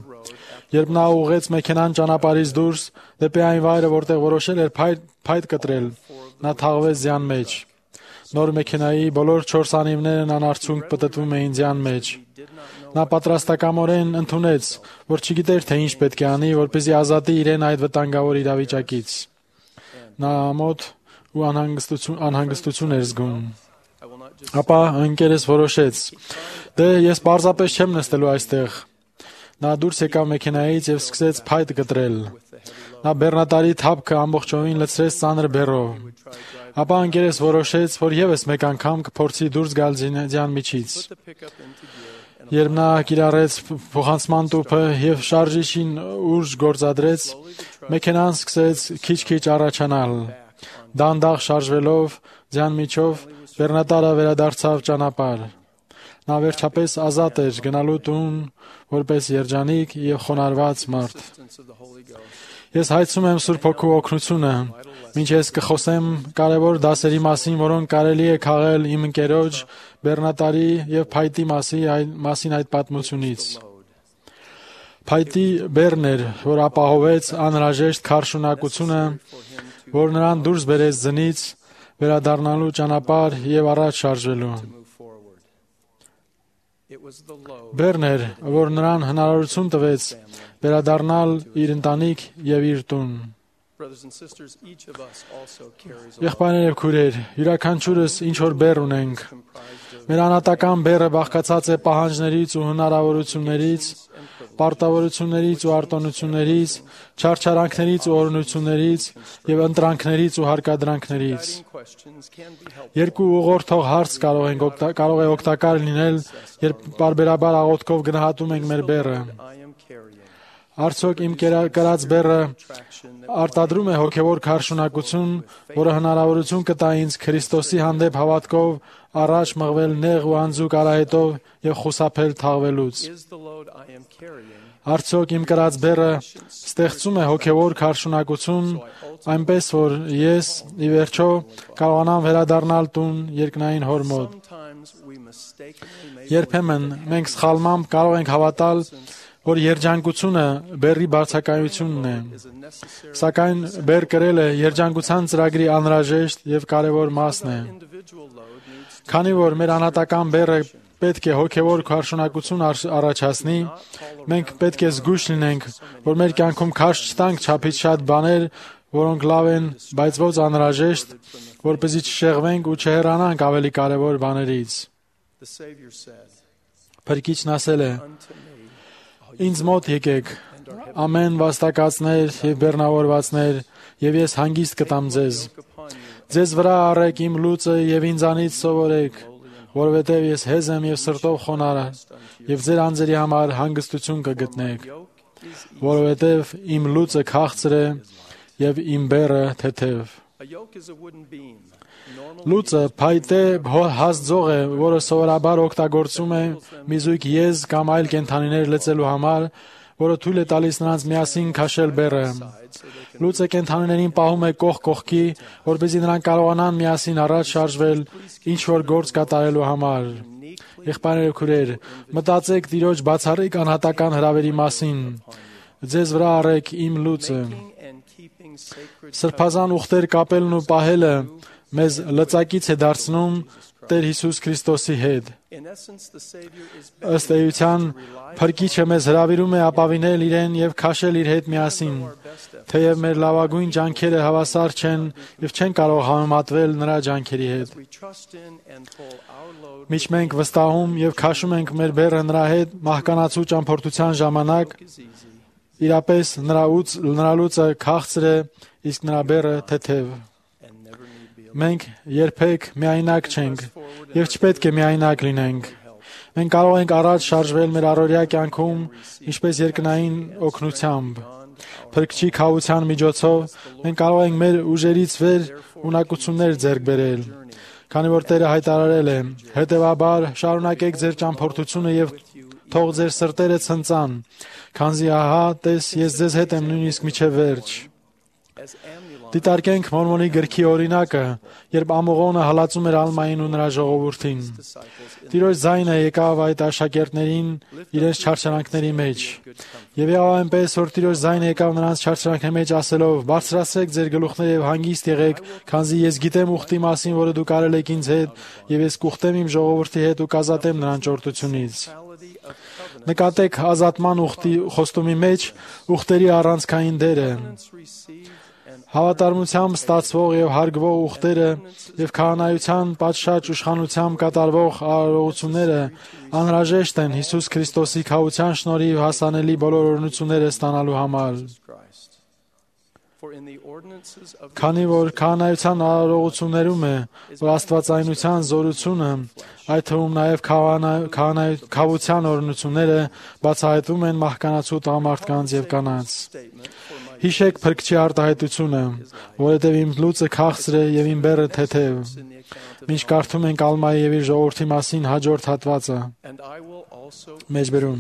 Երբ նա ուղղեց մեքենան ճանապարհից դուրս դեպի այն վայրը, որտեղ որոշել էր փայտ, փայտ կտրել, նա թաղվեց ձյան մեջ։ Նոր մեքենայի բոլոր չորս անիվներն անարցունք պտտվում էին ձյան մեջ։ Նա պատրաստակամորեն ընդունեց, որ չգիտեր, թե ինչ պետք է անի, որպեսզի ազատի իրեն այդ վտանգավոր իրավիճակից։ Նա ամոթ ու անհանգստություն, անհանգստություն էր զգում։ Ապա ընկերս որոշեց. «Դե ես պարզապես չեմ նստելու այստեղ»։ Նա դուրս եկավ մեքենայից եւ սկսեց փայտ կտրել։ Նա բեռնատարի թափքը ամբողջովին լցրեց ծանր բեռով։ Ապա ընկերս որոշեց, որ եւս մեկ անգամ կփորձի դուրս գալ ձյան միջից։ Երբ նա կիրառեց փոխանցման տուփը եւ շարժիչին ուժ գործադրեց, մեքենան սկսեց քիչ-քիչ առաջանալ։ Դանդաղ շարժվելով ձյան միջով բեռնատարը վերադարձավ ճանապարհ։ Նա վերջապես ազատ էր գնալու տուն որպես երջանիկ եւ խոնարհված մարդ։ Ես հայցում եմ Սուրբ Հոգու օգնությունը, մինչ ես կխոսեմ կարևոր դասերի մասին, որոնք կարելի է քաղել իմ ընկերոջ բեռնատարի եւ փայտի մասին այդ պատմությունից։ Փայտի բեռն էր, որ ապահովեց անհրաժեշտ քարշունակությունը, որ նրան դուրս բերեց ձնից, վերադառնալու ճանապարհ եւ առաջ շարժվելու։ Բեռն էր, որ նրան հնարավորություն տվեց վերադառնալ իր ընտանիք եւ իր տուն։ Եղբայրներ եւ քույրեր, յուրաքանչյուրս ինչ որ բեռ ունենք։ Մեր անհատական բեռը բաղկացած է պահանջներից ու հնարավորություններից, պարտավորություններից ու արտոնություններից, չարչարանքներից ու օրհնություններից եւ ընտրանքներից ու հարկադրանքներից։ Երկու ուղղորդող հարց կարող են կարող է օգտակար լինել, երբ բարբերաբար աղոթքով գնահատում ենք մեր բեռը։ Արդյոք իմ կրած բեռը արտադրում է հոգևոր քարշունակություն, որը հնարավորություն կտա ինձ Քրիստոսի հանդեպ հավատքով առաջ մղվել նեղ ու անձուկ արահետով եւ խուսափել թաղվելուց։ Արդյոք իմ կրած բեռը ստեղծում է հոգևոր քարշունակություն, այնպես որ ես ի վերջո կարողանամ վերադառնալ տուն երկնային հոր մոտ։ Երբեմն մենք սխալմամբ կարող ենք հավատալ, որ երջանկությունը բեռի բարձակայությունն է։ Սակայն բեռ կրելը երջանկության ծրագրի անհրաժեշտ եւ կարեւոր մասն է։ Քանի որ մեր անհատական բեռը պետք է հոգևոր քարշունակություն առաջացնի, մենք պետք է զգույշ լինենք, որ մեր կյանքում քաշ չտանք չափից շատ բաներ, որոնք լավ են, բայց ոչ անհրաժեշտ, որպեսզի չշեղվենք ու չհեռանանք ավելի կարեւոր բաներից։ Փրկիչն ասել է. «Ինձ մոտ եկեք, ամեն վաստակածներ եւ բեռնավորվածներ, եւ ես հանգիստ կտամ ձեզ։ Ձեզ վրա առեք իմ լուծը եւ ինձանից սովորեք, որովհետեւ ես հեզ եմ եւ սրտով խոնարհ, եւ ձեր անձերի համար հանգստություն կգտնեք, որովհետեւ իմ լուծը քաղցր է եւ իմ բեռը թեթև»։ Լուծը փայտե հասձող է, որը սովորաբար օգտագործում է մի զույգ եզ կամ այլ կենդանիներ լցելու համար, որը թույլ է տալիս նրանց միասին քաշել բեռը։ Լույսը կենդանիներին պահում է կողք կողքի, որպեսզի նրանք կարողանան միասին առաջ շարժվել ինչ որ գործ կատարելու համար։ Եղբայրներ ու քույրեր, մտածեք Տիրոջ բացառիկ անհատական հրավերի մասին։ Ձեզ վրա առեք իմ լույսը։ Սրբազան ուխտեր կապելն ու պահելը մեզ լծակից է դարձնում Տեր Հիսուս Քրիստոսի հետ։ Ըստ էության, Փրկիչը մեզ հրավիրում է ապավինել իրեն եւ քաշել իր հետ միասին, թեև մեր լավագույն ջանքերը հավասար չեն եւ չեն կարող համեմատվել նրա ջանքերի հետ։ Միշտ մենք վստահում եւ քաշում ենք մեր բեռը նրա հետ մահկանացու ճամփորդության ժամանակ, իրապես նրա ուց նրա լույսը քաղցր է, իսկ նրա բեռը թեթև։ Մենք երբեք միայնակ չենք եւ չպետք է միայնակ լինենք։ Մենք կարող ենք առաջ շարժվել մեր առօրյա կյանքում ինչպես երկնային օգնությամբ։ Փրկչի քավության միջոցով մենք կարող ենք մեր ուժերից վեր ունակություններ ձեռք բերել։ Քանի որ Տերը հայտարարել է. «Հետևաբար շարունակեք ձեր ճամփորդությունը եւ թող ձեր սրտերը ցնծան, քանզի ահա տես ես ձեզ հետ եմ նույնիսկ մինչև վերջ»։ Դիտարկենք Մորմոնի գրքի օրինակը, երբ ամողոնը հալածում էր Ալմային ու նրա ժողովրդին։ Տիրոջ ձայնը եկավ այդ աշակերտներին իրենց չարչարանքների մեջ։ Եվ եղավ այնպես, որ Տիրոջ ձայնը եկավ նրանց չարչարանքների մեջ ասելով. «Բարձրացրեք ձեր գլուխները եւ հանգիստ եղեք, քանզի ես գիտեմ ուխտի մասին, որը դուք արել եք ինձ հետ, եւ ես կուխտեմ իմ ժողովրդի հետ ու կազատեմ նրան ճորտությունից»։ Նկատեք ազատման ուխտի խոստումի մեջ ուխտերի առանցքային դերը։ Հավատարմությամբ ստացվող եւ հարգվող ուխտերը եւ քահանայության պատշաճ իշխանությամբ կատարվող արարողությունները անհրաժեշտ են Հիսուս Քրիստոսի քավության շնորհիվ հասանելի բոլոր օրհնությունները ստանալու համար։ Քանի որ քահանայության արարողություններում է, որ աստվածայնության զորությունը, այդ թվում նաև քահանայության օրհնությունները բացահայտվում են մահկանացու տղամարդկանց եւ կանանց։ Հիշեք Փրկչի արտահայտությունը, որովհետև իմ լույսը քաղցր է եւ իմ բեռը թեթև։ Մինչ կարդում ենք Ալմայի եւ իր ժողովրդի մասին հաջորդ հատվածը։ Մեջբերում.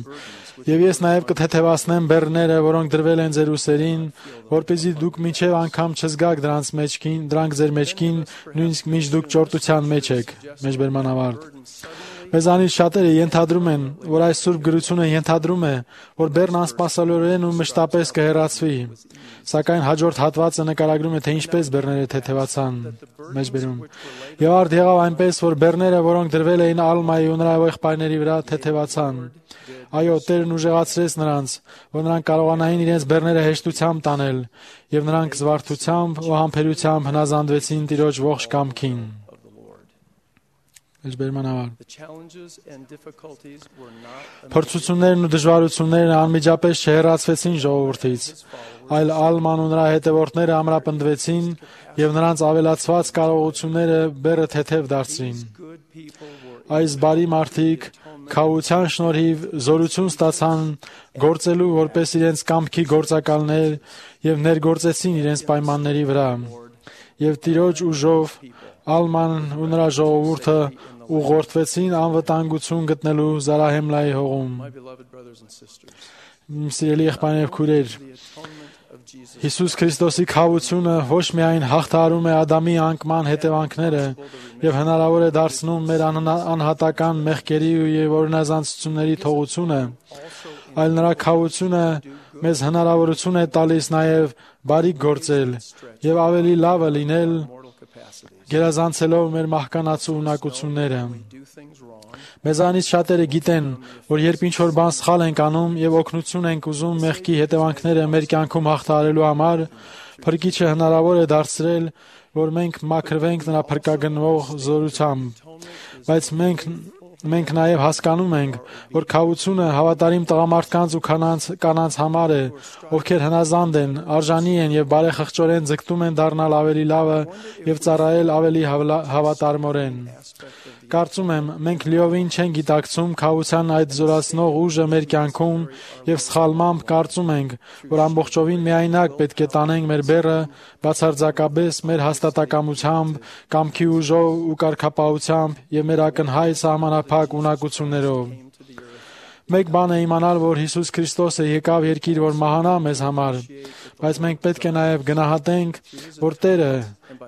«Եվ ես նաև կթեթևացնեմ բեռները, որոնք դրվել են ձեր ուսերին, որպեսզի դուք մինչև անգամ չզգաք դրանց մեջքին, դրանք ձեր մեջքին, նույնիսկ մինչ դուք ճորտության մեջ եք»։ Մեջբերման ավարտ։ Մեզանից շատերը ենթադրում են, որ այս սուրբ գրությունը ենթադրում է, որ բեռն անսպասելիորեն ու մշտապես կհեռացվի, սակայն հաջորդ հատվածը նկարագրում է, թե ինչպես բեռները թեթևացան։ Մեջբերում. «Եվ արդ եղավ այնպես, որ բեռները, որոնք դրվել էին Ալմայի ու նրա եղբայրների վրա, թեթևացան։ Այո, Տերն ուժեղացրեց նրանց, որ նրանք կարողանային իրենց բեռները հեշտությամբ տանել, եւ նրանք զվարթությամբ ու համբերությամբ հնազանդվեցին Տիրոջ ողջ կամքին»։ Փորձություններն ու դժվարություններն անմիջապես չհեռացվեցին ժողովրդից, այլ Ալման ու նրա հետևորդները ամրապնդվեցին եւ նրանց ավելացված կարողությունները բեռը թեթև դարձրին։ Այս բարի մարդիկ քավության շնորհիվ զորություն ստացան գործելու որպես իրենց կամքի գործակալներ եւ ներգործեցին իրենց պայմանների վրա։ Եւ Տիրոջ ուժով Ալման ու նրա ժողովուրդը ուղղորդվեցին անվտանգություն գտնելու Զարահեմլայի հողում։ Սիրելի եղբայրներ եւ քույրեր, Հիսուս Քրիստոսի քավությունը ոչ միայն հաղթահարում է Ադամի անկման հետևանքները եւ հնարավոր է դարձնում մեր անհատական մեղքերի եւ օրինազանցությունների թողությունը, այլ նրա քավությունը մեզ հնարավորություն է տալիս նաեւ բարիք գործել եւ ավելի լավը լինել, գերազանցելով մեր մահկանացու ունակությունները։ Մեզանից շատերը գիտեն, որ երբ ինչ-որ բան սխալ ենք անում եւ օգնություն ենք ուզում մեղքի հետևանքները մեր կյանքում հաղթահարելու համար, Փրկիչը հնարավոր է դարձրել, որ մենք մաքրվենք նրա փրկագնվող զորությամբ։ Բայց մենք մենք նաև հասկանում ենք, որ քավությունը հավատարիմ տղամարդկանց ու կանանց կանանց համար է, ովքեր հնազանդ են, արժանի են եւ բարեխղճորեն ձգտում են դառնալ ավելի լավը եւ ծառայել ավելի հավատարմորեն։ Կարծում եմ, մենք լիովին չենք գիտակցում քավության այդ զորացնող ուժը մեր կյանքում եւ սխալմամբ կարծում ենք, որ ամբողջովին միայնակ պետք է տանենք մեր բեռը բացարձակապես մեր հաստատակամությամբ, կամքի ուժով ու կարգապահությամբ եւ մեր ակնհայտ սահմանափակ ունակություններով։ Մեկ բան է իմանալ, որ Հիսուս Քրիստոսը եկավ երկիր, որ մահանա մեզ համար, բայց մենք պետք է նաև գնահատենք, որ Տերը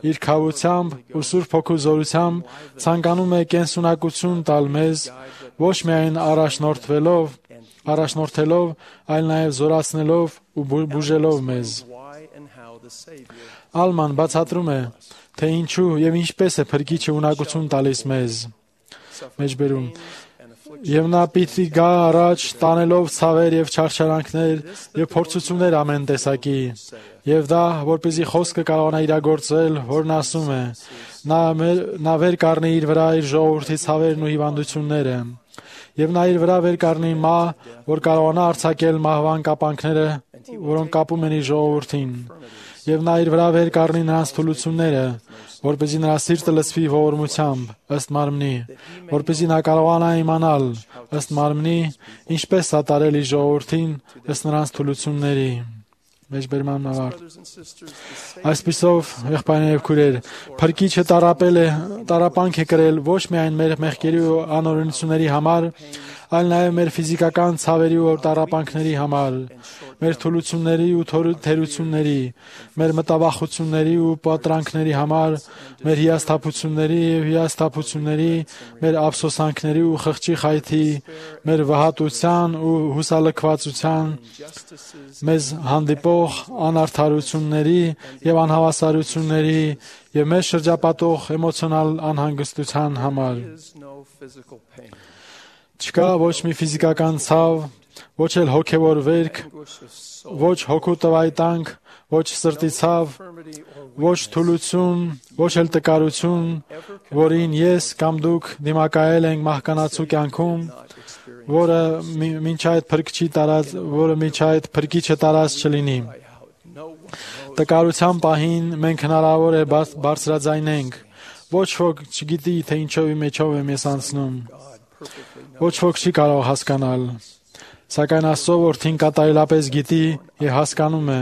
իր քավությամբ ու Սուրբ Հոգու զորությամբ ցանկանում է կենսունակություն տալ մեզ, ոչ միայն առաջնորդվելով, առաջնորդելով, այլ նաև զորացնելով ու բուժելով մեզ։ Ալման բացատրում է, թե ինչու եւ ինչպես է Փրկիչը ունակություն տալիս մեզ։ Մեջբերում Եվ նա պիտի գա առաջ տանելով ցավեր եւ չարչարանքներ եւ փորձություններ ամեն տեսակի, եւ դա, որպեսզի խոսքը կարողանա իրագործել, որն ասում է, նա նա վեր կառնի իր վրա իր ժողովրդի ցավերն ու հիվանդությունները, եւ նա իր վրա վեր կառնի մահ, որ կարողանա արձակել մահվան կապանքները, որոնք կապում են իր ժողովրդին, եւ նա իր վրա վեր կառնի նրանց թուլությունները, որպեսզի նրա սիրտը լցվի ողորմությամբ, ըստ մարմնի, որպեսզի նա կարողանա իմանալ, ըստ մարմնի, ինչպես սատարել իր ժողովրդին, ըստ նրանց թուլությունների։ Մեջբերման ավարտ։ Այսպիսով, եղբայրներ եւ քույրեր, Փրկիչը տարապել է, տարապանք է կրել ոչ միայն մեր մեղքերի ու անօրենությունների համար, այլ նաև մեր ֆիզիկական ցավերի ու տարապանքների համար, մեր թուլությունների ու թերությունների, մեր մտավախությունների ու պատրանքների համար, մեր հիասթափությունների եւ հիասթափությունների, մեր ափսոսանքների ու խղճի խայթի, մեր վհատության ու հուսալքվածության, մեզ հանդիպող անարդարությունների եւ անհավասարությունների եւ մեզ շրջապատող էմոցիոնալ անհանգստության համար։ Չկա ոչ մի ֆիզիկական ցավ, ոչ էլ հոգևոր վերք, ոչ հոգու տվայտանք, ոչ սրտի ցավ, ոչ թուլություն, ոչ էլ տկարություն, որին ես կամ դուք դիմակայել ենք մահկանացու կյանքում, որը մինչ այդ փրկչի տարած, որը մինչ այդ փրկիչը տարած չլինի։ Տկարության պահին մենք հնարավոր է բարձրաձայնենք, ոչ ոք չգիտի, թե ինչով մեջով եմ ես անցնում։ Ոչ ոք չի կարող հասկանալ, սակայն Աստծո Որդին կատարելապես գիտի եւ հասկանում է,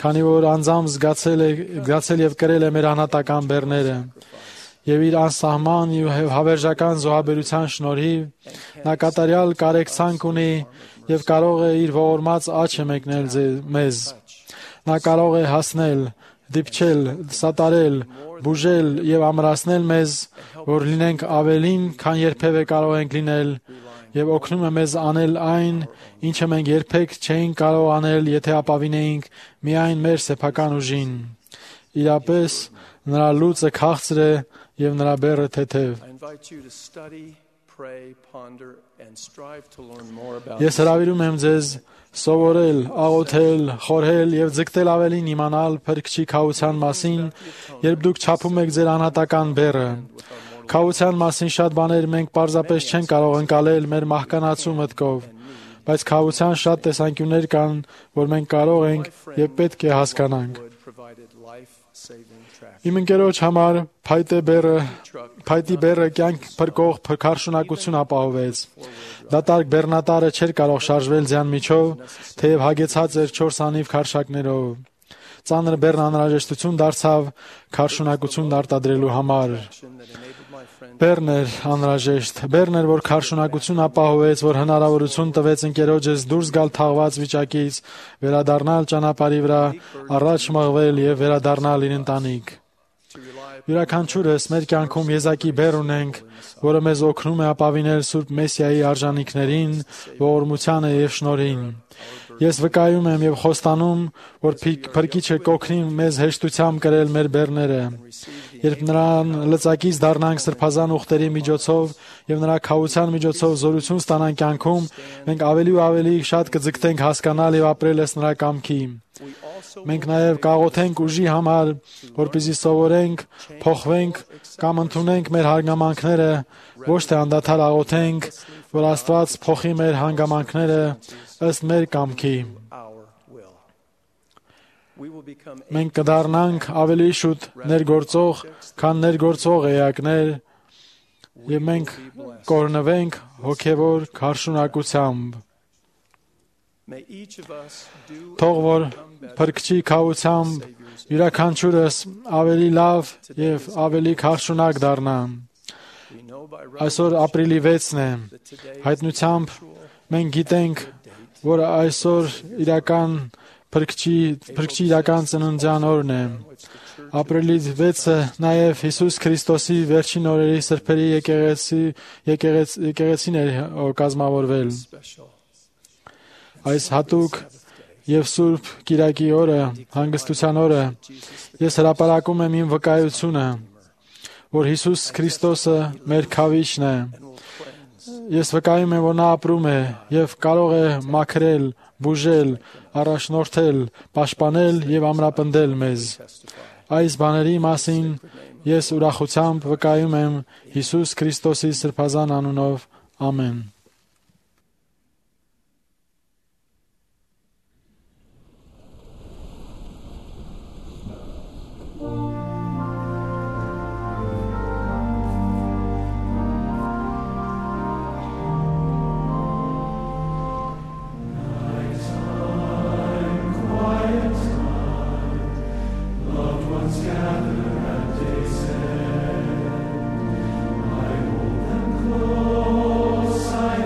քանի որ անձամբ զգացել է, զգացել եւ կրել է մեր անհատական բեռները, եւ իր անսահման եւ հավերժական զոհաբերության շնորհիվ նա կատարյալ կարեկցանք ունի եւ կարող է իր ողորմած աչքը մեկնել մեզ։ Նա կարող է հասնել, դիպչել, սատարել, բուժել եւ ամրացնել մեզ, որ լինենք ավելին, քան երբևէ կարող ենք լինել, եւ օգնում է մեզ անել այն, ինչը մենք երբեք չէինք կարող անել, եթե ապավինեինք միայն մեր սեփական ուժին։ Իրապես նրա լուծը քաղցր է եւ նրա բեռը թեթև։ Ես հրավիրում եմ ձեզ սովորել, աղոթել, խորհել եւ ձգտել ավելին իմանալ Փրկչի քավության մասին, երբ դուք չափում եք ձեր անհատական բեռը։ Քավության մասին շատ բաներ մենք պարզապես չենք կարող ընկալել մեր մահկանացու մտքով, բայց քավության շատ տեսանկյուններ կան, որ մենք կարող ենք եւ պետք է հասկանանք։ Իմ ընկերոջ համար փայտե բեռը, փայտի բեռը կյանք փրկող փրկարշունակություն ապահովեց։ Դատարկ բեռնատարը չէր կարող շարժվել ձյան միջով, թեև հագեցած էր չորս անիվ քարշակներով։ Ծանր բեռն անհրաժեշտություն դարձավ քարշունակություն արտադրելու համար։ Բեռն էր անհրաժեշտ, բեռն էր, որ քարշունակություն ապահովեց, որ հնարավորություն տվեց ընկերոջս դուրս գալ թաղված վիճակից, վերադառնալ ճանապարհի վրա, առաջ մղվել եւ վերադառնալ իր ընտանիք։ Յուրաքանչյուրս մեր կյանքում եզակի բեռ ունենք, որը մեզ օգնում է ապավինել Սուրբ Մեսիայի արժանինքներին, ողորմությանը եւ շնորհին։ Ես վկայում եմ եւ խոստանում, որ Փրկիչը կօգնի մեզ հեշտությամբ կրել մեր բեռները։ Երբ նրան լծակից դառնանք սրբազան ուխտերի միջոցով եւ նրա քավության միջոցով զորություն ստանանք կյանքում, մենք ավելի ու ավելի շատ կձգտենք հասկանալ եւ ապրել ըստ նրա կամքի։ Մենք նաև կաղոթենք ուժի համար, որպեսզի սովորենք, փոխվենք կամ ընդունենք մեր հանգամանքները, ոչ թե անդադար աղոթենք, որ Աստված փոխի մեր հանգամանքները ըստ մեր կամքի։ Մենք կդառնանք ավելի շուտ ներգործող, քան ներգործող էակներ, եւ մենք կօրհնվենք հոգեվոր քարշունակությամբ։ Թող որ Փրկչի քավությամբ յուրաքանչյուրս ավելի լավ եւ ավելի քարշունակ դառնա։ Այսօր ապրիլի վեցն է։ Հայտնությամբ մենք գիտենք, որ այսօր իրական փրկչի փրկչի իրական ծննդյան օրն է։ Ապրիլի վեցը նաև Հիսուս Քրիստոսի վերջին օրերի սրբերի եկեղեցի եկեղեցին է կազմավորվել։ Այս հատուկ եւ Սուրբ Կիրակի օրը, հանգստության օրը, ես հրապարակում եմ իմ վկայությունը, որ Հիսուս Քրիստոսը մեր քավիչն է։ Ես վկայում եմ, որ նա ապրում է եւ կարող է մաքրել, բուժել, առաջնորդել, պաշտպանել եւ ամրապնդել մեզ։ Այս բաների մասին ես ուրախությամբ վկայում եմ Հիսուս Քրիստոսի սրբազան անունով։ Ամեն։ I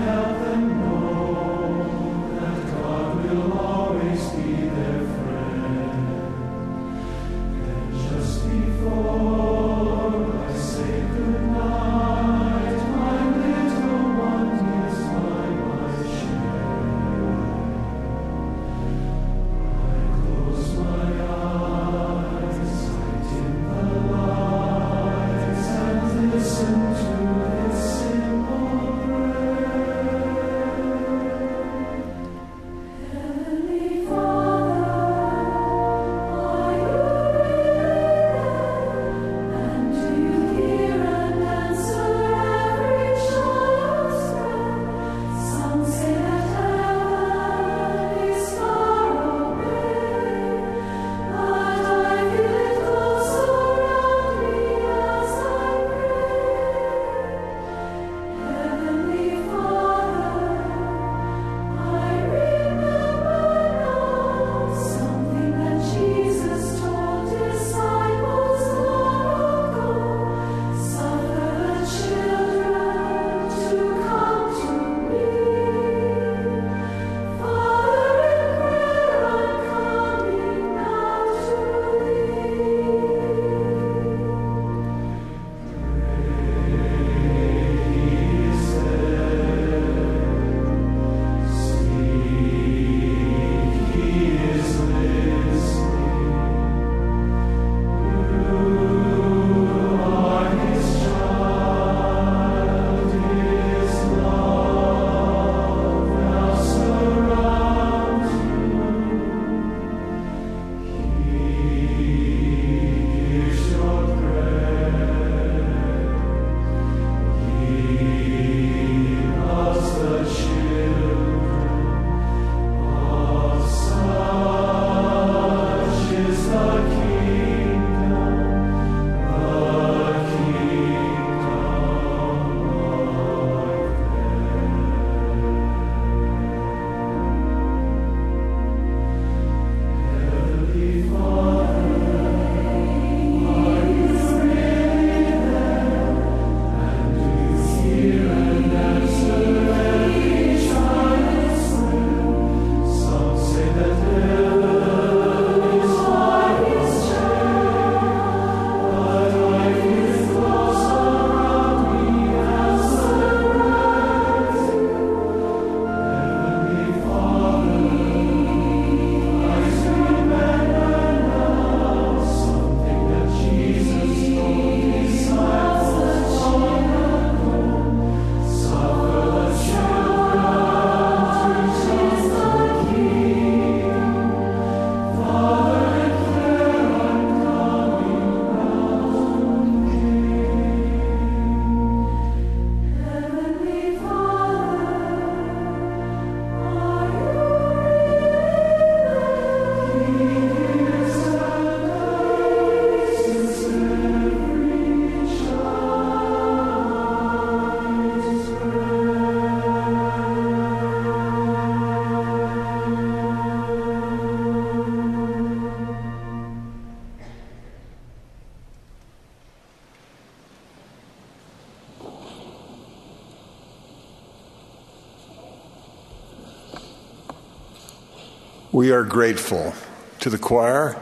We are grateful to the choir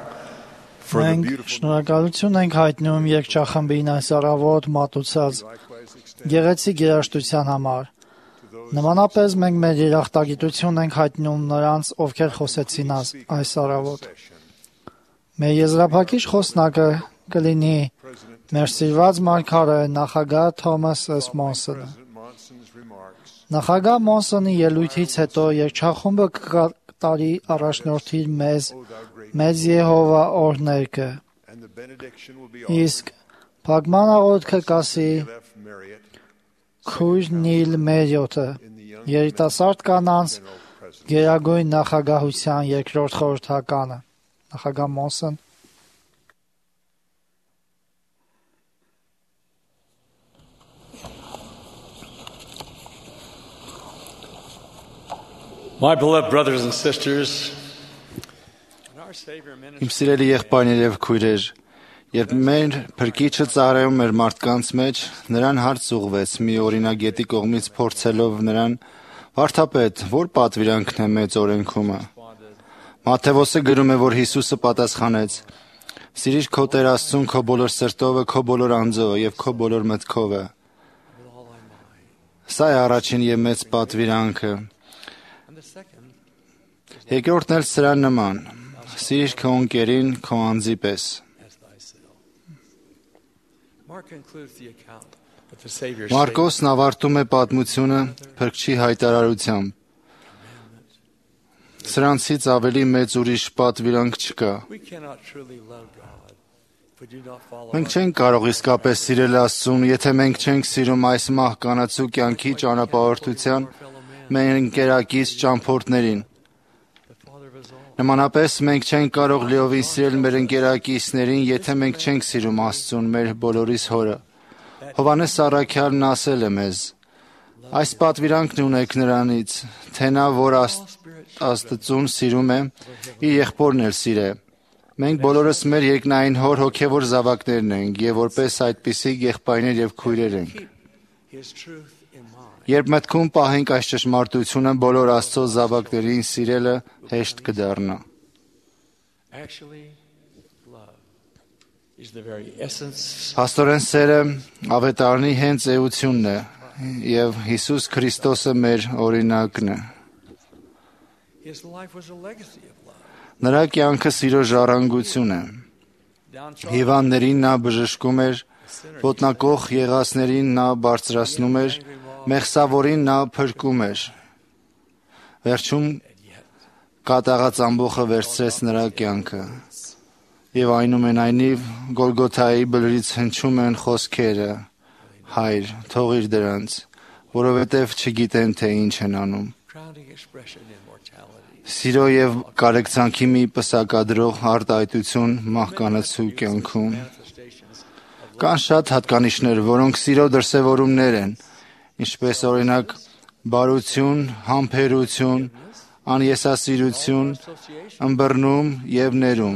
for the Մենք beautiful շնորհակալություն ենք հայտնում երգչախմբին այս առավոտ մատուցած գեղեցիկ երաժշտության համար։ Նմանապես մենք մեր երախտագիտություն ենք հայտնում նրանց, ովքեր խոսեցին այս առավոտ։ Մեր եզրափակիչ խոսնակը կլինի մեր սիրված մարգարե նախագահ Թոմաս Էս Մոնսոնը։ Նախագահ Մոնսոնի ելույթից հետո երգչախումբը կկատարի առաջնորդի մեզ մեծ Եհովա օրհներգը։ Իսկ փակման աղոթքը կասի Քույր Նիլ Մերիոթը, երիտասարդ կանանց գերագույն նախագահության երկրորդ խորհրդականը։ Նախագահ Մոնսոն։ My beloved brothers and sisters, Իմ սիրելի եղբայրներ եւ քույրեր, երբ մեր փրկիչը ծառայում էր մարդկանց մեջ, նրան հարց ուղղվեց մի օրինագետի կողմից փորձելով նրան. «Վարդապետ, ո՞ր պատվիրանքն է մեծ օրենքումը»։ Մատթեոսը գրում է, որ Հիսուսը պատասխանեց. «Սիրիր քո Տեր Աստծուն քո բոլոր սրտով, քո բոլոր անձով եւ քո բոլոր մտքով»։ Սա է առաջին եւ մեծ պատվիրանքը։ Երկրորդն էլ սրա նման. Սիրիր քո ընկերին քո անձի պես։ Մարկոսն ավարտում է պատմությունը փրկչի հայտարարությամբ. Սրանցից ավելի մեծ ուրիշ պատվիրանք չկա։ Մենք չենք կարող իսկապես սիրել Աստծուն, եթե մենք չենք սիրում այս մահկանացու կյանքի ճանապարհորդության մեր ընկերակից ճամփորդներին։ Նմանապես մենք չենք կարող լիովին սիրել մեր ընկերակիցներին, եթե մենք չենք սիրում Աստծուն, մեր բոլորիս Հորը։ Հովհաննես առաքյալն ասել է մեզ. այս պատվիրանքն ունեք նրանից, թե նա, որ Աստծուն սիրում է, իր եղբորն էլ սիրե։ Մենք բոլորս մեր երկնային Հոր հոգևոր զավակներն ենք եւ որպես այդպիսի եղբայրներ եւ քույրեր ենք։ Երբ մտքում պահենք այս ճշմարտությունը, բոլոր Աստծո զավակներին սիրելը հեշտ կդառնա։ Փաստորեն սերը ավետարանի հենց էությունն է եւ Հիսուս Քրիստոսը մեր օրինակն է։ Նրա կյանքը սիրո ժառանգություն է։ Հիվանդներին նա բժշկում էր, ոտնակոխ եղածներին նա բարձրացնում էր, մեղսավորին նա փրկում էր։ Վերջում կատաղած ամբոխը վերցրեց նրա կյանքը։ Եվ այնուամենայնիվ Գոլգոթայի բլրից հնչում են խոսքերը. Հայր, թողիր դրանց, որովհետև չգիտեն, թե ինչ են անում։ Սիրո եւ կարեկցանքի մի պսակադրող արտահայտություն մահկանացու կյանքում։ Կան շատ հատկանիշներ, որոնք սիրո դրսևորումներ են, ինչպես օրինակ բարություն, համբերություն, անեսասիրություն, ըմբռնում եւ ներում։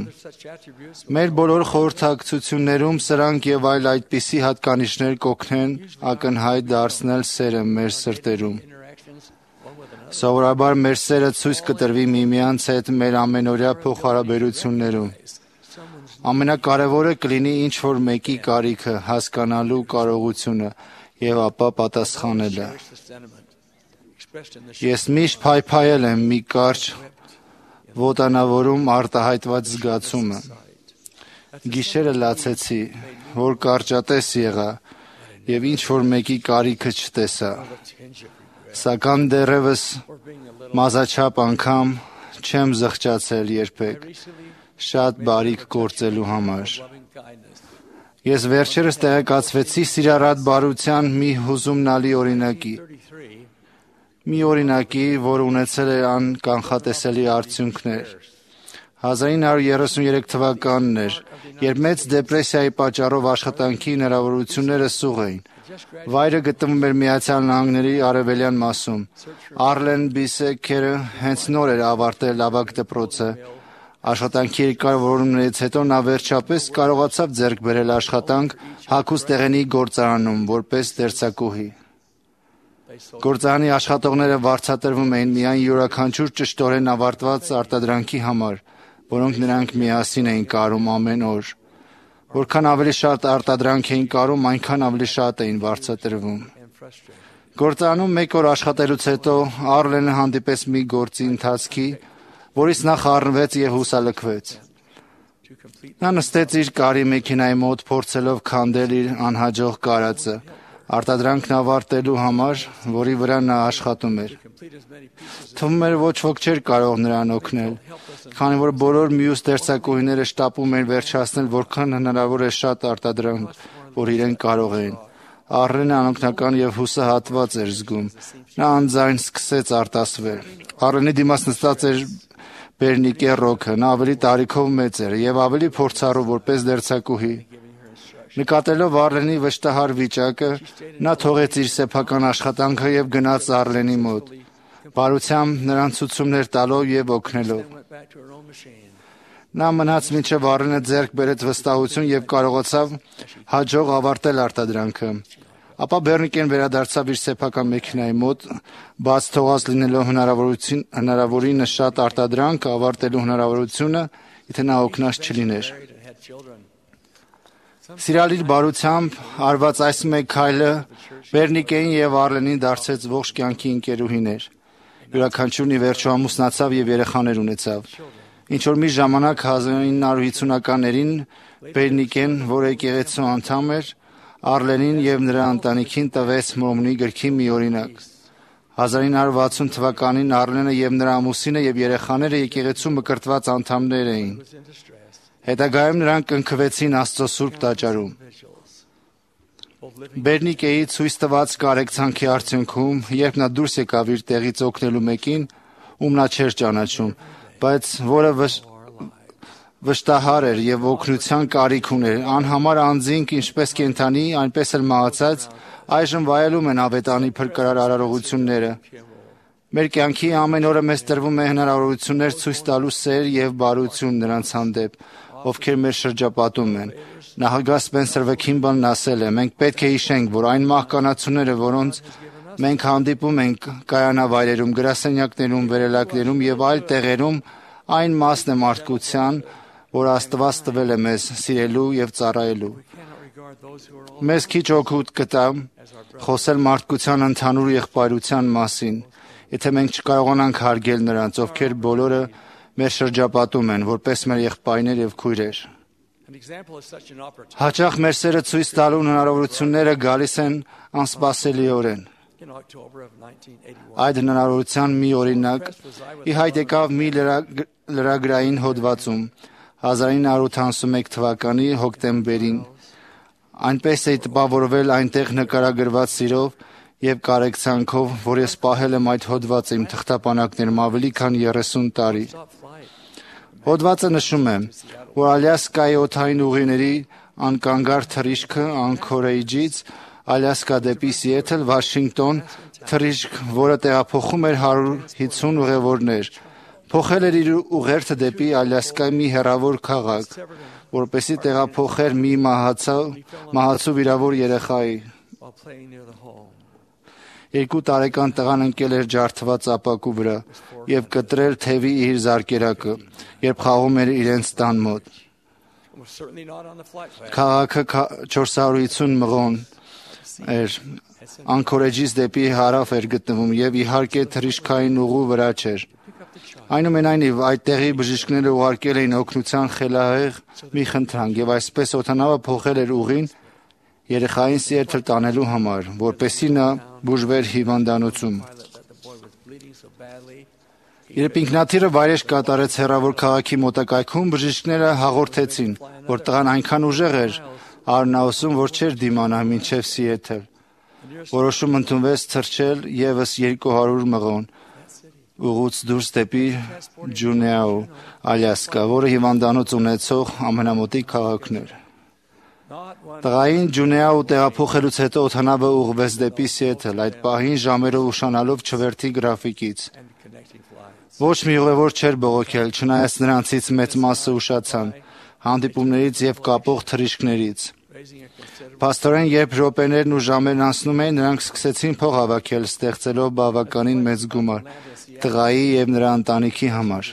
Մեր բոլոր խորհրդակցություններում սրանք եւ այլ այդպիսի հատկանիշներ կօգնեն ակնհայտ դարձնել սերը մեր սրտերում։ Սովորաբար մեր սերը ցույց կտրվի միմյանց հետ մեր ամենօրյա փոխհարաբերություններում։ Ամենակարևորը կլինի ինչ-որ մեկի կարիքը հասկանալու կարողությունը եւ ապա պատասխանելը։ Ես միշտ փայփայել եմ մի կարճ ոտանավորում արտահայտված զգացումը։ Գիշերը լացեցի, որ կարճատես եղա եւ ինչ-որ մեկի կարիքը չտեսա։ Սակայն դեռևս մազաչափ անգամ չեմ զղջացել երբեք շատ բարիք գործելու համար։ Ես վերջերս տեղեկացվեցի սիրառատ բարության մի հուզումնալի օրինակի։ Մի օրինակի, որ ունեցել է անկանխատեսելի արդյունքներ։ հազար նույն հարյուր երեսուններեք թվականն էր, երբ մեծ դեպրեսիայի պատճառով աշխատանքի հնարավորությունները սուղ էին։ Վայրը գտնվում էր Միացյալ Նահանգների արևելյան մասում։ Արլեն Բիսեքերը հենց նոր էր ավարտել ավագ դպրոցը։ Աշխատանքի երկար որոնումներից հետո նա վերջապես կարողացավ ձեռք բերել աշխատանք հագուստեղենի գործարանում որպես դերձակուհի։ Գործարանի աշխատողները վարձատրվում էին միայն յուրաքանչյուր ճշտորեն ավարտված արտադրանքի համար, որոնք նրանք միասին էին կարում ամեն օր։ Որքան ավելի շատ արտադրանք էին կարում, այնքան ավելի շատ էին վարձատրվում։ Գործարանում մեկ օր աշխատելուց հետո Արլենը հանդիպեց մի գործի ընթացքի, որից նա խառնվեց եւ հուսալքվեց։ Նա նստեց իր կարի մեքենայի մոտ, փորձելով քանդել իր անհաջող կարածը, արտադրանքն ավարտելու համար, որի վրա նա աշխատում էր։ Թվում էր ոչ ոք չէր կարող նրան օգնել, քանի որ բոլոր մյուս դերձակուհիները շտապում էին վերջացնել որքան հնարավոր է շատ արտադրանք, որ իրեն կարող էին։ Արլենը անօգնական եւ հուսահատված էր զգում։ Նա անձայն սկսեց արտասվել։ Արլենի դիմաց նստած էր Բերնիկե Ռոքը, նա ավելի տարիքով մեծ էր եւ ավելի փորձառու որպես դերձակուհի։ Նկատելով Արլենի վշտահար վիճակը, նա թողեց իր սեփական աշխատանքը եւ գնաց Արլենի մոտ, բարությամբ նրան ցուցումներ տալով եւ օգնելով։ Նա մնաց մինչև Արլենը ձեռք բերեց վստահություն եւ կարողացավ հաջող ավարտել արտադրանքը։ Ապա Բերնիկեն վերադարձավ իր սեփական մեքենայի մոտ, բաց թողած լինելով հնարավորություն հնարավորինը շատ արտադրանք ավարտելու հնարավորությունը, եթե նա օգնած չլիներ։ Սիրալիր բարությամբ արված այս մեկ քայլը Բերնիկեին եւ Արլենին դարձեց ողջ կյանքի ընկերուհիներ։ Յուրաքանչյուրն ի վերջո ամուսնացավ եւ երեխաներ ունեցավ։ Ինչ որ մի ժամանակ հազար ինը հարյուր հիսունականներին Բերնիկեն, որը եկեղեցու անդամ էր, Արլենին եւ նրա ընտանիքին տվեց Մորմոնի գրքի մի օրինակ։ հազար ինը հարյուր վաթսուն թվականին Արլենը եւ նրա ամուսինը եւ երեխաները եկեղեցու մկրտված անդամներ էին։ Հետագայում նրանք կնքվեցին Աստծո Սուրբ տաճարում։ Բերնիկեի ցույց տված կարեկցանքի արդյունքում, երբ նա դուրս եկավ իր տեղից օգնելու մեկին, ում նա չէր ճանաչում, բայց որը վշտահար էր եւ օգնության կարիք ուներ, անհամար անձինք ինչպես կենդանի, այնպես էլ մահացած, այժմ վայելում են ավետանի փրկարար արարողությունները։ Մեր կյանքի ամեն օրը մեզ տրվում է հնարավորություններ ցույց տալու սեր եւ բարություն նրանց հանդեպ, ովքեր մեր շրջապատում են։ Նախագահ Սպենսեր Վեքինբանն ասել է. մենք պետք է հիշենք, որ այն մահկանացուները, որոնց մենք հանդիպում ենք կայանավայրերում, գրասենյակներում, վերելակներում եւ այլ տեղերում, այն մասն է մարդկության, որ Աստված տվել է մեզ սիրելու եւ ծառայելու։ Մեզ քիչ օգուտ կտա խոսել մարդկության ընդհանուր եղբայրության մասին, եթե մենք չկարողանանք հարգել նրանց, ովքեր բոլորը մեր շրջապատում են, որպես մեր եղբայրներ եւ քույրեր։ Հաճախ մեր սերը ցույց տալու հնարավորությունները գալիս են անսպասելիորեն։ Այդ հնարավորության մի օրինակ ի հայտ եկավ մի լրագրային հոդվածում հազար ինը հարյուր ութանասունմեկ թվականի հոկտեմբերին։ Այնպես է տպավորվել այնտեղ նկարագրված սիրով եւ կարեկցանքով, որ ես պահել եմ այդ հոդվածը իմ թղթապանակներում ավելի քան երեսուն տարի։ Հոդվածը նշում է, որ Ալյասկայի օդային ուղիների անկանգար թռիչքը Անքորեջից Ալյասկա դեպի Սիեթլ, Վաշինգտոն, թռիչք, որը տեղափոխում էր հարյուր հիսուն ուղևորներ, փոխել էր իր ուղերձը դեպի Ալյասկայի մի հեռավոր քաղաք, որպեսզի տեղափոխեր մի մահացու վիրավոր երեխայի։ Երկու տարեկան տղան ընկել էր ջարդված ապակու վրա եւ կտրել թևի իր զարկերակը, երբ խաղում էր իրենց տան մոտ։ Քաղաքը չորս հարյուր հիսուն մղոն էր, Անքորեջից դեպի հարավ էր գտնվում եւ իհարկե թռիչքային ուղու վրա չէր։ Այնուամենայնիվ այդտեղի բժիշկները ուղարկել էին օգնության խելահեղ մի խնդրանք եւ այսպես օդանավը փոխել էր ուղին երեխային Սիեթլ տանելու համար, որպեսզի նա բուժվեր հիվանդանոցում։ Երբ ինքնաթիռը վայրէջք կատարեց հեռավոր քաղաքի մոտակայքում, բժիշկները հաղորդեցին, որ տղան այնքան ուժեղ էր արնաուսում, որ չէր դիմանա մինչև Սիեթլ։ Որոշում ընդունվեց թռչել եւս երկու հարյուր մղոն ուղուց դուրս դեպի Ջունեաու, Ալյասկա, որը հիվանդանոց ունեցող ամենամոտիկ քաղաքն էր։ Տղային Ջունեաու տեղափոխելուց հետո օդանավը ուղղվեց դեպի Սիեթլ, այդ պահին ժամերով ուշանալով չվերթի գրաֆիկից։ Ոչ մի ուղևոր չէր բողոքել, չնայած նրանցից մեծ մասը ուշացան հանդիպումներից եւ կապող թռիչքներից։ Փաստորեն, երբ րոպեներն ու ժամերն անցնում էին, նրանք սկսեցին փող հավաքել, ստեղծելով բավականին մեծ գումար տղայի եւ նրա ընտանիքի համար։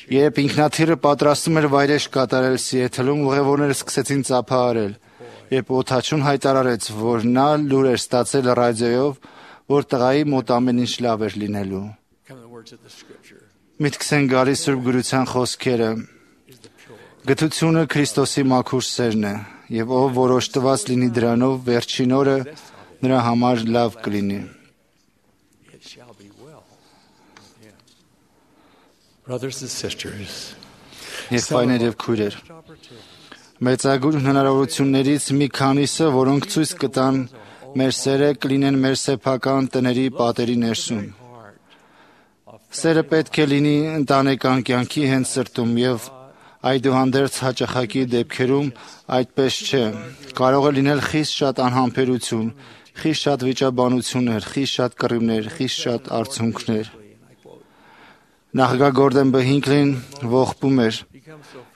Երբ ինքնաթիռը պատրաստում էր վայրէջք կատարել Սիեթլում, ուղևորները սկսեցին ծափահարել, երբ օդաչուն հայտարարեց, որ նա լուր էր ստացել ռադիոյով, որ տղայի մոտ ամեն ինչ լավ էր լինելու։ Միտքս են գալիս Սուրբ Գրության խոսքերը. «Գթությունը Քրիստոսի մաքուր սերն է, եւ ով որոշտված լինի դրանով, վերջին օրը նրա համար լավ կլինի»։ Brothers and sisters, Եղբայրներ եւ քույրեր, մեծագույն հնարավորություններից մի քանիսը, որոնք ցույց կտան մեր սերը, կլինեն մեր սեփական տների պատերի ներսում։ Սերը պետք է լինի ընտանեկան կյանքի հենց սրտում եւ այդուհանդերձ հաճախակի դեպքերում այդպես չէ։ Կարող է լինել խիստ շատ անհամբերություն, խիստ շատ վիճաբանություններ, խիստ շատ կռիվներ, խիստ շատ արցունքներ։ Նախագահ Բհինքլին ողբում էր.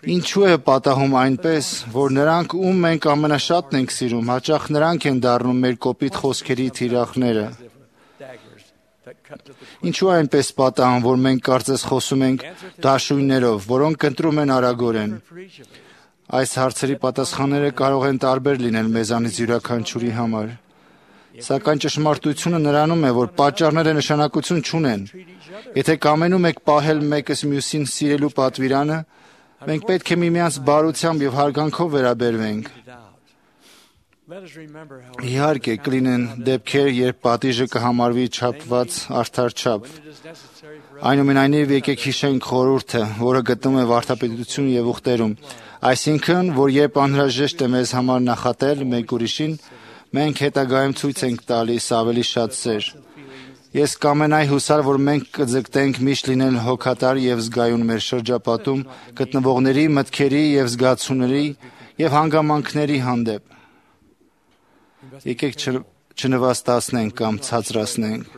Ինչու է պատահում այնպես, որ նրանք, ում մենք ամենաշատն ենք սիրում, հաճախ նրանք են դառնում մեր կոպիտ խոսքերի թիրախները։ Ինչու է այնպես պատահում, որ մենք կարծես խոսում ենք դաշույններով, որոնք ընտրում են արագորեն։ Այս հարցերի պատասխանները կարող են տարբեր լինել մեզանից յուրաքանչյուրի համար։ Սակայն ճշմարտությունը նրանում է, որ պատճառները նշանակություն չունեն։ Եթե կամենում եք պահել մեկս մյուսին սիրելու պատվիրանը, մենք պետք է միմյանց բարությամբ եւ հարգանքով վերաբերվենք։ Իհարկե, կլինեն դեպքեր, երբ պատիժը կհամարվի չափված արդար չափ։ Այնուամենայնիվ, եկեք հիշենք խորհուրդը, որը գտնում է վարդապետություն եւ ուխտերում, այսինքն, որ երբ անհրաժեշտ է մեզ համար նախատել մեկ ուրիշին, մենք հետագայում ցույց ենք տալիս ավելի շատ սեր։ Ես կամենայի հուսալ, որ մենք կձգտենք միշտ լինել հոգատար եւ զգայուն մեր շրջապատում գտնվողների մտքերի եւ զգացումների եւ հանգամանքների հանդեպ։ Եկեք չնվաստացնենք կամ ցածրացնենք։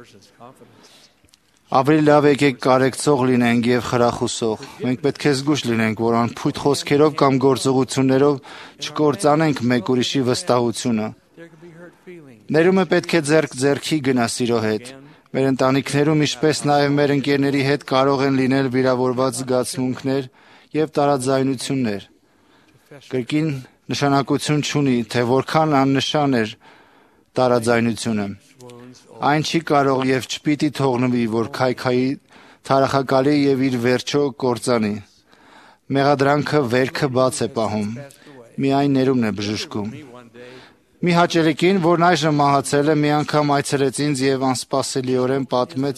Ավելի լավ եկեք կարեկցող լինենք եւ խրախուսող։ Մենք պետք է զգույշ լինենք, որ անփույթ խոսքերով կամ գործողություններով չկործանենք մեկ ուրիշի վստահությունը։ Ներումը պետք է ձեռք ձեռքի գնա սիրո հետ։ Մեր ընտանիքներում, ինչպես նաև մեր ընկերների հետ կարող են լինել վիրավորված զգացմունքներ եւ տարաձայնություններ։ Կրկին նշանակություն չունի, թե որքան աննշան էր տարաձայնությունը։ Այն չի կարող եւ չպիտի թողնվի, որ քայքայի թարախակալի եւ իր վերջո կործանի։ Մեղադրանքը վերքը բաց է պահում։ Միայն ներումն է բժշկում։ Մի հաճելիքին, որն այժմ մահացել է, մի անգամ այցելեց ինձ եւ անսպասելիորեն պատմեց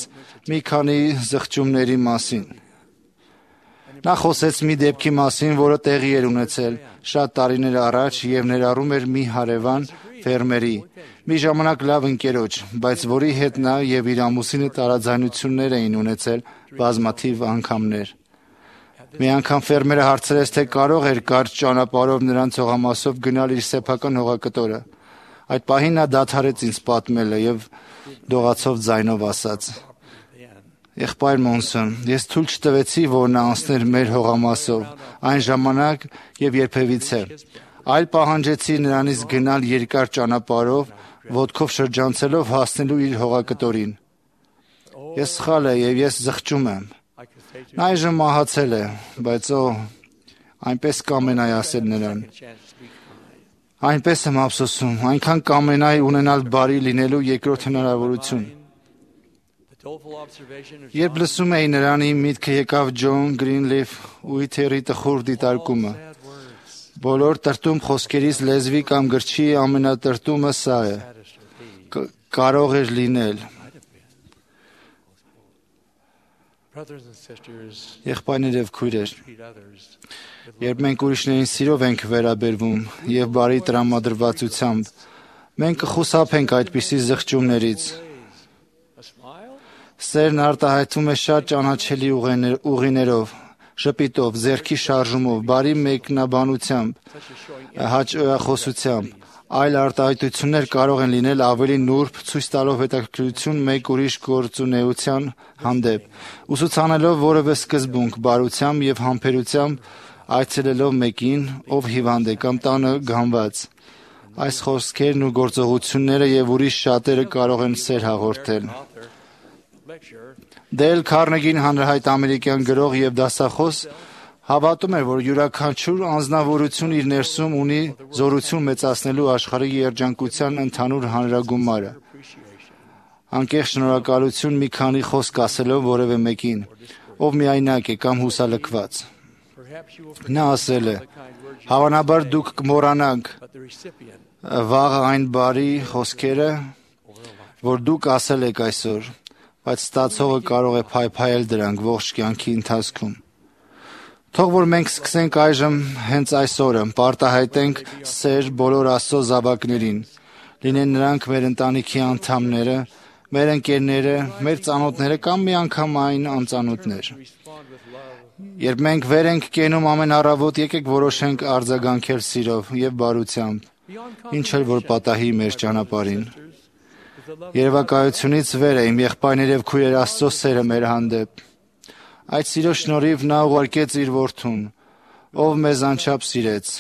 մի քանի զղջումների մասին։ Նա խոսեց մի դեպքի մասին, որը տեղի էր ունեցել շատ տարիներ առաջ եւ ներառում էր մի հարևան ֆերմերի, մի ժամանակ լավ ընկերոջ, բայց որի հետ նա եւ իր ամուսինը տարաձայնություններ էին ունեցել բազմաթիվ անգամներ։ Մի անգամ ֆերմերը հարցրեց, թե կարող էր կարճ ճանապարհով նրանց հողամասով գնալ իր սեփական հողակտորը։ Այդ պահին նա դադարեց ինձ պատմելը եւ դողացով ձայնով ասաց. Եղբայր Մոնսոն, ես թույլ չտվեցի, որ նա անցներ մեր հողամասով այն ժամանակ եւ երբևիցե, այլ պահանջեցի նրանից գնալ երկար ճանապարհով, ոտքով շրջանցելով հասնելու իր հողակտորին։ Ես սխալ եմ եւ ես զղջում եմ։ Նա այժմ մահացել է, բայց օ, այնպես կամենայի ասել նրան։ Այնպես եմ ափսոսում, այնքան կամենայի ունենալ բարի լինելու երկրորդ հնարավորություն։ Երբ լսում էի նրան, իմ միտքը եկավ Ջոն Գրինլիֆ Ուիթերի տխուր դիտարկումը։ Բոլոր տրտում խոսքերից լեզվի կամ գրչի ամենատրտումը սա է։ Կարող էր լինել։ Եղբայրներ եւ քույրեր, երբ մենք ուրիշներին սիրով ենք վերաբերվում եւ բարի տրամադրվածությամբ, մենք կխուսափենք այդպիսի զղջումներից։ Սերն արտահայտվում է շատ ճանաչելի ուղիներով, շփիտով, ձեռքի շարժումով, բարի մեկնաբանությամբ, հաճախոսությամբ։ Այլ արտահայտություններ կարող են լինել ավելի նուրբ, ցույց տալով հետաքրքրություն մեկ ուրիշ գործունեության հանդեպ, ուսուցանելով որևէ սկզբունք բարությամբ եւ համբերությամբ, այցելելով մեկին, ով հիվանդ է կամ տանը գանված։ Այս խոսքերն ու գործողությունները եւ ուրիշ շատերը կարող են սեր հաղորդել։ Դել Քարնեգին հանրահայտ ամերիկյան գրող եւ դասախոս հավատում էր, որ յուրաքանչյուր անձնավորություն իր ներսում ունի զորություն մեծացնելու աշխարհի երջանկության ընդհանուր հանրագումարը։ Անկեղծ շնորհակալություն մի քանի խոսք ասելով որևէ մեկին, ով միայնակ է կամ հուսալքված։ Նա ասել է. «Հավանաբար դուք կմոռանաք վաղը այն բարի խոսքերը, որ դուք ասել եք այսօր, բայց ստացողը կարող է փայփայել դրանք ողջ կյանքի ընթացքում»։ Թող որ մենք սկսենք այժմ հենց այս օրը պարտահայտենք սեր բոլոր Աստծո զավակներին, լինեն նրանք մեր ընտանիքի անդամները, մեր ընկերները, մեր ծանոթները կամ միանգամայն անծանոթներ։ Երբ մենք վեր ենք կենում ամեն առավոտ, եկեք որոշենք արձագանքել սիրով եւ բարությամբ, ինչ էլ որ պատահի մեր ճանապարհին։ Երևակայությունից վեր է իմ եղբայրներ եւ քույրեր Աստծո սերը մեր հանդեպ։ Այդ սիրո շնորհիվ նա ուղարկեց իր որդուն, ով մեզ անչափ սիրեց,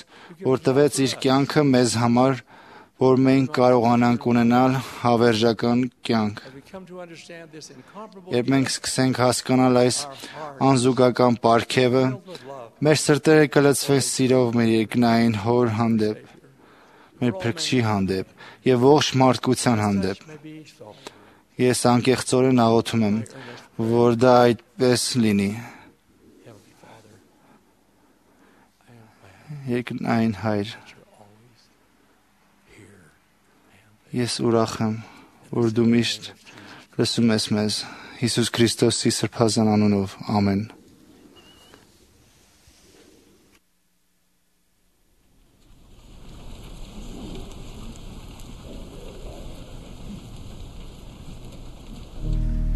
որ տվեց իր կյանքը մեզ համար, որ մենք կարողանանք ունենալ հավերժական կյանք։ Երբ մենք սկսենք հասկանալ այս անզուգական պարգևը, մեր սրտերը կլցվեն սիրով մեր երկնային Հոր հանդեպ, մեր Փրկչի հանդեպ եւ ողջ մարդկության հանդեպ։ Ես անկեղծորեն աղոթում եմ, որ դա այդպես լինի։ Երկնային Հայր, ես ուրախ եմ, որ դու միշտ լսում ես մեզ, Հիսուս Քրիստոսի սրբազան անունով, ամեն։ Thank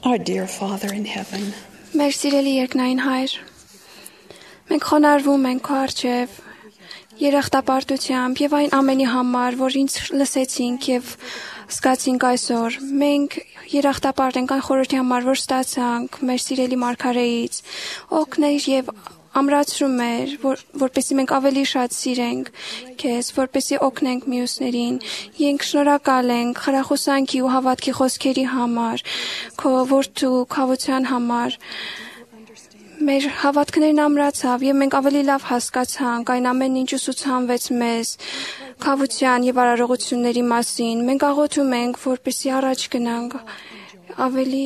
Our dear Father in heaven, Մեր սիրելի երկնային Հայր, մենք խոնարհվում ենք քո առջև երախտապարտությամբ եւ այն ամենի համար, որ ինձ լսեցինք եւ զգացինք այսօր։ Մենք երախտապարտ ենք այն խորհրդի համար, որ ստացանք մեր սիրելի մարգարեից։ Օգներ եւ ամրացրում մեր, որ, որպեսզի մենք ավելի շատ սիրենք քեզ, որպեսզի օգնենք մյուսներին։ Մենք շնորհակալ ենք խրախուսանքի ու հավատքի խոսքերի համար, քո որդու քավության համար։ Մեր հավատքներն ամրացավ եւ մենք ավելի լավ հասկացանք այն ամենն ինչ ուսուցանվեց մեզ քավության եւ արարողությունների մասին։ Մենք աղոթում ենք, որպեսզի առաջ գնանք ավելի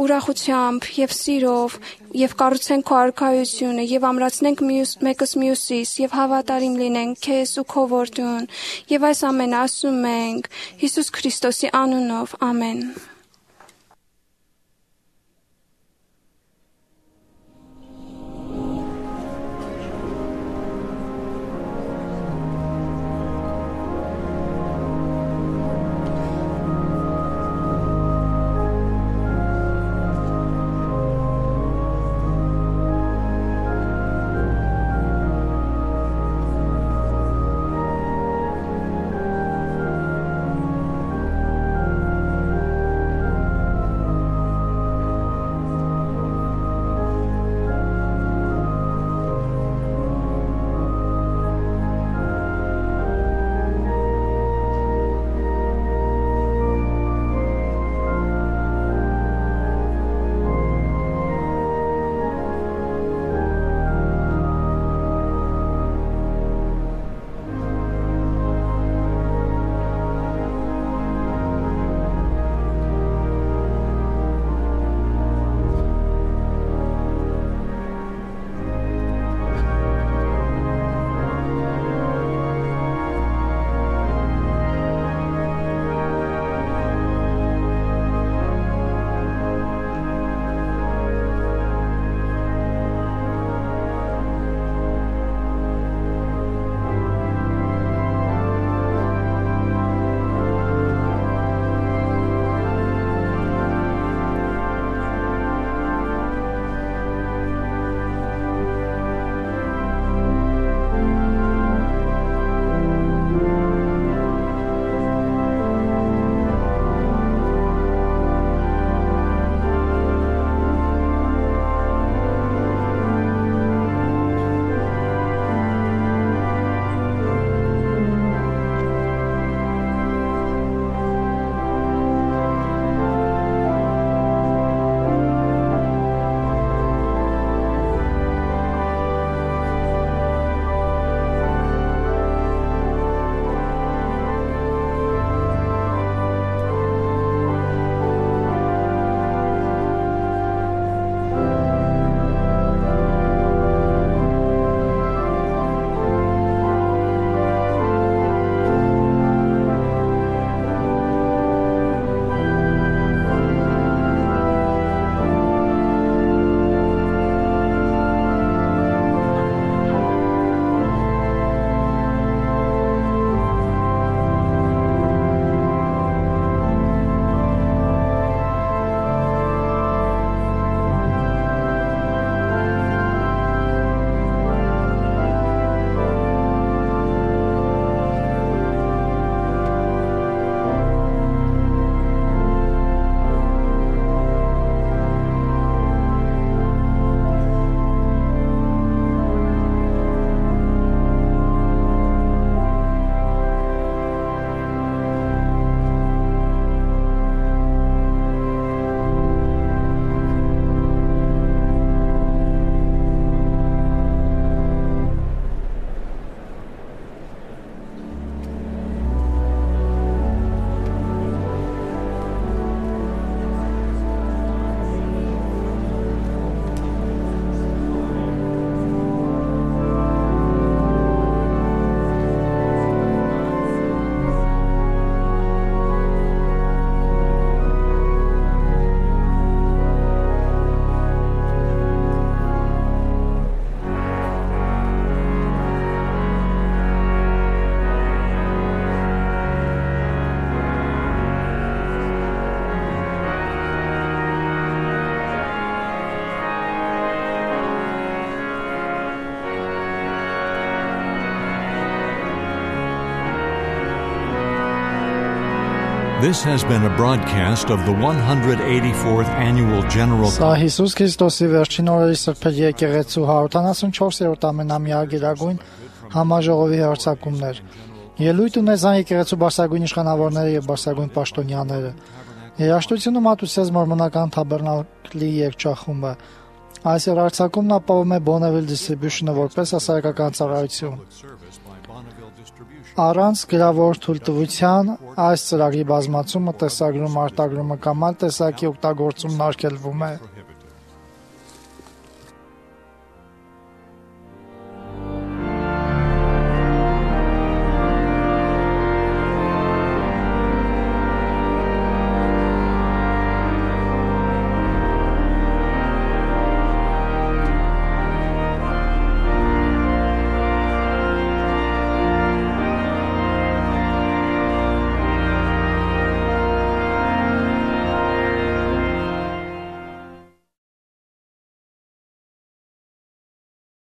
ուրախությամբ եւ սիրով եւ կառուցենք քո արքայությունը եւ ամրացնենք մյուս մեկս մյուսիս եւ հավատարիմ լինենք քեզ ու քո որդուն եւ այս ամենը ասում ենք Հիսուս Քրիստոսի անունով ամեն։ This has been a broadcast of the one hundred eighty-fourth Annual General Սա Հիսուս Քրիստոսի վերջին օրերի սրբերի եկեղեցու հարյուր տասնչորսերորդ ամենամյա գերագույն համաժողովի հերթակումներ։ Ելույթ ունեցան եկեղեցու բարձրագույն իշխանավորները եւ բարձրագույն պաշտոնյաները։ Երաժշտությունը մատուցեց մորմոնական թաբերնակլի երգչախումբը։ Այս երգչախումբն ապահովում է Bonneville Distribution-ը որպես հասարակական ծառայություն։ Առանց գրավոր թույլտվության այս ծրագրի բազմացումը, տեսագրումը, արտագրումը կամ այլ տեսակի օգտագործումն արգելվում է։